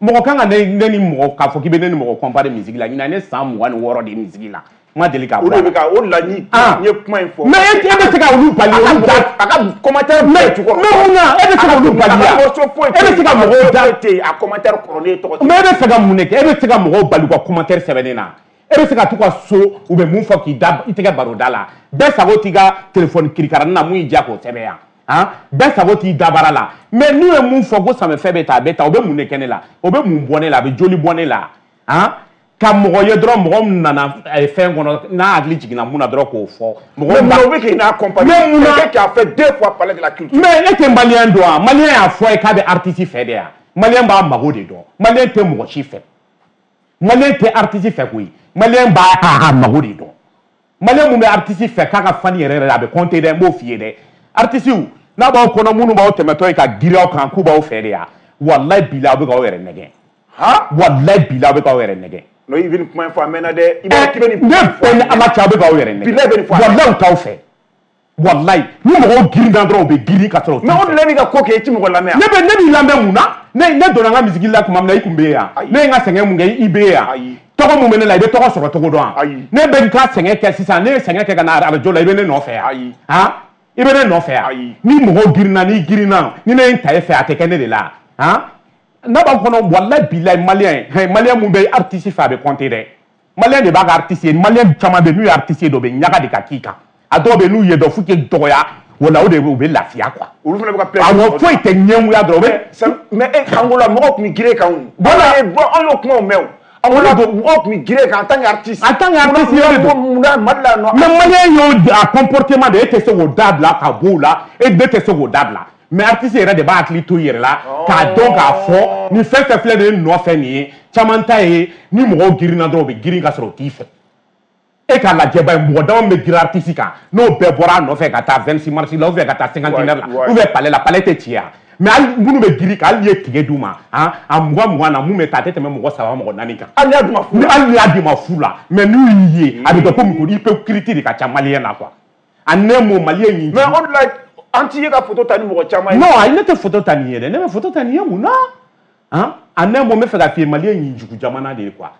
Mɔgɔ kan ka ne ni mɔgɔ k'a fɔ k'i bɛ ne ni mɔgɔ comparer musique la ɲinan ne san 26 de ye musique la. N ma deli k'a bɔ a la. O de bɛ ka o de la n ye kuma in fɔ. Mais e bɛ se ka olu bali olu da. A ka commentaire bɛɛ jukɔrɔ. Mais mun na e bɛ se ka olu bali yan? E bɛ se ka mɔgɔw da. A commentaire kɔrɔ ne tɔgɔ. Mais e bɛ fɛ ka mun de kɛ? E bɛ se ka mɔgɔw bali u ka commentaire sɛbɛnnen na. E bɛ se ka t'u ka so u bɛ mun fɔ k'i da i tɛgɛ baro da la. Bɛɛ sago t'i ka téléphone kirikaranin na mun y'i diya k'o sɛbɛn yan. Han bɛɛ sago t'i dabara la. Mais n'u ye mun fɔ ko Samefɛ bɛ tan a bɛ tan o bɛ mun de kɛ ne la? O bɛ mun bɔ ne la? A bɛ joli bɔ ne la? Han ka mɔgɔ ye dɔrɔn mɔgɔ min nana fɛn kɔnɔ n'a hakili jiginna mun na dɔrɔn k'o fɔ. Mɔgɔ mun bɛ k'i n'a comparer. Mais mun na quelqu'un qui a fait 2 fois parler de la culture. Mais e tɛ maliyɛn dɔn wa? Maliyɛn y'a fɔ a ye k'a bɛ artiste fɛ de yan. Maliyɛn b'a mago de dɔn. Maliyɛn tɛ mɔgɔ si fɛ. Maliyɛn tɛ artiste fɛ koyi. Maliyɛn b'a a mago de dɔn. Maliyɛn mun bɛ artiste fɛ k'a ka fan yɛrɛ yɛrɛ a bɛ compter dɛ n b'o f'i ye dɛ. Artiste n'a b'aw kɔnɔ minnu b'aw tɛmɛtɔ ye ka girin aw kan k'u b'aw fɛ de yan. Walayi bilahi aw bɛ k'aw yɛrɛ nɛgɛn. Walayi bilahi aw bɛ k'aw yɛrɛ nɛgɛn. Non, i bɛ nin kuma in fɔ a mɛnna dɛ. I b'a k'i bɛ nin ne bɛɛ ni Ala cɛ aw bɛ k'aw yɛrɛ nɛgɛn. Bilahi bɛ nin fɔ a mɛnna. Walayi u t'aw fɛ. Walayi ni mɔgɔw girinna dɔrɔn u bɛ girin ka sɔrɔ u t'u fɛ. Mais o de la e b'i ka ko kɛ i ti mɔgɔ lamɛn yan. Ne b'i lamɛn mun na? Ne donna n ka musique la tuma min na i tun bɛ yan. Ne ye n ka sɛgɛn mun kɛ i bɛ yan. Tɔgɔ mun bɛ ne la i bɛ tɔgɔ sɔrɔ cogo dɔn wa? Ne bɛ n ka sɛgɛn kɛ sisan ne ye sɛgɛn kɛ ka na arajo la i bɛ ne nɔfɛ yan. Han i bɛ ne nɔfɛ yan. Ni mɔgɔw girinna n'i girinna ni ne ye n ta e fɛ a tɛ kɛ ne de la. Han n'a b'aw kɔnɔ walayi bilayi maliyɛn maliyɛn mun bɛ artiste fɛ a bɛ compter dɛ. Maliyɛn de b'a ka artiste ye maliyɛn caman bɛ n'u ye artiste ye dɔ bɛ ɲaga de ka k'i kan. A dɔw bɛ n'u ye dɔ f'u k'i dɔgɔya wala o de u bɛ lafiya quoi. Olu fana bɛ ka plaisir. Awɔ foyi tɛ ɲɛngoya dɔrɔn. Mais e Angola mɔgɔw tun bɛ girin e kan o. Voilà. An y'o kumaw mɛn o. Angola mɔgɔw tun bɛ girin e kan en tant qu'artiste. En tant qu'artiste yɛrɛ don. Munna Mali la nɔ. Mais maliyɛn y'o a comportement de e tɛ se k'o dabila ka b'o la e ne tɛ se k'o dabila. Mais artiste yɛrɛ de b'a hakili to i yɛrɛ la k'a dɔn k'a fɔ nin fɛn fɛn filɛ nin ye nɔfɛ nin ye caman ta ye ni mɔgɔw girinna dɔrɔn u bɛ girin ka sɔrɔ u t'i fɛ. E k'a lajɛ ba ye mɔgɔ dama min bɛ girin artiste kan n'o bɛɛ bɔra a nɔfɛ ka taa 26 mars la ou bien ka taa cinquantenaire la ou bien palais la palais tɛ ci yan. Mais hali minnu bɛ girin kan hali n'i ye tige d'u ma han a 20 na mun bɛ taa a tɛ tɛmɛ mɔgɔ 3 mɔgɔ 4 kan. Hali n'i y'a d'u ma fu la. Hali n'i y'a d'u ma fu la mais n'u y'i ye a bɛ kɛ komi hypocrite de ka ca maliyɛn na quoi. A ne m'o maliyɛn y'i. Mais o de la an t'i ye ka photo ta ni mɔgɔ caman ye. Non ayi ne tɛ photo ta nin ye dɛ ne bɛ photo ta nin ye mun na Hein? En un mot, n bɛ fɛ ka f'i ye, Mali ye ɲinjugu jamana de ye quoi.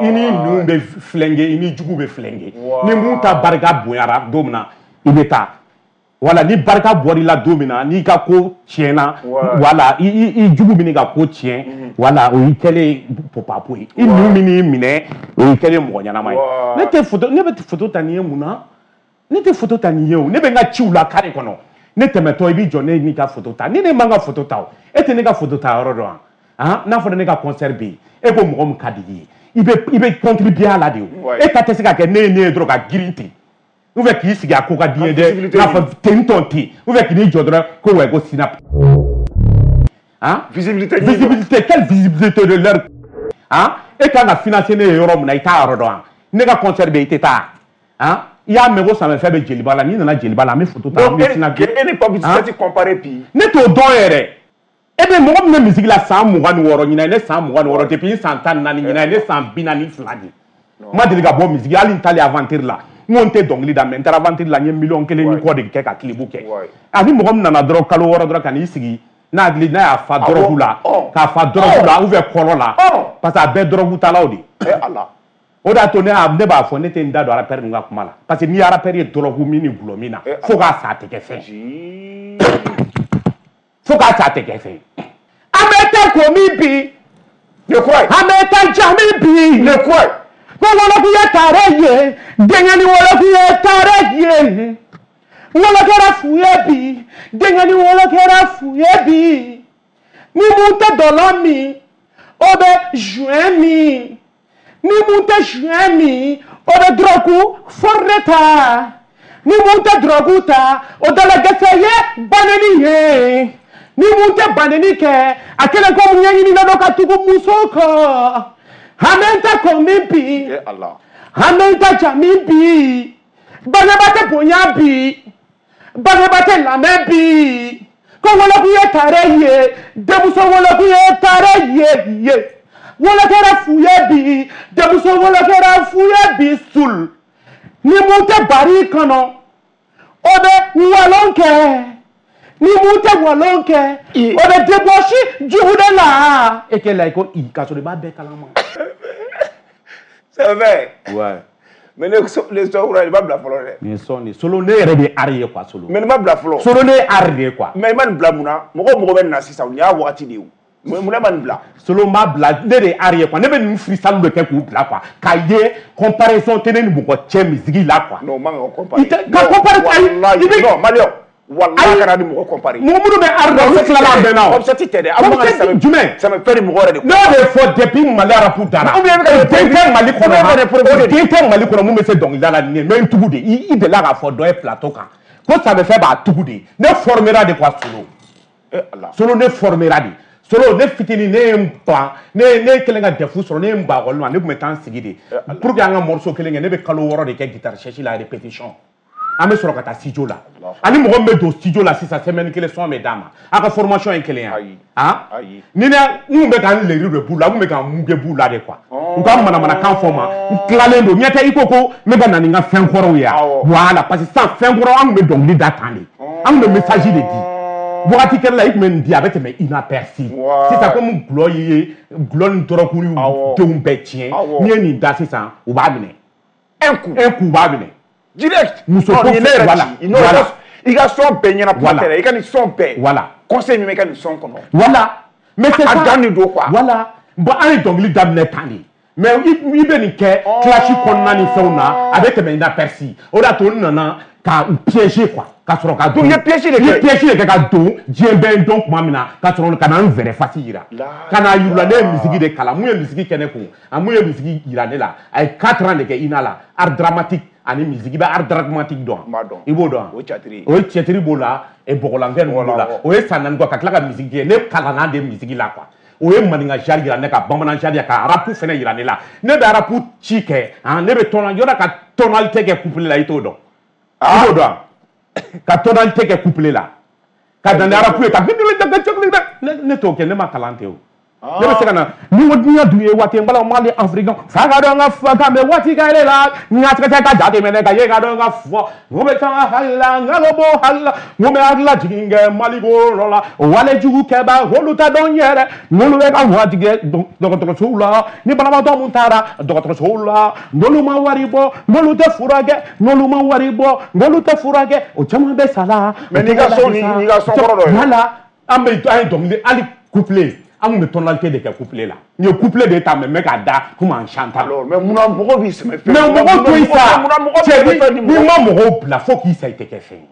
I ni ninnu bɛ flinguer, i ni jugu bɛ flinguer. Ni mun ta barika bonyara don min na, i bɛ taa. Voilà, ni barika bɔr'i la don min na, n'i ka ko tiɲɛna, voilà, i jugu bɛ n'i ka ko tiɲɛ, voilà, o y'i kɛlen popapo ye. I ninnu min y'i minɛ, o y'i kɛlen mɔgɔ ɲɛnama ye. Ne tɛ photo, ne bɛ photo ta nin ye mun na? Ne tɛ photo ta nin ye o. Ne bɛ n ka ciw la carré kɔnɔ. Ne tɛmɛtɔ i b'i jɔ ne n'i ka photo ta. Ni ne man ka photo ta o, e tɛ ne ka photo ta yɔrɔ dɔn wa? Han, n'a fɔra ne ka concert bɛ yen, e ko mɔgɔ min ka di i ye, i bɛ contribuer a la de o. E ta tɛ se ka kɛ ne ye ne ye dɔrɔn ka girin ten. Ou bien k'i sigi a ko ka di n ye dɛ, k'a fɔ ten tɔn ten, ou bien k'i jɔ dɔrɔn ko ouais ko sinap. Hein? Visibilité. Visibilité, quelle visibilité de leur. Hein? E kan ka financer ne ye yɔrɔ min na, i t'a yɔrɔ dɔn wa? Ne ka concert bɛ yen, i tɛ taa. Hein? I y'a mɛn ko Samɛfɛ bɛ Jeliba la, n'i nana Jeliba la, an bɛ photo ta, an bɛ sinap. E ni Papi tɛ comparer bi. Ne t'o dɔn yɛrɛ. E bɛ mɔgɔ min bɛ musique la san 26 ɲinan ye ne san 26, depuis n san 14 ɲinan ye ne san 42 de. N ma deli ka bɔ musique, hali n taalen aventure la. N ko n tɛ dɔnkili da, mais n taara aventure la, n ye miliyɔn 1 ni kɔ de kɛ ka clip kɛ. Ani mɔgɔ min nana dɔrɔn kalo 6 dɔrɔn ka n'i sigi n'a hakili n'a y'a fa dɔrɔgu la, k'a fa dɔrɔgu la ou bien kɔlɔ la, parce que a bɛɛ dɔrɔgu talaw de. O de y'a to ne b'a fɔ ne tɛ n da don rappeur ninnu ka kuma la, parce que n'i ye rappeur ye dɔrɔgu min ni gulɔ min na, fo k'a sa a tɛ kɛ fɛn. Fo k'a sa a tɛ kɛ fɛn. An bɛ taa ko min bi. Ne kura ye. An bɛ taa ja min bi. Ne kura ye. Ko woloku ye taare ye, denkɛni woloku ye taare ye. Wolo kɛra fu ye bi, denkɛni wolo kɛra fu ye bi. Ni mun tɛ dɔlɔ min, o bɛ joint min. Ni mun tɛ joint min, o bɛ dɔrɔgu fɔri ta. Ni mun tɛ dɔrɔgu ta, o dalagɛsɛ ye baneni ye. Ni mun tɛ baneni kɛ, a kɛlen ko ɲɛɲini dɔ ka tugu muso kɔ. An bɛ ta ko min bi, an bɛ ta ja min bi, bangebaa tɛ bonya bi, bangebaa tɛ lamɛn bi. Ko woloku ye taare ye, denmuso woloku ye taare ye ye. Wolo kɛra fu ye bi, denmuso wolo kɛra fu ye bi sul. Ni mun tɛ bari kɔnɔ, o bɛ walon kɛ. Ni mun tɛ walon kɛ, o bɛ débauche jugu de la. E kɛ la i ko i k'a sɔrɔ i b'a bɛɛ kalama. C'est vrai. Ouais. Mais ne son kura i b'a bila fɔlɔ dɛ. Nin ye son de solo, ne yɛrɛ de ye art ye quoi solo. Mais nin ma bila fɔlɔ. Solo ne ye art de ye quoi. Mais i ma nin bila mun na? Mɔgɔw mɔgɔ bɛ nin na sisan, nin y'a waati de ye o. Mun na ma nin bila? Solo n b'a bila, ne de ye art ye quoi. Ne bɛ ninnu freestyle de kɛ k'u bila quoi. K'a ye comparaison tɛ ne ni mɔgɔ cɛ musique la quoi. Non, o man kan ka comparer. I tɛ ka comparer ayi i bɛ. Non, Maliyɛn. Walahi kana ni mɔgɔ comparer. Mɔgɔ minnu bɛ art la olu tilala a bɛɛ na o. Concept tɛ dɛ. Aw man kan ka jumɛn? Samɛfɛ ni mɔgɔ yɛrɛ de. Ne y'o de fɔ depuis Mali rap dara. Ou bien e bɛ ka O den tɛ Mali kɔnɔ, o den tɛ Mali kɔnɔ mun bɛ se dɔnkilida la nin ye, mais n tugu de. I delila k'a fɔ dɔ ye plateau kan ko Samɛfɛ b'a tugu de. Ne formera de quoi solo. Solo ne formera de. Solo ne fitinin ne ye n ban, ne kɛlen ka DEF sɔrɔ, ne ye n ban ekɔli ma, ne tun bɛ taa n sigi de. Pour que an ka morceau kelen kɛ, ne bɛ kalo 6 de kɛ guitare cherche la répétition. An bɛ sɔrɔ ka taa studio la. Ani mɔgɔ min bɛ don studio la sisan, semaine kelen son bɛ d'a ma. A ka formation ye kelen ye. Han? Ni ne n kun bɛ ka n leri de b'u la, n kun bɛ ka n muge b'u la de quoi. U ka manamanakan fɔ n ma, n tilalen don. Ɲɛ tɛ i ko ko n bɛ ka na ni n ka fɛn kɔrɔw ye wa? Voilà, parce que sisan fɛn kɔrɔ an kun bɛ dɔnkili da tan de. An kun bɛ message de di. Wagati kɛra la i kun bɛ nin di a bɛ tɛmɛ inaperçu. Sisan komi gulɔ ye gulɔ ni dɔrɔgu denw bɛɛ tiɲɛ, n'i ye nin da sisan u b'a minɛ. Un coup. Un coup u b'a minɛ. Direct. Muso ko voilà. I ka son bɛɛ ɲɛna kuma tɛ dɛ, i ka nin son bɛɛ. Voilà. Conseil min bɛ i ka nin son kɔnɔ. Voilà. Mais c'est ça. A dan de don quoi. Voilà. Bon an ye dɔnkili daminɛ tan de. Mais i bɛ nin kɛ clash kɔnɔna ni fɛnw na, a bɛ tɛmɛ inaperçu. O de y'a to n nana ka u piéger quoi. Ka sɔrɔ ka don. Donc i ye piège de kɛ. I ye piège de kɛ ka don diɲɛ bɛɛ dɔn tuma min na, ka sɔrɔ ka na n vrai face yira. Ka na yir'u la ne ye musique de kalan. Mun ye musique kɛ ne kun? A mun ye musique yira ne la? A ye 4 ans de kɛ INA la, art dramatique ani musique. I bɛ art dramatique dɔn? N b'a dɔn. I b'o dɔn? O ye théâtre ye. O ye théâtre b'o la, bɔgɔlanfɛn ninnu b'o la. O ye san 4 quoi, ka tila ka musique kɛ. Ne kalanna de musique la quoi. O ye maninka genre yira ne ka bamanan genre ka rap fɛnɛ yira ne la. Ne bɛ rap ci kɛ, han, ne bɛ tɔnɔ yɔrɔ ka tonalité kɛ couplet la, i t'o dɔn. I b'o dɔn? Ka tonalité kɛ couplet la. Ka na ni rap ye ka ne t'o kɛ, ne ma kalan ten o. Ne bɛ se ka na ni ko diɲɛ dun ye waati n bala Mali africain fa ka dɔn ka fɔ kan bɛ waati ka yɛlɛ la n ka tigɛ ka jate minɛ ka ye ka dɔn ka fɔ n ko bɛ taa hali la n ka bɔ hali la n ko bɛ hakili lajigin kɛ Mali ko yɔrɔ la wale jugu kɛba olu tɛ dɔn yɛrɛ n'olu bɛ ka waati kɛ dɔgɔtɔrɔsow la ni banabaatɔ mun taara dɔgɔtɔrɔsow la n'olu ma wari bɔ n'olu tɛ furakɛ n'olu ma wari bɔ n'olu tɛ furakɛ o caman bɛ sa la. Mais n'i ka son n'i ka son kɔrɔ dɔ ye. Voilà an bɛ an ye dɔnkili hali couplet. An kun bɛ tonalité de kɛ couplet la n ye couplet de ta mais n bɛ k'a da comme en chantant. Alors mais munna mɔgɔw b'i sɛmɛ fɛn. Mais mɔgɔw to yen sa cɛ n'i ma mɔgɔw bila fo k'i sa i tɛ kɛ fɛn ye.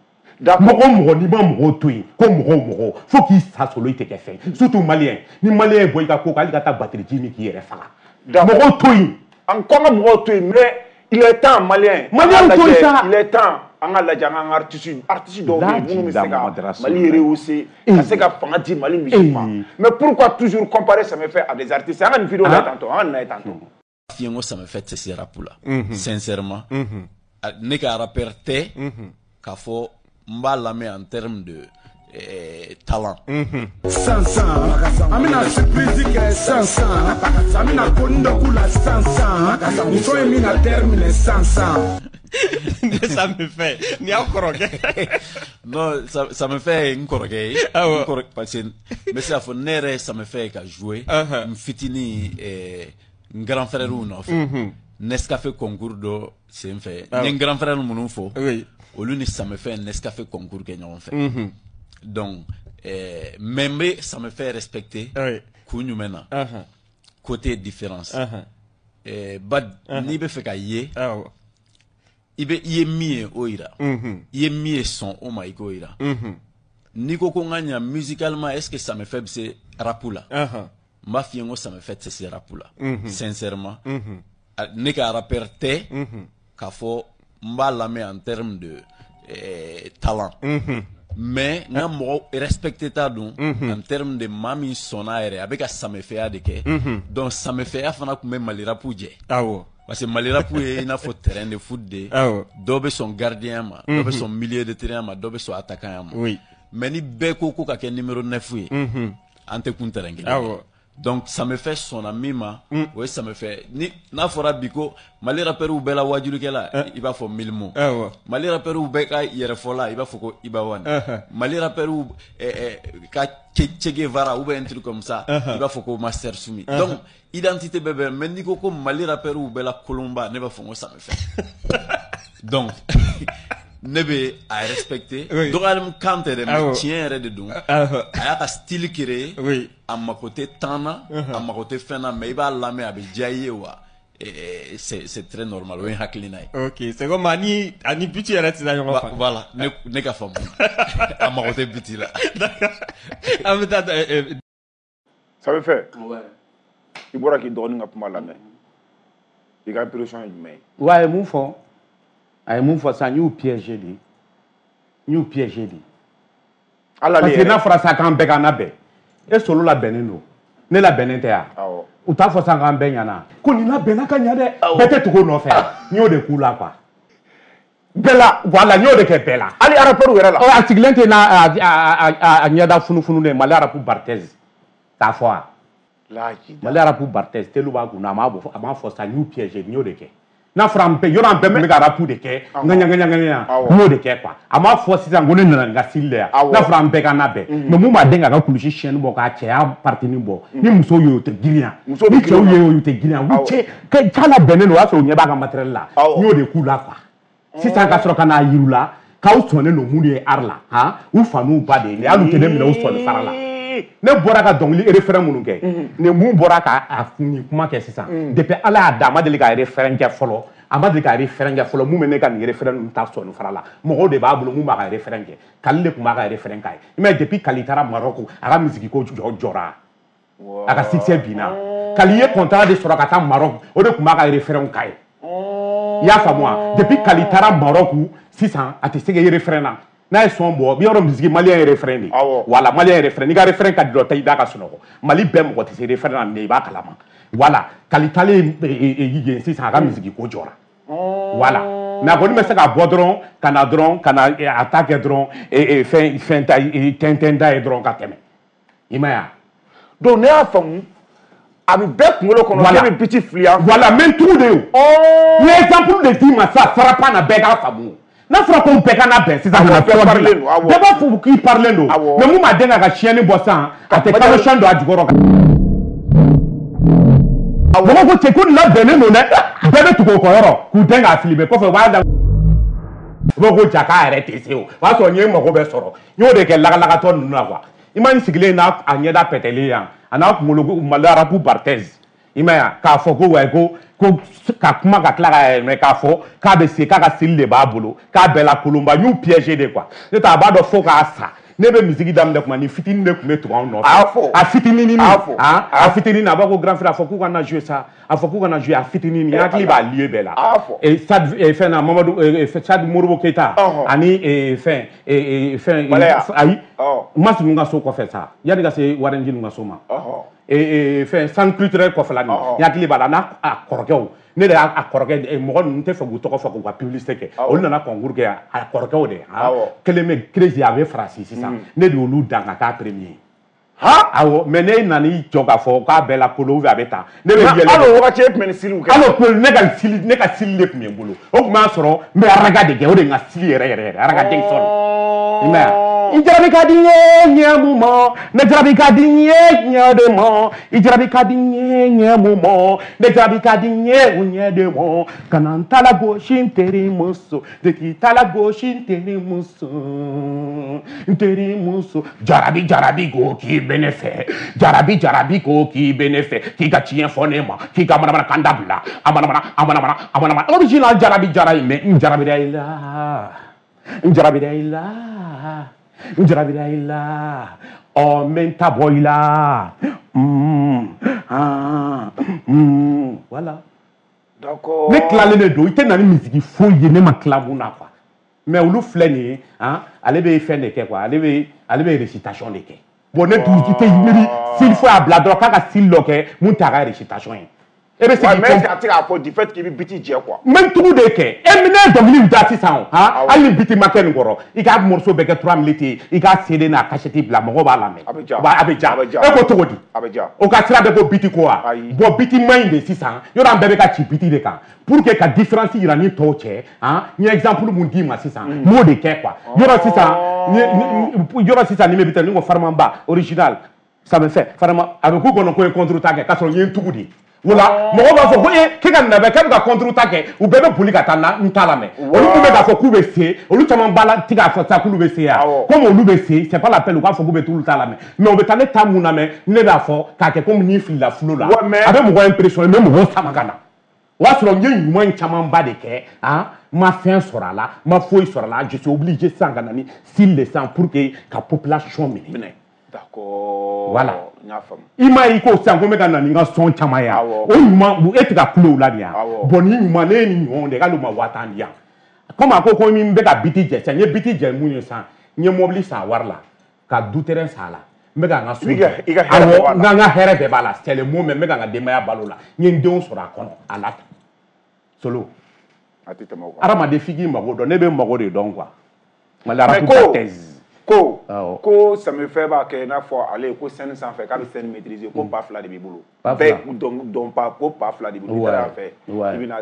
Mɔgɔ o mɔgɔ n'i ma mɔgɔw to yen ko mɔgɔ o mɔgɔ fo k'i sa solo i tɛ kɛ fɛn ye surtout malien ni malien ye bɔ i ka ko kan hali ka taa batterie ji min k'i yɛrɛ faga. Mɔgɔw to yen. An ko an ka mɔgɔw to yen mais il est temps malien. Malien to yen sa. Il est temps. An ka lajɛ an ka artiste dɔw bɛ yen minnu bɛ se ka Mali rehausser ka se ka fanga di Mali musique ma mais pourquoi toujours comparer Samefɛ à des artistes an ka nin vidéo lajɛ tantôt an ka nin lajɛ tantôt. Fiye ko Samefɛ tɛ se rap la sincèrement ne ka rappeur tɛ k'a fɔ n b'a lamɛn en termes de talent. Sansan an bɛna surprise kɛ sansan an bɛna ko n dɔ k'u la sansan muso in bɛna terminer sansan. Ça me fait ni aw kɔrɔkɛ. Non, ça me fait n kɔrɔkɛ ye. Parce que n bɛ se k'a fɔ ne yɛrɛ ça me fait ka jouer n fitinin n grand frère nɔfɛ. Nescafé concours dɔ sen fɛ. N ye n grand frère minnu fɔ. Olu ni ça me fait Nescafé concours kɛ ɲɔgɔn fɛ. Donc mais n bɛ ça me fait respecter. Kun jumɛn na? Côté différence. Ba n'i bɛ fɛ ka ye. I bɛ i ye min ye o yira i ye min ye sɔn o ma i k'o yira n'i ko ko n ka ɲa musicalement est-ce que Samefɛ bɛ se rap la n b'a f'i ye n ko Samefɛ tɛ se rap la sincèrement ne ka rappeur tɛ k'a fɔ n b'a lamɛn en termes de talent mais n ka mɔgɔ respecté t'a don en termes de maa min sɔnna yɛrɛ a bɛ ka Samefɛya de kɛ donc Samefɛya fana tun bɛ Mali rap jɛ. Parce que Mali rap ye i n'a fɔ terrain de foot de dɔw bɛ sɔn gardien ma dɔw bɛ sɔn milieu de terrain ma dɔw bɛ sɔn attaquant ma mais ni bɛɛ ko ko ka kɛ numéro 9 ye an tɛ kun terrain kelen. Donc Samefɛ sɔnna min ma o ye Samefɛ ni n'a fɔra bi ko Mali rappeurs bɛɛ la wajulikɛla i b'a fɔ Milimo Mali rappeurs bɛɛ ka yɛrɛfɔla i b'a fɔ ko Iba One Mali rappeurs ka Che Guevara ou bien un truc comme ça i b'a fɔ ko Master Sumi. Donc identité bɛɛ bɛ mais n'i ko ko Mali rappeurs bɛɛ la kolonba ne b'a fɔ ko Samefɛ. Donc ne bɛ a respecter dɔgɔyali kan tɛ dɛ mais tiɲɛ yɛrɛ de don a y'a ka style créer a mako tɛ temps na a mako tɛ fɛn na mais i b'a lamɛn a bɛ diya i ye wa c'est très normal o ye hakilina ye. Ok c'est comme ani but yɛrɛ tɛ taa ɲɔgɔn fɛ. Voilà ne ka faamu a mako tɛ but la. An bɛ taa. Samefɛ i bɔra k'i dɔgɔnin ka kuma lamɛn i ka impression ye jumɛn ye? Wa a ye mun fɔ? A ye mun fɔ sisan n y'u piégé de n y'u piégé de. Parce que n'a fɔra sisan k'an bɛɛ k'an labɛn e solo labɛnnen don ne labɛnnen tɛ yan u t'a fɔ sisan k'an bɛɛ ɲana ko nin labɛnna ka ɲa dɛ bɛɛ tɛ tugu o nɔfɛ n y'o de k'u la quoi. Bɛɛ la voilà n y'o de kɛ bɛɛ la. Hali rappeur yɛrɛ la. A sigilen tɛ n'a a ɲɛda funufununen Mali rap Barthez t'a fɔ wa. Mali rap Barthez telu b'a kun na a m'a fɔ sisan n y'u piégé n y'o de kɛ. N'a fɔra an bɛɛ yɔrɔ an bɛɛ tun bɛ ka rap de kɛ ŋaɲa n y'o de kɛ quoi a m'a fɔ sisan ko ne nana n ka style de yan n'a fɔra an bɛɛ ka labɛn mais mun b'a den k'a ka kulusi chaîne bɔ k'a cɛya partini bɔ ni musow ye o tɛ girinya ni cɛw ye o tɛ girinya u cɛ k'a labɛnnen don o y'a sɔrɔ u ɲɛ b'a ka matériel la n y'o de k'u la quoi sisan ka sɔrɔ ka n'a yir'u la k'aw sɔnnen don mun de ye art la han u fa n'u ba de ye nin hali u tɛ ne minɛ u sɔnni sara la. Ne bɔra ka dɔnkili refrain minnu kɛ ni mun bɔra ka nin kuma kɛ sisan depuis Ala y'a da a ma deli ka refrain kɛ fɔlɔ a ma deli ka refrain kɛ fɔlɔ mun bɛ ne ka nin refrain ninnu ta sɔnni fara la mɔgɔw de b'a bolo mun b'a ka refrain kɛ Kali de tun b'a ka refrain k'a ye i m'a ye depuis Kali taara Maroc a ka musique ko jɔra a ka succès binna Kali ye contrat de sɔrɔ ka taa Maroc o de tun b'a ka refrain k'a ye i y'a faamu wa depuis Kali taara Maroc sisan a tɛ se ka refrain na. N'a ye son bɔ bi yɔrɔ musique malien ye refrain de voilà malien ye refrain n'i ka refrain ka di dɔ ta i da ka sunɔgɔ Mali bɛɛ mɔgɔ tɛ se refrain na mais i b'a kalama voilà Kali taalen yen sisan a ka musique ko jɔra voilà mais a kɔni bɛ se ka bɔ dɔrɔn ka na dɔrɔn ka na a ta kɛ dɔrɔn fɛn ta tɛntɛn da ye dɔrɔn ka tɛmɛ i ma ye wa. Donc ne y'a faamu A bɛ bɛɛ kunkolo kɔnɔ Voilà. k'e bɛ beat fili an fɛ. Voilà, n bɛ n tugu de o. N ye exemple de d'i ma sisan sarapa na bɛɛ k'a faamu. N'a fɔra ko bɛɛ ka na bɛn sisan Awɔ, ka na bɛɛ tɔgɔ parilen dilan. don, awɔ. Bɛɛ b'a fɔ k'i parilen don. Awɔ. Mais mun b'a den ka tiɲɛni bɔ sisan, a tɛ kalo siyɛn don a jukɔrɔ. Mɔgɔw ko cɛ ko nin labɛnnen don dɛ. Bɛɛ bɛ tugu o kɔ yɔrɔ k'u den k'a fili mais kɔfɛ u b'a da. U b'a fɔ ko ja k'a yɛrɛ tɛ se o. O y'a sɔrɔ n ye n mago bɛɛ sɔrɔ. N y'o de kɛ lagalakatɔ ninnu na quoi. I ma n sigilen n'a a ɲɛda pɛtɛlen yan a n'a kunkolo ko Mali arabu Barthez. I ma ye wa k'a fɔ ko wayi ko ko ka kuma ka tila ka yɛlɛmɛ k'a fɔ k'a bɛ se k'a ka seli de b'a bolo k'a bɛɛ la kolonba n y'u piégé de quoi. Ne tɛ a b'a dɔn fo k'a sa. Ne bɛ musique daminɛ kuma ni fitinin de tun bɛ tugu anw nɔfɛ. A y'a fɔ. A fitininin. A y'a fɔ. A fitinin a b'a ko grand frère a fɔ k'u ka na jouer sa a fɔ k'u ka na jouer a fitinin n hakili b'a lieu bɛɛ la. A y'a fɔ. Et Stade fɛn na Mamadu Stade Modibo Keita Ɔhɔn. ani fɛn fɛn Balaya. ayi Ɔ. Mas ninnu ka so kɔfɛ sa yanni ka se Warenji ninnu ka so ma. Ɔhɔn. Fɛn centre culturel kɔfɛla nin Ɔhɔn. n hakili b'a la n'a a kɔrɔkɛw ne de y'a a kɔrɔkɛ mɔgɔ ninnu tɛ fɛ k'u tɔgɔ fɔ k'u ka publicité kɛ Awɔ. olu nana concours kɛ a kɔrɔkɛw de han Awɔ. kelen bɛ Crési a bɛ Faransi sisan ne de y'olu dan ka k'a premier. Han. Awɔ mais ne nana i jɔ k'a fɔ k'a bɛɛ la kolo ou bien a bɛ tan ne bɛ yɛlɛ. Hali o wagati e tun bɛ nin style kɛ. Hali o kun ne ka style de tun bɛ n bolo o tun b'a sɔrɔ n bɛ araga de kɛ o de ye n ka style yɛrɛ yɛrɛ yɛrɛ araga Dixon. I m'a ye wa i jarabi ka di n ye ɲɛ mun ma ne jarabi ka di n ye ɲɛ de ma i jarabi ka di n ye ɲɛ mun ma ne jarabi ka di n ye o ɲɛ de ma ka na n ta la gosi n teri muso de k'i ta la gosi n teri muso n teri muso jarabi jarabi ko k'i bɛ ne fɛ jarabi jarabi ko k'i bɛ ne fɛ k'i ka tiɲɛ fɔ ne ma k'i ka manamana kan dabila a manamana a manamana a manamana original jarabi jara in mais n jarabira i la n jarabira i la n jarabira i la ɔ n bɛ n ta bɔ i la voilà. D'accord. Ne tilalen de don i tɛ na ni misigi foyi ye ne ma tila mun na quoi mais olu filɛ nin ye han ale bɛ fɛn de kɛ quoi ale bɛ récitation de kɛ bon ne dun i tɛ miiri style foyi a bila dɔrɔn k'a ka style dɔ kɛ mun t'a ka récitation ye e bɛ se Ouais, k'i mais est-ce kɔn que a tɛ k'a fɔ du fait k'i bɛ beat jɛ quoi. n bɛ n tugu de kɛ e ne ye dɔnkili da sisan o han Awɔ. hali ni beat ma kɛ nin kɔrɔ i ka morceau bɛɛ kɛ 3 minutes ye i ka CD n'a cassette bila mɔgɔw b'a lamɛn. A bɛ ja. A bɛ ja. A bɛ ja. E ko cogo di. A bɛ ja. O ka sira bɛ ko beat ko wa. Ayi. Bon beat man ɲi de sisan yɔrɔ an bɛɛ bɛ ka ci beat de kan pour que ka différence yira ni tɔw cɛ han n ye exemple mun d'i ma sisan n b'o de kɛ quoi yɔrɔ sisan yɔrɔ sisan ni bɛ beat ni ko Farmanba original ça me fait Farman a bɛ k'u kɔnɔ ko n ye contre ta kɛ k'a sɔrɔ n ye n tugu de. Wala mɔgɔw b'a fɔ ko e k'e ka nin labɛn k'e bɛ ka contre ta kɛ u bɛɛ bɛ boli ka taa n ta lamɛn olu mun bɛ k'a fɔ k'u bɛ se olu caman b'a la ti k'a fɔ sa k'olu bɛ se yan comme olu bɛ se c'est pas la peine u k'a fɔ k'u bɛ t'olu ta lamɛn mais u bɛ taa ne ta mun lamɛn ne b'a fɔ k'a kɛ komi ni filila fulo la a bɛ mɔgɔ impressionné n bɛ mɔgɔw sama ka na o y'a sɔrɔ n ye ɲuman in camanba de kɛ han n ma fɛn sɔrɔ a la n ma foyi sɔrɔ a la je suis obligé sisan ka na ni style de sisan pour que ka population minɛ. D'accord. Voilà. N y'a faamu. I m'a ye ko sisan ko n bɛ ka na ni n ka son caman ye o ɲuman e tɛ ka kulo o la nin ya bon ni ɲuman ne ye nin ɲɔgɔn de k'ale ma 10 000 di yan komi a ko n bɛ ka biti jɛ sisan n ye biti jɛ mun ye sisan n ye mobili san a wari la ka du terrain san a la n bɛ ka n ka so jɔ awɔ n ka n ka hɛrɛ bɛɛ b'a la c'est le mot mais n bɛ ka n ka denbaya balo la n ye n denw sɔrɔ a kɔnɔ a la solo A tɛ tɛmɛ o kan. Hadamaden f'i k'i mago dɔn ne bɛ n mago de dɔn quoi Mali Mais arabu ko thèse. Ko Awɔ. ko Samefɛ b'a kɛ i n'a fɔ ale ko scène sanfɛ k'a bɛ scène maîtriser ko ba fila de b'i bolo. Ba fila. Bɛɛ dɔn dɔn pa ko ba fila de b'i bolo. I taara yan fɛ. Ouais. I bɛna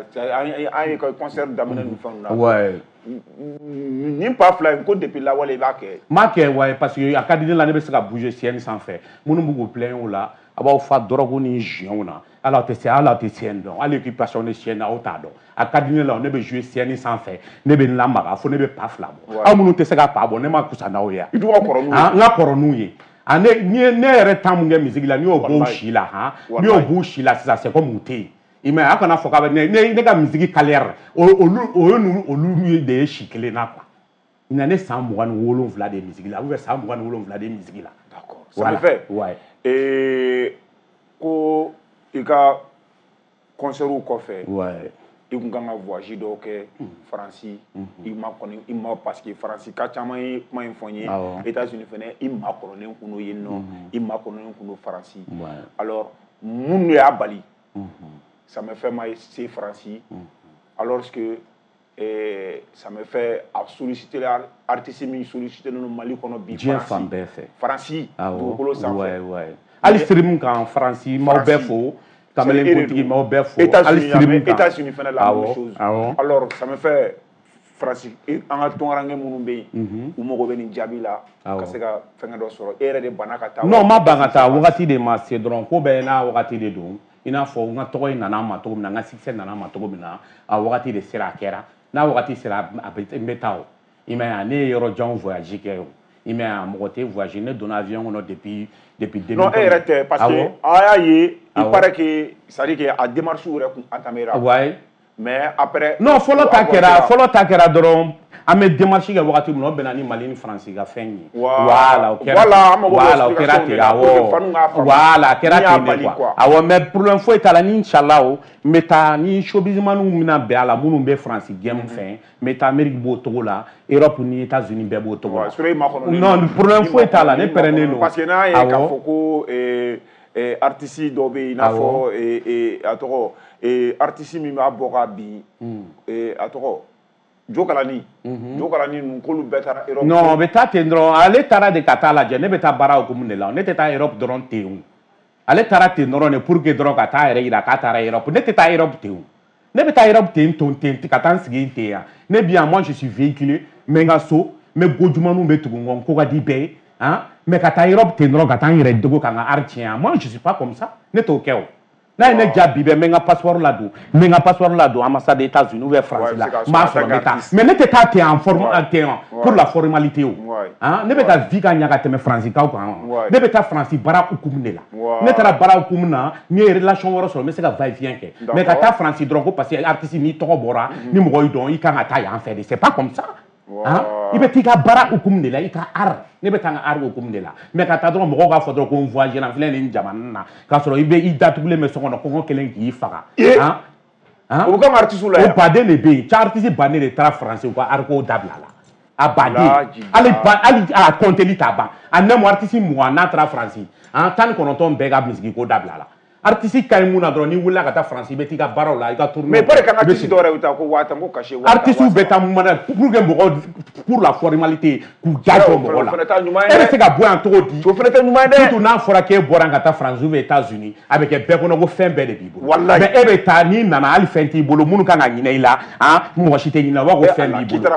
an ye concert daminɛ ni fɛnw na. Ouais. Nin ba fila in ko depuis lawale i b'a kɛ. N b'a kɛ ouais parce que a ka di ne la ne bɛ se ka bouger scène sanfɛ minnu b'u k'u plaigner o la a b'aw fa drogue ni joint na hali aw tɛ se hali aw tɛ scène dɔn hali occupation de scène aw t'a dɔn a ka di ne la ne bɛ jouer scène sanfɛ ne bɛ n lamaga fo ne bɛ pa fila bɔ aw minnu tɛ se ka pa bɔ ne ma kusa n'aw ye I dun ka kɔrɔ n'u ye. N ka kɔrɔ n'u ye ah ne ni ye ne yɛrɛ temps mun kɛ musique la n'i y'o bɔ u si la han n'i y'o b'u si la sisan c'est comme u tɛ yen i m'a ye a kana fɔ k'a bɛ ne ka musique carrière olu o ye n'olu olu de ye si kelen na quoi na ne san 27 de ye musique la ou bien san 27 de ye musique la. D'accord. Samefɛ. Ouais. Ko i ka concert kɔfɛ. Ouais. I kun kan ka voyage dɔw kɛ Faransi i ma kɔni i ma parce que Faransi ka caman ye kuma in fɔ n ye États-Unis fɛnɛ i makɔrɔnen kun don yen nɔ i makɔrɔnen kun don Faransi alors mun de y'a bali Samefɛ ma se Faransi alors que Samefɛ a sollicité artiste min sollicité don Mali kɔnɔ bi diɲɛ fan bɛɛ fɛ Faransi dugukolo sanfɛ. Ouais, ouais. Hali stream kan Faransi m'aw bɛɛ fo. Kamalen kuntigi m'aw bɛɛ fo. Hali stream kan. États-Unis fana la même chose. Alors ça me fait Faransi an ka tunkaranke minnu bɛ yen, u mago bɛ nin jaabi la ka se ka fɛngɛ dɔ sɔrɔ. E yɛrɛ de banna ka taa. Non, ma ban ka taa, wagati de ma se dɔrɔn. Ko bɛɛ n'a wagati de don. I n'a fɔ n ka tɔgɔ in nana ma cogo min na, n ka succès nana ma cogo min na, a wagati de sera, a kɛra. N'a wagati sera, a bɛ n bɛ taa o. I m'a ye, ne ye yɔrɔ jan voyage kɛ o. I m'a ye, mɔgɔ tɛ voyage. Ne donna avion kɔnɔ depuis 2000. Non, e yɛrɛ tɛ, parce que a y'a ye, il paraît que c'est à dire que a démarche yɛrɛ kun entamé ra. Ouais. Mais après. Non, fɔlɔ ta kɛra dɔrɔn. An bɛ démarche kɛ wagati min na, o bɛnna ni Mali ni Faransi ka fɛn ye. Voilà, o kɛra. Voilà, an mago bɛ o kɛra ten, awɔ. Voilà, a kɛra ten de quoi. Awɔ, mais problème foyi t'a la ni inchallah o, n bɛ taa ni showbizmaniw bɛna bɛn a la minnu bɛ Faransi game fɛ, n bɛ taa Amérique b'o cogo la, Europe ni États-Unis bɛɛ b'o cogo la. Non, problème foyi t'a la, ne pɛrɛnnen don. Parce que n'a ye k'a fɔ ko artiste dɔ bɛ yen, i n'a fɔ a tɔgɔ artiste min b'a bɔ ka bin, a tɔgɔ Jokalani ninnu k'olu bɛɛ taara Europe. Non, o bɛ taa ten dɔrɔn. Ale taara de ka taa lajɛ. Ne bɛ taa baara hukumu de la. Ne tɛ taa Europe dɔrɔn ten o. Ale taara ten dɔrɔn de pour que dɔrɔn ka taa yɛrɛ yira k'a taara Europe. Ne tɛ taa Europe ten o. Ne bɛ taa Europe ten ton ten ka taa n sigi ten yan. Ne bi yan, moi je suis véhiculé. N bɛ n ka so, n bɛ gojumaninw bɛ tugu n kɔ, n ko ka di bɛɛ ye. Han, mais ka taa Europe ten dɔrɔn ka taa n yɛrɛ dogo ka n ka art tiɲɛ yan. Moi je suis pas comme ça. Ne t'o kɛ o. N'a ye ne ja bi bɛɛ, n bɛ n ka passeport ladon, n bɛ n ka passeport ladon ambassade des États-Unis ou bien France la, n b'a sɔrɔ n bɛ taa. Mais ne tɛ taa ten en forme ten pour la formalité o. Han, ne bɛ ka vie ka ɲa ka tɛmɛ Faransi kaw kan. Ne bɛ taa Faransi baara hukumu de la. Ne taara baara hukumu na, n ye relation wɛrɛ sɔrɔ, n bɛ se ka va et vient kɛ. Mais ka taa Faransi dɔrɔn ko parce que artiste n'i tɔgɔ bɔra, ni mɔgɔ y'i dɔn, i kan ka taa yan fɛ de. C'est pas comme ça. I bɛ t'i ka baara hukumu de la, i ka art. Ne bɛ taa n ka art hukumu de la. Mais ka taa dɔrɔn mɔgɔw k'a fɔ dɔrɔn ko n voyagé la, n filɛ nin jamana na, k'a sɔrɔ i bɛ i datugulen bɛ so kɔnɔ, kɔngɔ kelen k'i faga. O bɛ kɛ artiste la yan. O baden de bɛ yen. Ca artiste baden de taara Faransi, u ka art ko dabila la. A baden. Hali a compteli t'a ban. A nɛmu artiste 20 n'a taara Faransi, 19 bɛɛ ka musique ko dabila la. Artiste ka ɲi mun na dɔrɔn, n'i wulila ka taa Faransi, i bɛ t'i ka baaraw la, i ka tournée. Mais il paraît qu'un artiste dɔw yɛrɛ bɛ taa ko 10 000 ko cachet 10 000. Artiste bɛ taa mun na pour que mɔgɔw, pour la formalité, k'u ja jɔ mɔgɔ la. E bɛ se ka bɔ yan cogo di? O fana tɛ ɲuman ye dɛ. Surtout n'a fɔra k'e bɔra yan ka taa Faransi ou bien États-Unis, a bɛ kɛ bɛɛ kɔnɔ ko fɛn bɛɛ de b'i bolo. Walayi. Mais e bɛ taa, n'i nana hali fɛn t'i bolo, minnu kan ka ɲinɛ i la, mɔgɔ si tɛ ɲinɛ, u b'a fɔ ko fɛn b'i bolo.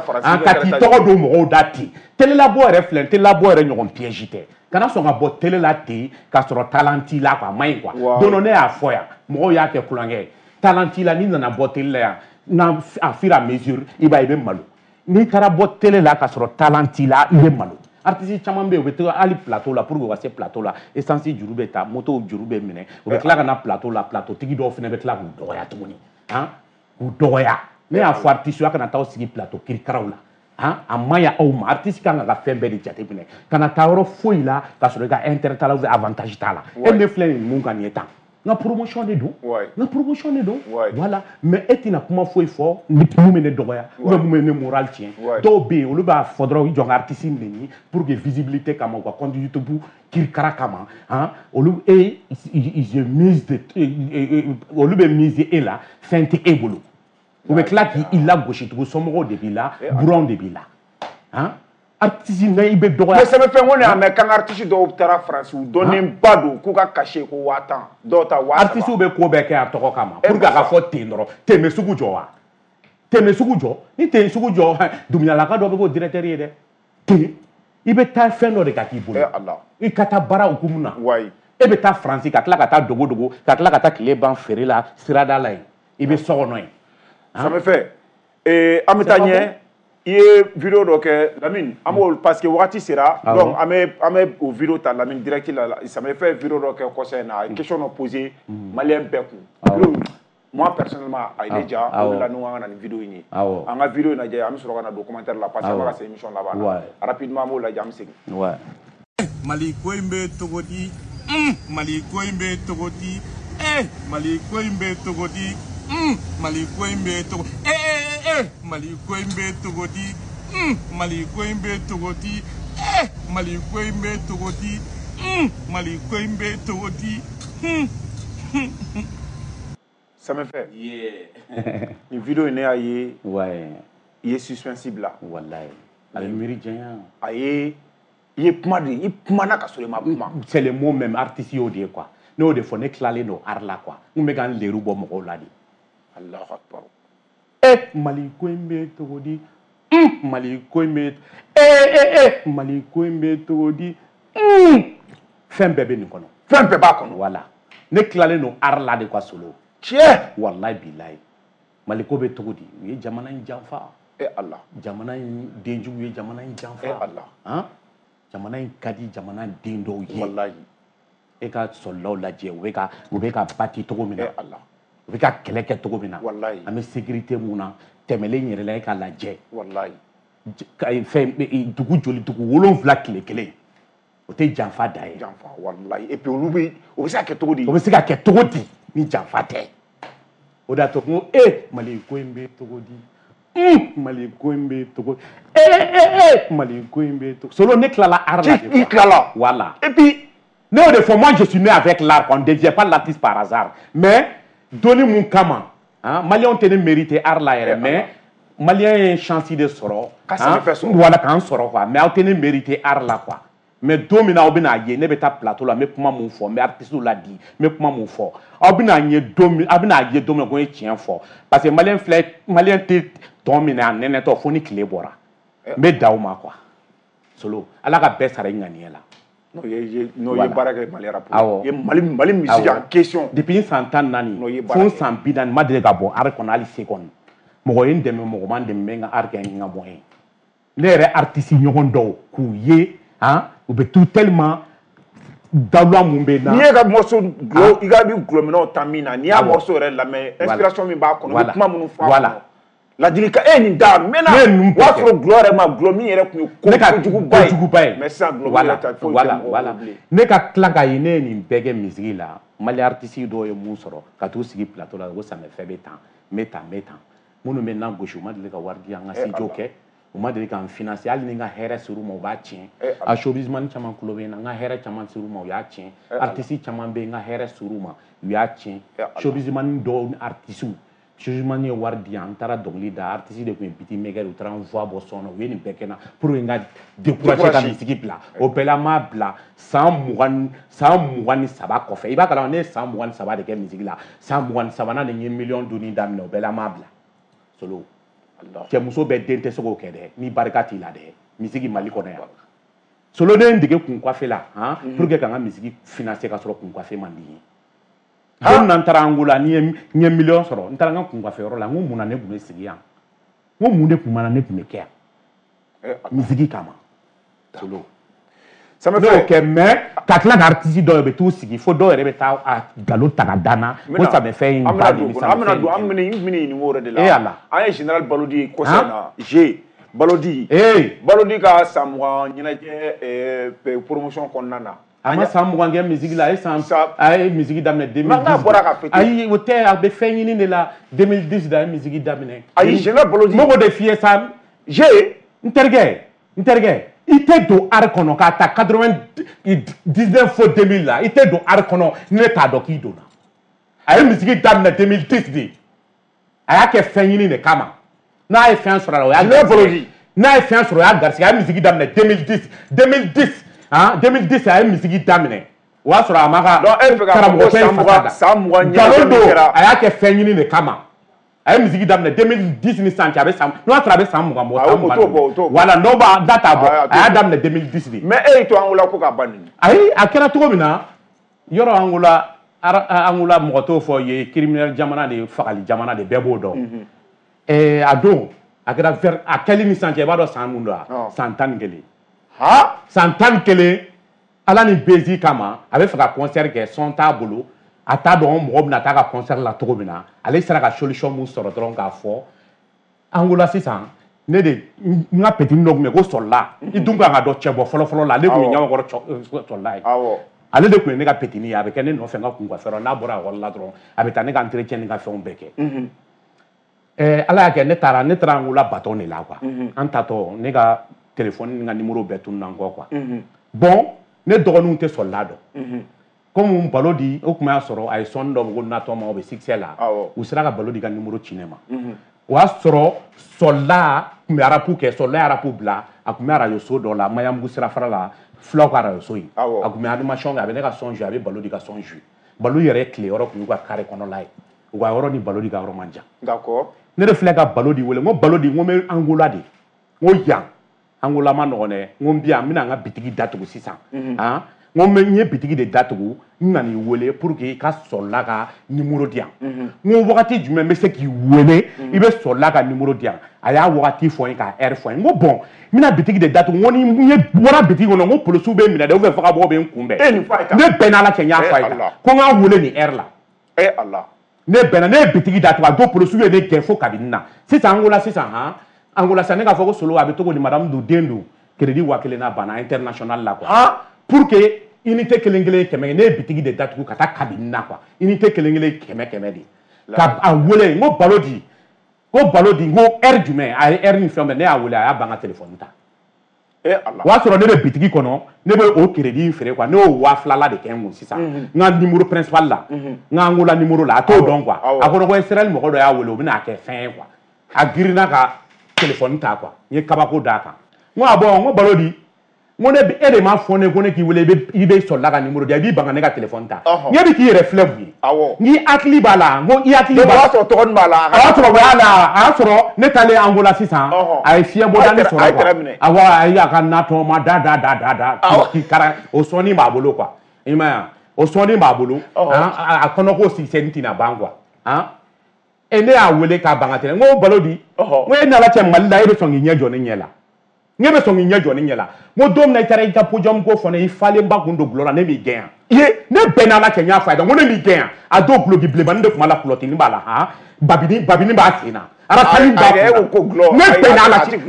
Ka t'i tɔgɔ don mɔgɔw da ten. Télélabɔ yɛrɛ filɛ, télélabɔ yɛrɛ ɲɔgɔn piège tɛ. Kana sɔn ka bɔ télé la ten k'a sɔrɔ talent t'i la quoi, a man ɲi quoi. Don dɔ ne y'a fɔ yan, mɔgɔw y'a kɛ kulonkɛ ye. Talent t'i la, n'i nana bɔ télé la yan, n'a à fur et à mesure, i b'a ye i bɛ malo. N'i taara bɔ télé la k'a sɔrɔ talent t'i la, i bɛ malo. Artiste caman bɛ yen, u bɛ taa hali plateau la, pour que u ka se plateau la, essence juru bɛ ta, moto juru bɛ minɛ, u bɛ tila ka na plateau la, plateau tigi dɔw fana bɛ tila k'u dɔgɔya tuguni, k'u dɔgɔya. Ne y'a fɔ artiste ye, a kana taa aw sigi plateau kirikaraw la. A man ɲi aw ma. Artiste kan ka fɛn bɛɛ de jateminɛ, kana taa yɔrɔ foyi la k'a sɔrɔ i ka intérêt t'a la ou bien avantage t'a la. E ne filɛ nin mun kan nin ye tan, n ka promotion de don, n ka promotion de don. Voilà, mais e tɛna kuma foyi fɔ ni mun bɛ ne dɔgɔya ou bien mun bɛ ne moral tiɲɛ. Dɔw bɛ yen, olu b'a fɔ dɔrɔn i jɔ n ka artiste neni pour que visibilité kama, u ka compte YouTube kirikara kama, olu e ils mise de olu bɛ miser e la, fɛn tɛ e bolo. U bɛ tila k'i lagosi tugun, somɔgɔw de b'i la, buranw de b'i la. Artiste n'a i bɛ dɔgɔya. Mais sɛbɛnfɛn ko ne y'a mɛn k'an ka artiste dɔw taara Faransi, u dɔnnenba don k'u ka cachet ko 10 000, dɔw ta 30 000. Artiste bɛ ko bɛɛ kɛ a tɔgɔ kama pour que a ka fɔ ten dɔrɔn. Ten bɛ sugu jɔ wa? Ten bɛ sugu jɔ? Ni ten sugu jɔ, Dumuyalaka dɔ bɛ k'o directeur ye dɛ. Ten, i bɛ taa fɛn dɔ de ka k'i bolo. I ka taa baara hukumu na. E bɛ taa Faransi ka tila ka taa dogo dogo, ka tila ka taa tile ban feere la sirada la yen. I bɛ so kɔnɔ yen. Ça me fait. An bɛ taa ɲɛ. I ye vidéo dɔ kɛ Lamine, an b'o parce que wagati sera, donc an bɛ o vidéo ta Lamine direct la. Ça me fait vidéo dɔ kɛ kɔsɛ in na, a ye question dɔ poser malien bɛɛ kun. Moi personnellement, a ye ne ja, o de la ne ko an ka na nin vidéo in ye. An ka vidéo in lajɛ, an bɛ sɔrɔ ka na don commentaire la parce que an bɛ ka se émission laban na. Rapidement an b'o lajɛ, an bɛ segin. Mali ko in bɛ cogo di? Mali ko in bɛ cogo di? Mali ko in bɛ cogo di? Mali ko in bɛ cogo Mali ko in bɛ cogo di? Mali ko in bɛ cogo di? Mali ko in bɛ cogo di? Mali ko in bɛ cogo di? Ça me fait. Nin vidéo in ne y'a ye. I ye suspense bila. Walayi. A bɛ miiri janya. A ye I ye kuma de, i kumana ka sɔrɔ i ma kuma. C'est le mot même, artiste y'o de ye quoi. Ne y'o de fɔ, ne tilalen don art la quoi. N kun bɛ ka n leru bɔ mɔgɔw la de. Allahu akbar. Mali ko in bɛ cogo di? Mali ko in bɛ Mali ko in bɛ cogo di? Fɛn bɛɛ bɛ nin kɔnɔ. Fɛn bɛɛ b'a kɔnɔ. Voilà. Ne tilalen don art la de quoi, Solo. Tiɲɛ. Wallahi bilahi. Mali ko bɛ cogo di? U ye jamana in janfa. Allah. Jamana in denjugu ye jamana in janfa. Allah. Han? Jamana in ka di jamana den dɔw ye. Wallahi. E ka sɔrɔlaw lajɛ, u bɛ ka bati cogo min na. Allah. U bɛ ka kɛlɛ kɛ cogo min na. Wallahi. An bɛ sécurité mun na, tɛmɛlen yɛrɛ la e k'a lajɛ. Wallahi. Fɛn dugu joli, dugu 7 tile kelen. O tɛ janfa da ye. Janfa wallahi. Et puis olu bɛ, o bɛ se ka kɛ cogo di? O bɛ se ka kɛ cogo di ni janfa tɛ? O de y'a to n ko Mali ko in bɛ cogo di? Mali ko in bɛ cogo Mali ko in bɛ cogo. Solo, ne tilala art la de. I tilala. Voilà. Et puis ne y'o de fɔ, moi je suis né avec l'art, on ne devient pas l'artiste par hasard. Mais donni mun kama, hein, Maliyɛnw tɛ ne mériter art la yɛrɛ, mais Maliyɛn ye chance de sɔrɔ. Ka sɛnɛfɛn sɔrɔ. Voilà, k'an sɔrɔ quoi. Mais aw tɛ ne mériter art la quoi. Mais don min na aw bɛna ye, ne bɛ taa plateau la, n bɛ kuma mun fɔ, n bɛ artiste la di, n bɛ kuma mun fɔ. Aw bɛna ye don min, aw bɛna ye don min na ko n ye tiɲɛ fɔ. Parce que Maliyɛn filɛ, Maliyɛn tɛ tɔn minɛ a nɛnɛtɔ fo ni tile bɔra. N bɛ da o ma quoi. Solo, Ala ka bɛɛ sara i ŋaniya la. Non, ye baara kɛ Mali rap. Awɔ. Ye Mali musique en question. Depuis n san 14 fo n san 40, n ma deli ka bɔ art kɔnɔ hali seconde. Mɔgɔ ye n dɛmɛ, mɔgɔ ma n dɛmɛ, n bɛ n ka art kɛ n ka moyen. Ne yɛrɛ artiste ɲɔgɔn dɔw k'u ye, han, u bɛ tout tellement dawula mun bɛ na. N'i ye ka morceau gulɔ, i ka bi gulɔminɛw ta min na, n'i y'a morceau yɛrɛ lamɛn, inspiration min b'a kɔnɔ, i bɛ kuma minnu fɔ a kɔnɔ. Ladilikan e nin da mɛnna, o y'a sɔrɔ gulɔ yɛrɛ ma, gulɔ min yɛrɛ tun ye kojuguba ye. Mais sisan gulɔ min yɛrɛ ta foyi tɛ mɔgɔw bolo bilen. Ne ka tila k'a ye ne ye nin bɛɛ kɛ musique la, Mali artiste dɔw ye mun sɔrɔ ka t'u sigi plateau la ko samefɛ bɛ tan, n bɛ tan, n bɛ tan. Minnu bɛ na gosi, u ma deli ka wari di an ka studio kɛ. U ma deli k'an financer, hali ni n ka hɛrɛ ser'u ma, u b'a tiɲɛ. A showbizman caman tulo bɛ n na, n ka hɛrɛ caman ser'u ma, u y'a tiɲɛ. Artiste caman bɛ yen, n ka hɛrɛ ser'u ma, u y'a tiɲɛ. Showbizman dɔw ni artiste, showbizman ye wari di yan, n taara dɔnkili da, artiste de tun ye beatmaker, u taara n voix bɔ son na, u ye nin bɛɛ kɛ n na pour que n ka décourager ka musique bila. O bɛɛ la n m'a bila san 23 kɔfɛ. I b'a kalama ne ye san 23 de kɛ musique la, san 23nan de n ye miliyɔn donni daminɛ, o bɛɛ la n m'a bila. Solo. Cɛmuso bɛɛ den tɛ se k'o kɛ dɛ, ni barika t'i la dɛ, misigi Mali kɔnɔ yan. Solo, ne ye n dege kun coiffe la, han, pour que ka n ka misigi financer ka sɔrɔ kun coiffe man di n ye. Don min na n taara Angola, ni n ye miliyɔn sɔrɔ, n taara n ka kun coiffe yɔrɔ la, n ko mun na ne tun bɛ sigi yan? N ko mun de tun bɛ na ne tun bɛ kɛ yan? Misigi kama. Solo. Ne y'o kɛ, mais ka tila ka artiste dɔw bɛ t'u sigi fo dɔw yɛrɛ bɛ taa a nkalon ta ka da n na ko samefɛn in ba de bɛ an bɛna don, an bɛna ɲininka o yɛrɛ de la. An ye général Balodi ye kɔsa in na, G Balodi. Balodi ka san 20 ɲɛnajɛ promotion kɔnɔna na. A ma san 20 kɛ musique la, a ye san, a ye musique daminɛ 2010. N'a bɔra ka fêter. Ayi, o tɛ, a bɛ fɛn ɲini de la 2010 de a ye musique daminɛ. Ayi, général Balodi. N b'o de f'i ye sa. G. N terikɛ. I tɛ don art kɔnɔ k'a ta 99 fo 2000 la, i tɛ don art kɔnɔ ne t'a dɔn k'i donna. A ye musique daminɛ 2010 de. A y'a kɛ fɛn ɲini de kama. N'a ye fɛn sɔrɔ a la, o y'a garisɛgɛ. N'a ye fɛn sɔrɔ, o y'a garisɛgɛ. A ye musique daminɛ 2010. 2010, han, 2010 a ye musique daminɛ. O y'a sɔrɔ a ma ka karamɔgɔkɛ in fasa da. Nkalon don, a y'a kɛ fɛn ɲini de kama. A ye musique daminɛ 2010 ni sisan cɛ, a bɛ san, n'o y'a sɔrɔ a bɛ san 20 bɔ, san 20. Voilà, n'o b'a da t'a bɔ, a y'a daminɛ 2010 de. Mais e y'i to Angola ko k'a ban nin. Ayi, a kɛra cogo min na, yɔrɔ Angola mɔgɔ t'o fɔ ye, criminel jamana de, fagali jamana de, bɛɛ b'o dɔn. A don, a kɛra vers, a kɛli ni sisan cɛ, i b'a dɔn san mun don wa? San 11. San 11, Ala ni bezi kama, a bɛ fɛ ka concert kɛ, son t'a bolo. A t'a dɔn mɔgɔ bɛna taa ka concert la cogo min na, ale sera ka solution mun sɔrɔ dɔrɔn k'a fɔ Angola sisan, ne de n ka petit dɔ tun bɛ yen ko Sɔlila, i dun kan ka dɔn cɛbɔ fɔlɔ-fɔlɔ la, ale tun ye Ɲamakɔrɔ Sɔlila ye. Ale de tun ye ne ka petit ye, a bɛ kɛ ne nɔfɛ n ka kun coiffeur n'a bɔra ekɔli la dɔrɔn, a bɛ taa ne ka entretien ni ka fɛnw bɛɛ kɛ. Ala y'a kɛ ne taara Angola baton de la quoi. An taatɔ ne ka téléphone ni n ka numéro bɛɛ tununna n kɔ quoi. Bon, ne dɔgɔninw tɛ Sɔlila dɔn. Comme Balodi, o tun y'a sɔrɔ a ye sɔnni dɔ ko natɔ ma, o bɛ succès la, u sera ka Balodi ka numéro ci ne ma. O y'a sɔrɔ Sɔlila tun bɛ arapu kɛ, Sɔlila ye arapu bila, a tun bɛ arajo so dɔ la, Maɲanbugu sirafara la, Fulaw ka radio so in. A tun bɛ animation kɛ, a bɛ ne ka son jouer, a bɛ Balodi ka son jouer. Balo yɛrɛ tile yɔrɔ tun y'u ka carré kɔnɔla ye. U ka yɔrɔ ni Balodi ka yɔrɔ man jan. D'accord. Ne de filɛ ka Balodi wele, n ko Balodi, n ko n bɛ Angola de. N ko yan Angola ma nɔgɔn dɛ. N ko n bi yan, n bɛna n ka bitigi datugu sisan. Han? N ko n ye bitigi de datugu, n nana i wele pour que i ka Sɔlila ka numéro di yan. N ko wagati jumɛn n bɛ se k'i wele, i bɛ Sɔlila ka numéro di yan. A y'a wagati fɔ n ye, k'a heure fɔ n ye. N ko bon, n bɛna bitigi de datugu, n ko ni n ye bɔra bitigi kɔnɔ, n ko polisiw bɛ n minɛ dɛ, ou bien vagabond bɛ n kunbɛn. Ne bɛn n'Ala cɛ, n y'a fɔ a ye tan. Ko n k'a wele nin heure la. Ne bɛnna, ne ye bitigi datugu, a don polisiw ye ne gɛn fo kabini na. Sisan Angola sisan, han, Angola sisan ne k'a fɔ ko Solo a bɛ cogo di, madame dun den dun, crédit 1000 n'a banna international la quoi. Pour que unité kelen kelen 100, ne ye bitigi de datugu ka taa kabini na quoi. Unité kelen kelen 100 de. Ka a wele, n ko Balodi, ko Balodi, n ko heure jumɛn, a ye heure ni fɛn bɛɛ, ne y'a wele, a y'a ban ka téléphone ta. O y'a sɔrɔ ne bɛ bitigi kɔnɔ, ne bɛ o crédit in feere quoi, ne y'o 2000 la de kɛ n kun sisan. N ka numéro principal la, n ka Angola numéro la, a t'o dɔn quoi. A ko ko Israël mɔgɔ dɔ y'a wele, o bɛna a kɛ fɛn ye quoi. A girinna ka téléphone ta quoi, n ye kabako d'a kan. N ko ah bon, n ko Balodi, n ko ne e de m'a fɔ ne ko ne k'i wele, i bɛ Sɔlila ka numéro di yan, i b'i ban ka ne ka téléphone ta. N ko e bɛ k'i yɛrɛ filɛ mun ye? N k'i hakili b'a la, n ko i hakili b'a la. O y'a sɔrɔ tɔgɔnin b'a la. A y'a sɔrɔ o y'a la, a y'a sɔrɔ ne taalen Angola sisan, a ye fiɲɛbɔdani sɔrɔ quoi. Awɔ, a ye a ka natɔma da da da da da k'i kara, o sɔnni b'a bolo quoi. I m'a ye wa? O sɔnni b'a bolo, a kɔnɔko sisɛni tɛna ban quoi. Han? E ne y'a wele k'a ban ka tɛmɛ, n ko Balodi, n ko e ni Ala cɛ Mali la, e bɛ sɔn k'i ɲɛ jɔ ne ɲɛ la. Ne bɛ sɔn k'i ɲɛ jɔ ne ɲɛ la. N ko don min na i taara i ka podium ko fɔ ne, i falenba kun don gulɔ la, ne m'i gɛn yan. Ne bɛn n'Ala cɛ, n y'a fɔ a ye, n ko ne m'i gɛn yan. A don guloki bilenmanin de tun b'a la, kulɔtinin b'a la, han, babini babini b'a sen na, arasali b'a kun na. Ne bɛn n'Ala cɛ,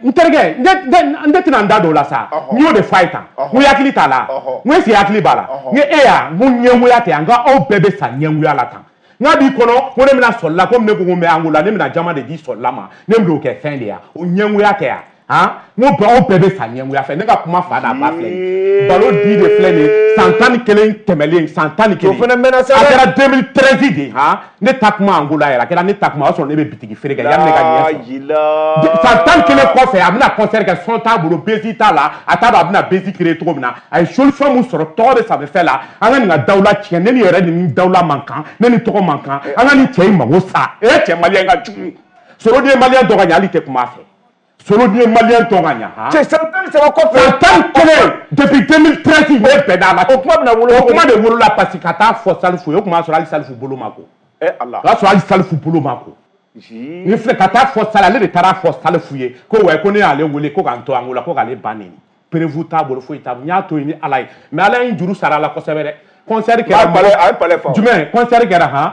n terikɛ, ne tɛna n da don o la sa. N y'o de fɔ a ye tan. N ko i hakili t'a la, n ko est ce que i hakili b'a la? N ko e y'a, n ko ɲɛngoya tɛ yan, n ko aw bɛɛ bɛ sa ɲɛngoya la tan. N k'a b'i kɔnɔ ko ne bɛna Sɔlila, komi ne ko ko n bɛ Angola, ne bɛna jama de di Sɔlila ma, ne bɛn'o kɛ fɛn de ye, o ɲɛngoya tɛ yan. Han, n ko aw bɛɛ bɛ sa ɲɛngoya fɛ. Ne ka kuma fa n'a ba filɛ nin ye. Balodi de filɛ nin ye, san 11 tɛmɛlen, san 11. O fana mɛnna sa dɛ. A kɛra 2013 de, han, ne ta kuma Angola yɛrɛ, a kɛra ne ta kuma, o y'a sɔrɔ ne bɛ bitigi feere kɛ yanni ne ka ɲɛ sɔrɔ. San 11 kɔfɛ, a bɛna concert kɛ, son t'a bolo, bezi t'a la, a t'a dɔn a bɛna bezi créer cogo min na. A ye solution mun sɔrɔ, tɔgɔ bɛ Samefɛ la, an ka nin ka dawula tiɲɛ, ne ni yɛrɛ ni dawula man kan, ne ni tɔgɔ man kan, an ka nin cɛ in mago sa. E cɛ maliyɛn ka jugu. Solo den maliyɛn dɔ ka ɲɛ, hali tɛ kuma a fɛ. Solo den maliyɛn tɔ ka ɲa. Cɛ san 13 kɔfɛ. San 11 depuis 2013 ne bɛnna a la. O kuma bɛna wolo. O kuma de wolola parce que ka taa fɔ Salifu ye, o tun b'a sɔrɔ hali Salifu bolo ma ko. Ala. O y'a sɔrɔ hali Salifu bolo ma ko. Ni filɛ ka taa fɔ Sali, ale de taara fɔ Salifu ye ko wa ko ne y'ale wele ko k'an to Angola ko k'ale ba neni. Prévu t'a bolo, foyi t'a bolo. N y'a to yen ni Ala ye. Mais Ala ye n juru sara a la kosɛbɛ dɛ. Concert kɛra. A ye palais fa. Jumɛn concert kɛra, han?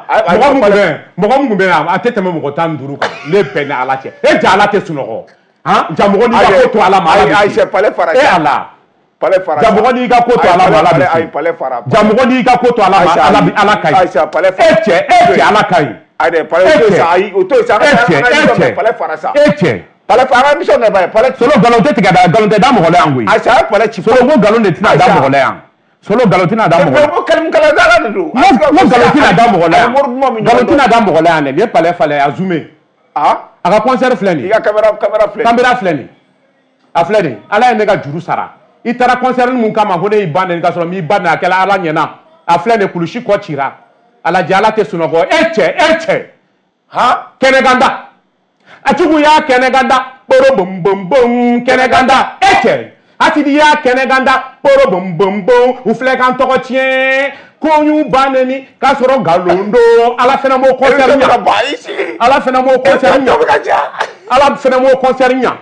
Mɔgɔ mun tun bɛ yan, a tɛ tɛmɛ mɔgɔ 15 kan. Ne bɛn ni Ala cɛ. E ja Ala tɛ sunɔgɔ. Han, ja mɔgɔ n'i ka ko to Ala ma, Ala bɛ se. Ayi, palais fara. E Ala. Palais fara. Ja mɔgɔ n'i ka ko to Ala ma, Ala bɛ se. Ayi, palais fara. Ja mɔgɔ n'i ka ko to Ala ma, Ala bɛ, Ala ka ɲi. Ayi, palais fara. E cɛ, Ala ka ɲi. Ayi dɛ, palais to sa, ayi, o to sa. E cɛ, palais fara sa. E cɛ. Palais fara, an ka émission kɛ ba ye, palais. Solo nkalon tɛ tigɛ da, nkalon tɛ da mɔgɔ la yan koyi. Ayi, a ye palais ci. Solo ko nkalon de tɛna da mɔgɔ la yan. Solo nkalon tɛna da mɔgɔ la. Ko kalimu kala de don. N ko nkalon tɛna da mɔgɔ la yan. Nkalon tɛna da mɔgɔ la yan dɛ. Nin ye palais falɛ, a zoomé. A ka concert filɛ nin ye. I ka caméra filɛ. Caméra filɛ nin ye. A filɛ nin ye. Ala ye ne ka juru sara. I taara concert mun kama ko ne y'i ba neni ka sɔrɔ n m'i ba neni, a kɛla Ala ɲɛna. A filɛ nin ye, kulusi kɔ cira. A lajɛ, Ala tɛ sunɔgɔ. E cɛ, e cɛ. Han? Kɛnɛkanda. A tigiw y'a kɛnɛkanda. Kporo bom bom bom kɛnɛkanda. E cɛ. Asidi y'a kɛnɛkanda. Kporo bom bom bom. U filɛ k'an tɔgɔ tiɲɛ. Ko y'u ba neni k'a sɔrɔ nkalon don. Ala fana m'o concert ɲa. Ala fana m'o concert ɲa. Ala fana m'o concert ɲa.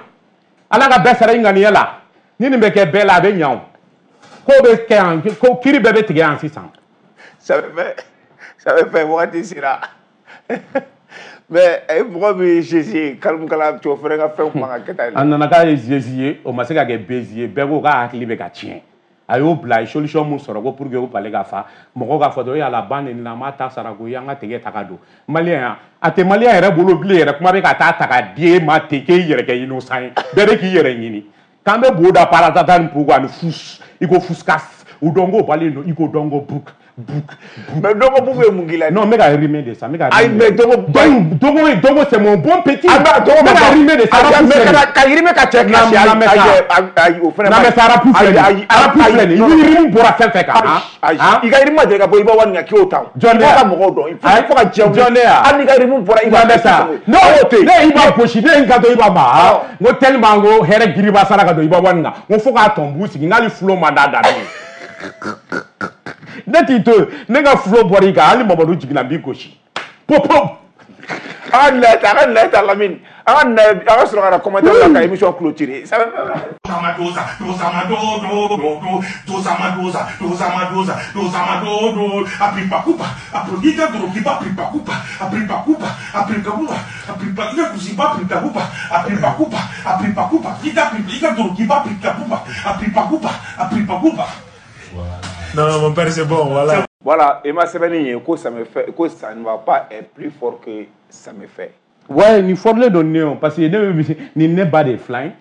Ala ka bɛɛ sara i ŋaniya la. Ni nin bɛ kɛ bɛɛ la, a bɛ ɲa o. Ko bɛ kɛ yan, ko kiiri bɛɛ bɛ tigɛ yan sisan. Ça bɛ fɛ wagati sera. Mais mɔgɔ min ye Jésus ye, kalimukala cɛw fana ka fɛnw man ka kɛ tan. A nana k'a ye Jésus ye, o ma se ka kɛ bezi ye, bɛɛ ko k'a hakili bɛ ka tiɲɛ. A y'o bila, a ye solution mun sɔrɔ ko pour que o palais ka fa, mɔgɔw k'a fɔ dɔrɔn yala ba neni na, an b'a ta sara ko an ka tigɛ ta ka don. Maliyɛn, a tɛ maliyɛn yɛrɛ bolo bilen yɛrɛ, kuma bɛ ka taa ta ka di e ma ten k'e yɛrɛ kɛ innocent ye. Bɛɛ bɛ k'i yɛrɛ ɲini. K'an bɛ bo da paratata ni pugu ani fus, i ko fuskas, u dɔn ko balen don, i ko dɔn ko buk. Bouk. Mais Dogo Bouk ye mun k'i la? Non, n bɛ ka rimer de sa, n bɛ ka. Ayi, mais Dogo. Dogo c'est mon bon petit. Ah bah Dogo n bɛ ka rimer de sa. Mais ka rimer ka cɛ kilasi. Ayi, o fana. Non mais sa rap filɛ nin ye. Rap filɛ nin ye. I ni rime bɔra fɛn fɛn kan. Ayi, i ka rime ma deli ka bɔ i b'a wari ɲɛ k'i y'o ta. Jɔn de ya? Fo ka mɔgɔw dɔn. Fo ka diɲɛ wuli. Jɔn de ya? Hali n'i ka rime bɔra i b'a. Non mais sa. Non, ne y'i ba gosi, ne ye n kanto i ba ma. N ko tellement n ko hɛrɛ giriba sara ka don i b'a wari kan. N ko fo k'a tɔn b'u sigi, n k'ale fulo man d'a da ne. Ne t'i to yen, ne ka fulo bɔra i kan, hali Mamadu jiginna n b'i gosi. Pop pop. An ka nin ta Lamine, an ka sɔrɔ ka na commentaire la ka émission clôturer. Non, mon père, c'est bon, voilà. Voilà, et ma semaine, que ça me fait, que ça ne va pas être plus fort que ça me fait. Ouais, ni fort le donner, parce que ni ne bat des flingues.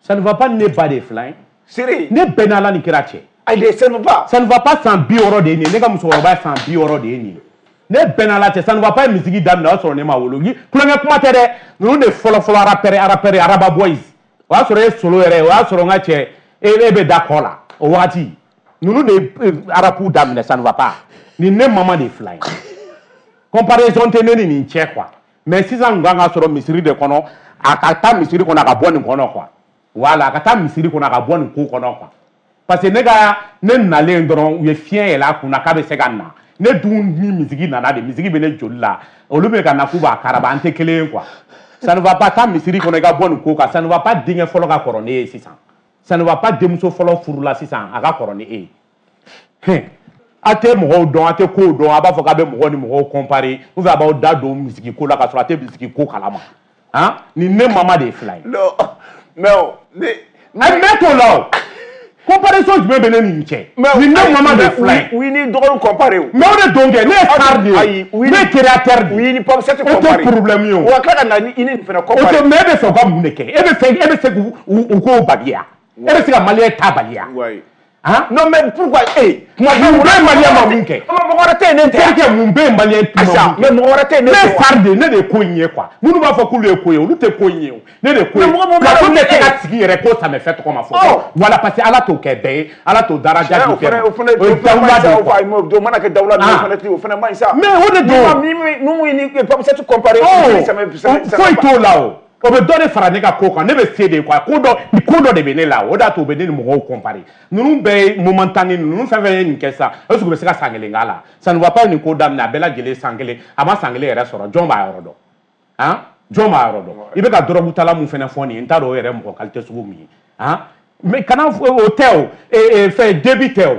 Ça ne va pas ne bat des flingues. Sérieux? Ne benala ni kirache. Allez, ça ne va. Ça ne va pas sans bioro de ni. Ne ka musokɔrɔba sans bioro de ni. Ne benala cɛ, ça ne va pas musique daminɛ o y'a sɔrɔ ne ma wolo. Kulonkɛ kuma tɛ dɛ. Ninnu de fɔlɔ fɔlɔ rappeur Araba Boys. O y'a sɔrɔ e solo yɛrɛ, o y'a sɔrɔ n ka cɛ e bɛ da kɔ la o wagati. Ninnu de arapu daminɛ, ça ne va pas. Ni ne mama de fila ye. Comparaison tɛ ne ni nin cɛ quoi. Mais sisan kun kan ka sɔrɔ misiri de kɔnɔ, a ka taa misiri kɔnɔ a ka bɔ nin kɔnɔ quoi. Voilà, a ka taa misiri kɔnɔ a ka bɔ nin ko kɔnɔ quoi. Parce que ne ka ne nalen dɔrɔn u ye fiɲɛ yɛlɛ a kunna k'a bɛ se ka na. Ne dun ni misigi nana de, misigi bɛ ne joli la. Olu bɛ ka na k'u b'a karaba, an tɛ kelen ye quoi. Ça ne va pas taa misiri kɔnɔ i ka bɔ nin ko kan. Ça ne va pas denkɛ fɔlɔ ka kɔrɔ ne ye sisan. Ça ne va pas denmuso fɔlɔ furu la sisan a ka kɔrɔ ni e ye. A tɛ mɔgɔw dɔn, a tɛ kow dɔn, a b'a fɔ k'a bɛ mɔgɔw ni mɔgɔw comparer ou bien a b'aw da don misigi ko la k'a sɔrɔ a tɛ misigi ko kalama. Han, nin ne mama de ye fila ye. Non, mais ne. Mais t'o la o. Comparaison jumɛn bɛ ne ni nin cɛ? Nin ne mama de ye fila ye. U ni dɔgɔnin comparer o. Mais o de don kɛ, ne ye star de ye. Ne ye créateur de ye. U ni Pop 7 comparer. O tɛ problème ye o. Wa tila ka na i ni nin fana comparer. O tɛ, mais e bɛ fɛ u ka mun de kɛ? E bɛ fɛ e bɛ se k'u k'o baliya. E bɛ se ka malien ta baliya. Hein? Non mais pourquoi eh mun bɛ malien ma mun kɛ? Mɔgɔ wɛrɛ tɛ yen ne tɛ. Terikɛ mun bɛ malien ma mun kɛ? Mais mɔgɔ wɛrɛ tɛ yen ne tɛ. Ne ye star de ye, ne de ye ko in ye quoi. Minnu b'a fɔ k'olu ye ko ye, olu tɛ ko in ye o. Ne de ye ko ye. Plateau tɛ se ka sigi yɛrɛ ko Samefɛ tɔgɔ ma fɔ. Voilà, parce que Ala t'o kɛ bɛɛ ye, Ala t'o daraja di bɛɛ ma. O fana o ye dawula de ye quoi. O mana kɛ dawula de ye, o fana man ɲi sa. Mais o de don. Ni ni Pop 7 comparer. Foyi t'o la o. O bɛ dɔ de fara ne ka ko kan, ne bɛ se de quoi. Ko dɔ de bɛ ne la, o de y'a to u bɛ ne ni mɔgɔw comparer. Ninnu bɛɛ ye momentané, ninnu fɛn fɛn ye nin kɛ sisan, est ce que u bɛ se ka san kelen k'a la? Ça ne va pas nin ko daminɛ, a bɛɛ lajɛlen san kelen, a ma san kelen yɛrɛ sɔrɔ, jɔn b'a yɔrɔ dɔn? Han, jɔn b'a yɔrɔ dɔn? I bɛ ka dɔrɔgu tala mun fɛnɛ fɔ nin ye, n t'a dɔn o yɛrɛ mɔgɔ qualité sugu min ye. Han, mais kana o tɛ o, fɛn débit tɛ o.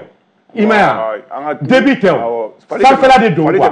I m'a ye wa? Débit tɛ o. Sanfɛla de don quoi.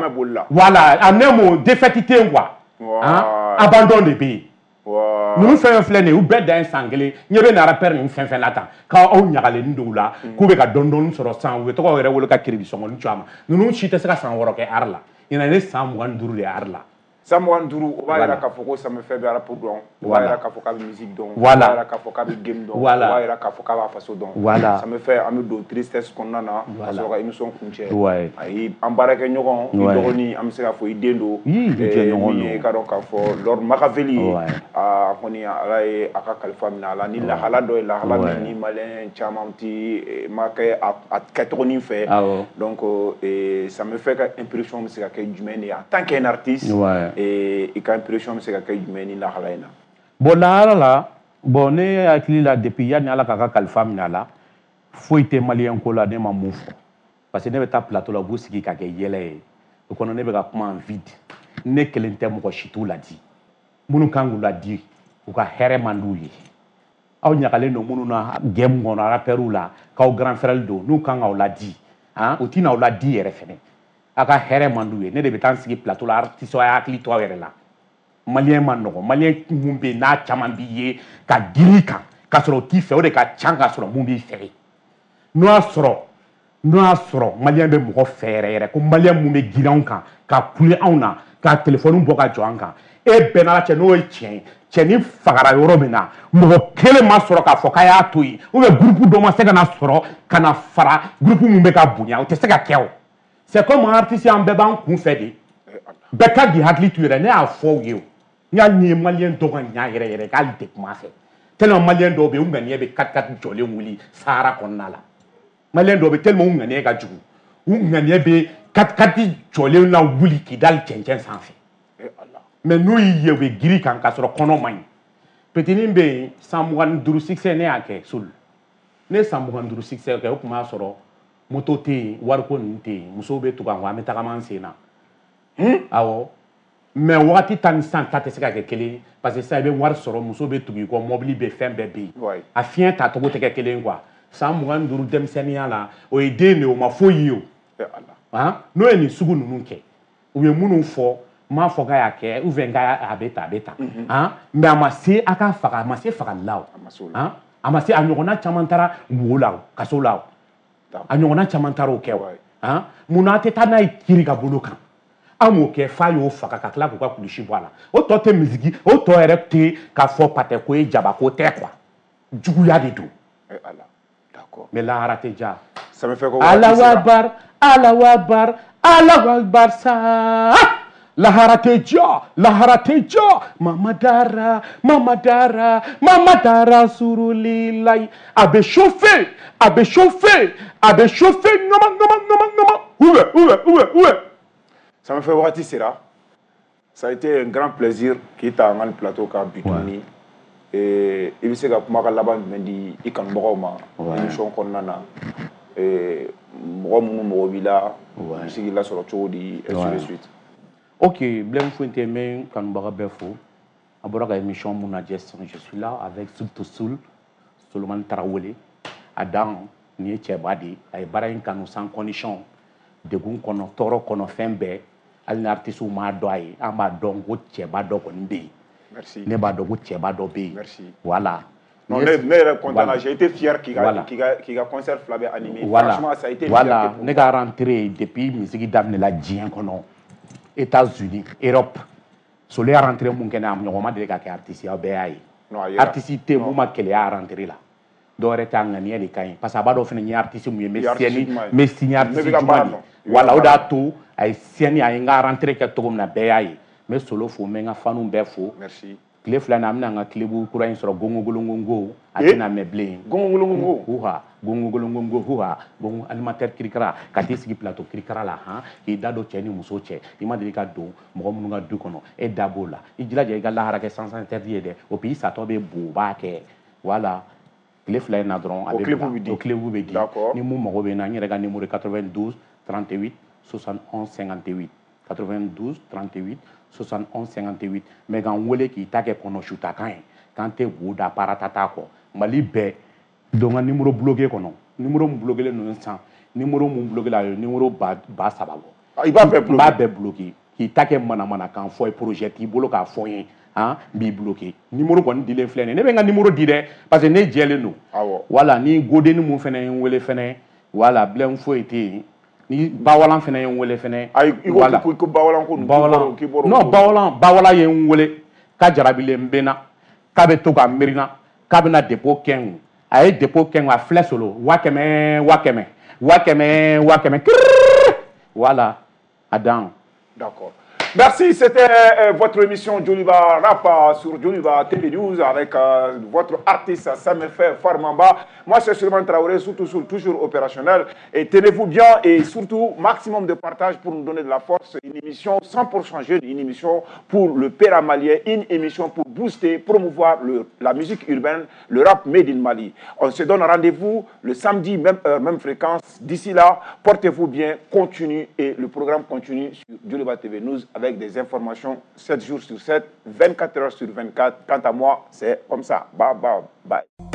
Voilà, en un mot, défaite tɛ yen quoi. Han, abandon de bɛ yen. Ninnu fɛn fɛn filɛ nin ye, u bɛɛ dan ye san kelen. Ɲɛ bɛ nin rappeur ninnu fɛn fɛn la tan, k'aw ɲagalen don u la, k'u bɛ ka dɔɔni dɔɔni sɔrɔ san, u bɛ tɔgɔ yɛrɛ wele ka kiribisɔngɔni cu a ma. Ninnu si tɛ se ka san 6 kɛ art la. Ɲinan ne san 25 de ye art la. San 25, o b'a yira k'a fɔ ko Samefɛ bɛ rap dɔn, o b'a yira k'a fɔ k'a bɛ musique dɔn, o b'a yira k'a fɔ k'a bɛ game dɔn, o b'a yira k'a fɔ k'a b'a faso dɔn. Samefɛ, an bɛ don tristesse kɔnɔna na ka sɔrɔ ka émission kuncɛ. Ayi, an baarakɛɲɔgɔn, i dɔgɔnin, an bɛ se k'a fɔ i den don, min ye i ka dɔn k'a fɔ Lord Makaveli ye, a kɔni Ala ye a ka kalifa minɛ a la ni lahala dɔ ye, lahala min ni malien caman ti ma kɛ a kɛcogonin fɛ. Donc Samefɛ ka impression bɛ se ka kɛ jumɛn de ye en tant qu'un artiste? I ka impression bɛ se ka kɛ jumɛn ni lahala in na? Bon, lahala la, bon, ne hakili la depuis yanni Ala k'a ka kalifa minɛ a la, foyi tɛ malien ko la ne ma mun fɔ. Parce que ne bɛ taa plateau la, u b'u sigi ka kɛ yɛlɛ ye. O kɔnɔ ne bɛ ka kuma en vide. Ne kelen tɛ, mɔgɔ si t'u ladi. Minnu kan k'u ladi, u ka hɛrɛ man d'u ye. Aw ɲagalen don minnu na game kɔnɔ, rappeurw la, k'aw grand frère don, n'u kan k'aw ladi, han, u tɛna aw ladi yɛrɛ fɛnɛ. A ka hɛrɛ man d'u ye. Ne de bɛ taa n sigi plateau la, artiste a y'a hakili to aw yɛrɛ la. Malien man nɔgɔn, malien mun bɛ yen n'a caman b'i ye ka girin i kan k'a sɔrɔ o t'i fɛ, o de ka ca k'a sɔrɔ mun b'i fɛ. N'o y'a sɔrɔ malien bɛ mɔgɔ fɛ yɛrɛ yɛrɛ, ko malien mun bɛ girin anw kan ka kule anw na ka téléphone bɔ ka jɔ an kan, e bɛɛ n'Ala cɛ n'o ye tiɲɛ ye, cɛnin fagara yɔrɔ min na, mɔgɔ kelen ma sɔrɔ k'a fɔ k'a y'a to yen, ou bien groupe dɔ ma se ka na sɔrɔ ka na fara groupe mun bɛ ka bonya, o tɛ se ka kɛ o. C'est comme un artiste an bɛɛ b'an kun fɛ de. Bɛɛ ka k'i hakili to i yɛrɛ, ne y'a fɔ u ye o. N y'a ni ye maliyɛn dɔw ka ɲa yɛrɛ yɛrɛ k'ale tɛ kuma fɛ. Tellement maliyɛn dɔw bɛ yen, u ŋaniya bɛ 4-4 jɔlen wuli Sahara kɔnɔna la. Maliyɛn dɔw bɛ tellement u ŋaniya ka jugu. U ŋaniya bɛ 4-4 jɔlen la wuli k'i da cɛncɛn sanfɛ. Mais n'u y'i ye u bɛ girin kan k'a sɔrɔ kɔnɔ man ɲi. Petinin bɛ yen san 25 succès ne y'a kɛ Soul. Ne ye san 25 succès kɛ, o tun b'a sɔrɔ moto tɛ yen, wariko ninnu tɛ yen, musow bɛ tugu an kɔ, an bɛ tagama an sen na. Awɔ. Mais wagati ta ni sisan ta tɛ se ka kɛ kelen ye, parce que sisan i bɛ wari sɔrɔ, muso bɛ tugu i kɔ, mobili bɛ, fɛn bɛɛ bɛ yen. A fiɲɛ tacogo tɛ kɛ kelen ye quoi. San 25 denmisɛnninya la, o ye den de ye, o ma foyi ye o. N'o ye nin sugu ninnu kɛ, u ye minnu fɔ, n m'a fɔ k'a y'a kɛ, ou bien k'a bɛ tan, a bɛ tan. Mais a ma se a k'a faga, a ma se fagali la o. A ma se, a ɲɔgɔnna caman taara wo la o, kaso la o. A ɲɔgɔnna caman taara o kɛ o. Munna a tɛ taa n'a ye kiiri ka bolo kan? An m'o kɛ f'a y'o faga ka tila k'u ka kulusi bɔ a la. O tɔ tɛ misigi, o tɔ yɛrɛ tɛ k'a fɔ patɛ ko ye jabako tɛ quoi. Juguya de don. Mais lahara tɛ ja. Alahu akbar, Alahu akbar, Alahu akbar sa. Lahara tɛ jɔ, lahara tɛ jɔ. Mama dara, mama dara, mama dara surulilayi. A bɛ chauffer, a bɛ chauffer, a bɛ chauffer ŋama ŋama ŋama ŋama. Oué, oué, oué, oué. Ça me fait wagati sera. Ça a été un grand plaisir k'i ta an ka plateau kan bi tuguni. I bɛ se ka kuma ka laban jumɛn di i kanubagaw ma émission kɔnɔna na? Mɔgɔ minnu mago b'i la, u bɛ se k'i lasɔrɔ cogo di, ainsi de suite. Ok, Blème Fuente, n bɛ n kanubaga bɛɛ fo. A bɔra ka émission mun lajɛ sisan, je suis là avec Soul, Solomani Tarawele. A dan nin ye cɛba de ye, a ye baara in kanu sans condition, degun kɔnɔ, tɔɔrɔ kɔnɔ, fɛn bɛɛ. Hali ni artiste m'a dɔn a ye, an b'a dɔn ko cɛba dɔ kɔni bɛ yen. Merci. Ne b'a dɔn ko cɛba dɔ bɛ yen. Merci. Voilà. Non, ne yɛrɛ content na, j'ai été fier k'i ka concert fila bɛɛ animé. Voilà. Franchement, ça a été voilà. Ne ka rentrée depuis musique daminɛla diɲɛ kɔnɔ. États-Unis, Europe. Solo y'a rentré mun kɛ ne a ɲɔgɔn ma deli ka kɛ artiste ye, aw bɛɛ y'a ye. Artiste tɛ mun ma keleya rentrée la. Dɔw yɛrɛ t'a ŋaniya de ka ɲi parce que a b'a dɔn fɛnɛ n ye artiste mun ye, n bɛ signé artiste juma de. Voilà, o de y'a to a ye signé, a ye n ka rentrée kɛ cogo min na bɛɛ y'a ye. N bɛ Solo fo, n bɛ n ka fanu bɛɛ fo. Merci. Tile fila in na an bɛna n ka clip kura in sɔrɔ gongogolongongo, a tɛna mɛn bilen. Gongogolongongo. Huha, gongogolongongo huha, gongo animateur kirikara ka t'i sigi plateau kirikara la han, k'i da don cɛ ni muso cɛ, i ma deli ka don mɔgɔ minnu ka du kɔnɔ, e da b'o la. I jilaja i ka lahara kɛ sens interdit ye dɛ, o puis i satɔ bɛ bo, o b'a kɛ. Voilà. Tile fila in na dɔrɔn a bɛ bila, o clip bɛ di. Ni mun mago bɛ n na, n yɛrɛ ka numéro 92 38 71 58 92 38 71 58. Mais k'an wele k'i ta kɛ kɔnɔ sutakan ye, k'an tɛ wo da paratata kɔ. Mali bɛɛ don ka numéro bloqué kɔnɔ, numéro mun bloqué len don sisan, numéro mun bloqué la, a ye numéro 3000 bɔ. I b'a bɛɛ bloqué. N b'a bɛɛ bloqué k'i ta kɛ manamanakan fɔ ye, projet t'i bolo k'a fɔ n ye. Han, n b'i bloqué. Numéro kɔni dilen filɛ nin ye, ne bɛ n ka numéro di dɛ, parce que ne jɛlen don. Voilà, ni godenni mun fɛnɛ ye n wele fɛnɛ, voilà, Blème foyi tɛ yen. Ni Bawalan fɛnɛ ye n wele fɛnɛ. Ayi, i ko ko Bawalan ko Bawalan. Non, Bawalan, Bawalan ye n wele k'a jarabilen bɛ n na, k'a bɛ to ka miiri n na, k'a bɛna dépôt kɛ n kun. A ye dépôt kɛ n kun, a filɛ Solo, 100 000, 100 000, 100 000, 100 000, kirrrr. Voilà, a dan. D'accord. Merci, c'était votre émission Djoliba Rap sur Djoliba TV News avec votre artiste Samefɛ Farmamba. Moi, c'est Souleymane Traoré, surtout, toujours opérationnel. Et tenez-vous bien et surtout, maximum de partage pour nous donner de la force. Une émission 100% jeune, une émission pour le père malien, une émission pour booster, promouvoir la musique urbaine, le rap made in Mali. On se donne rendez-vous le samedi, même heure, même fréquence. D'ici là, portez-vous bien, continue et le programme continue sur Djoliba TV News avec des informations 7 jours sur 7, 24 heures sur 24. Quant à moi, c'est comme ça. Bye, bye, bye.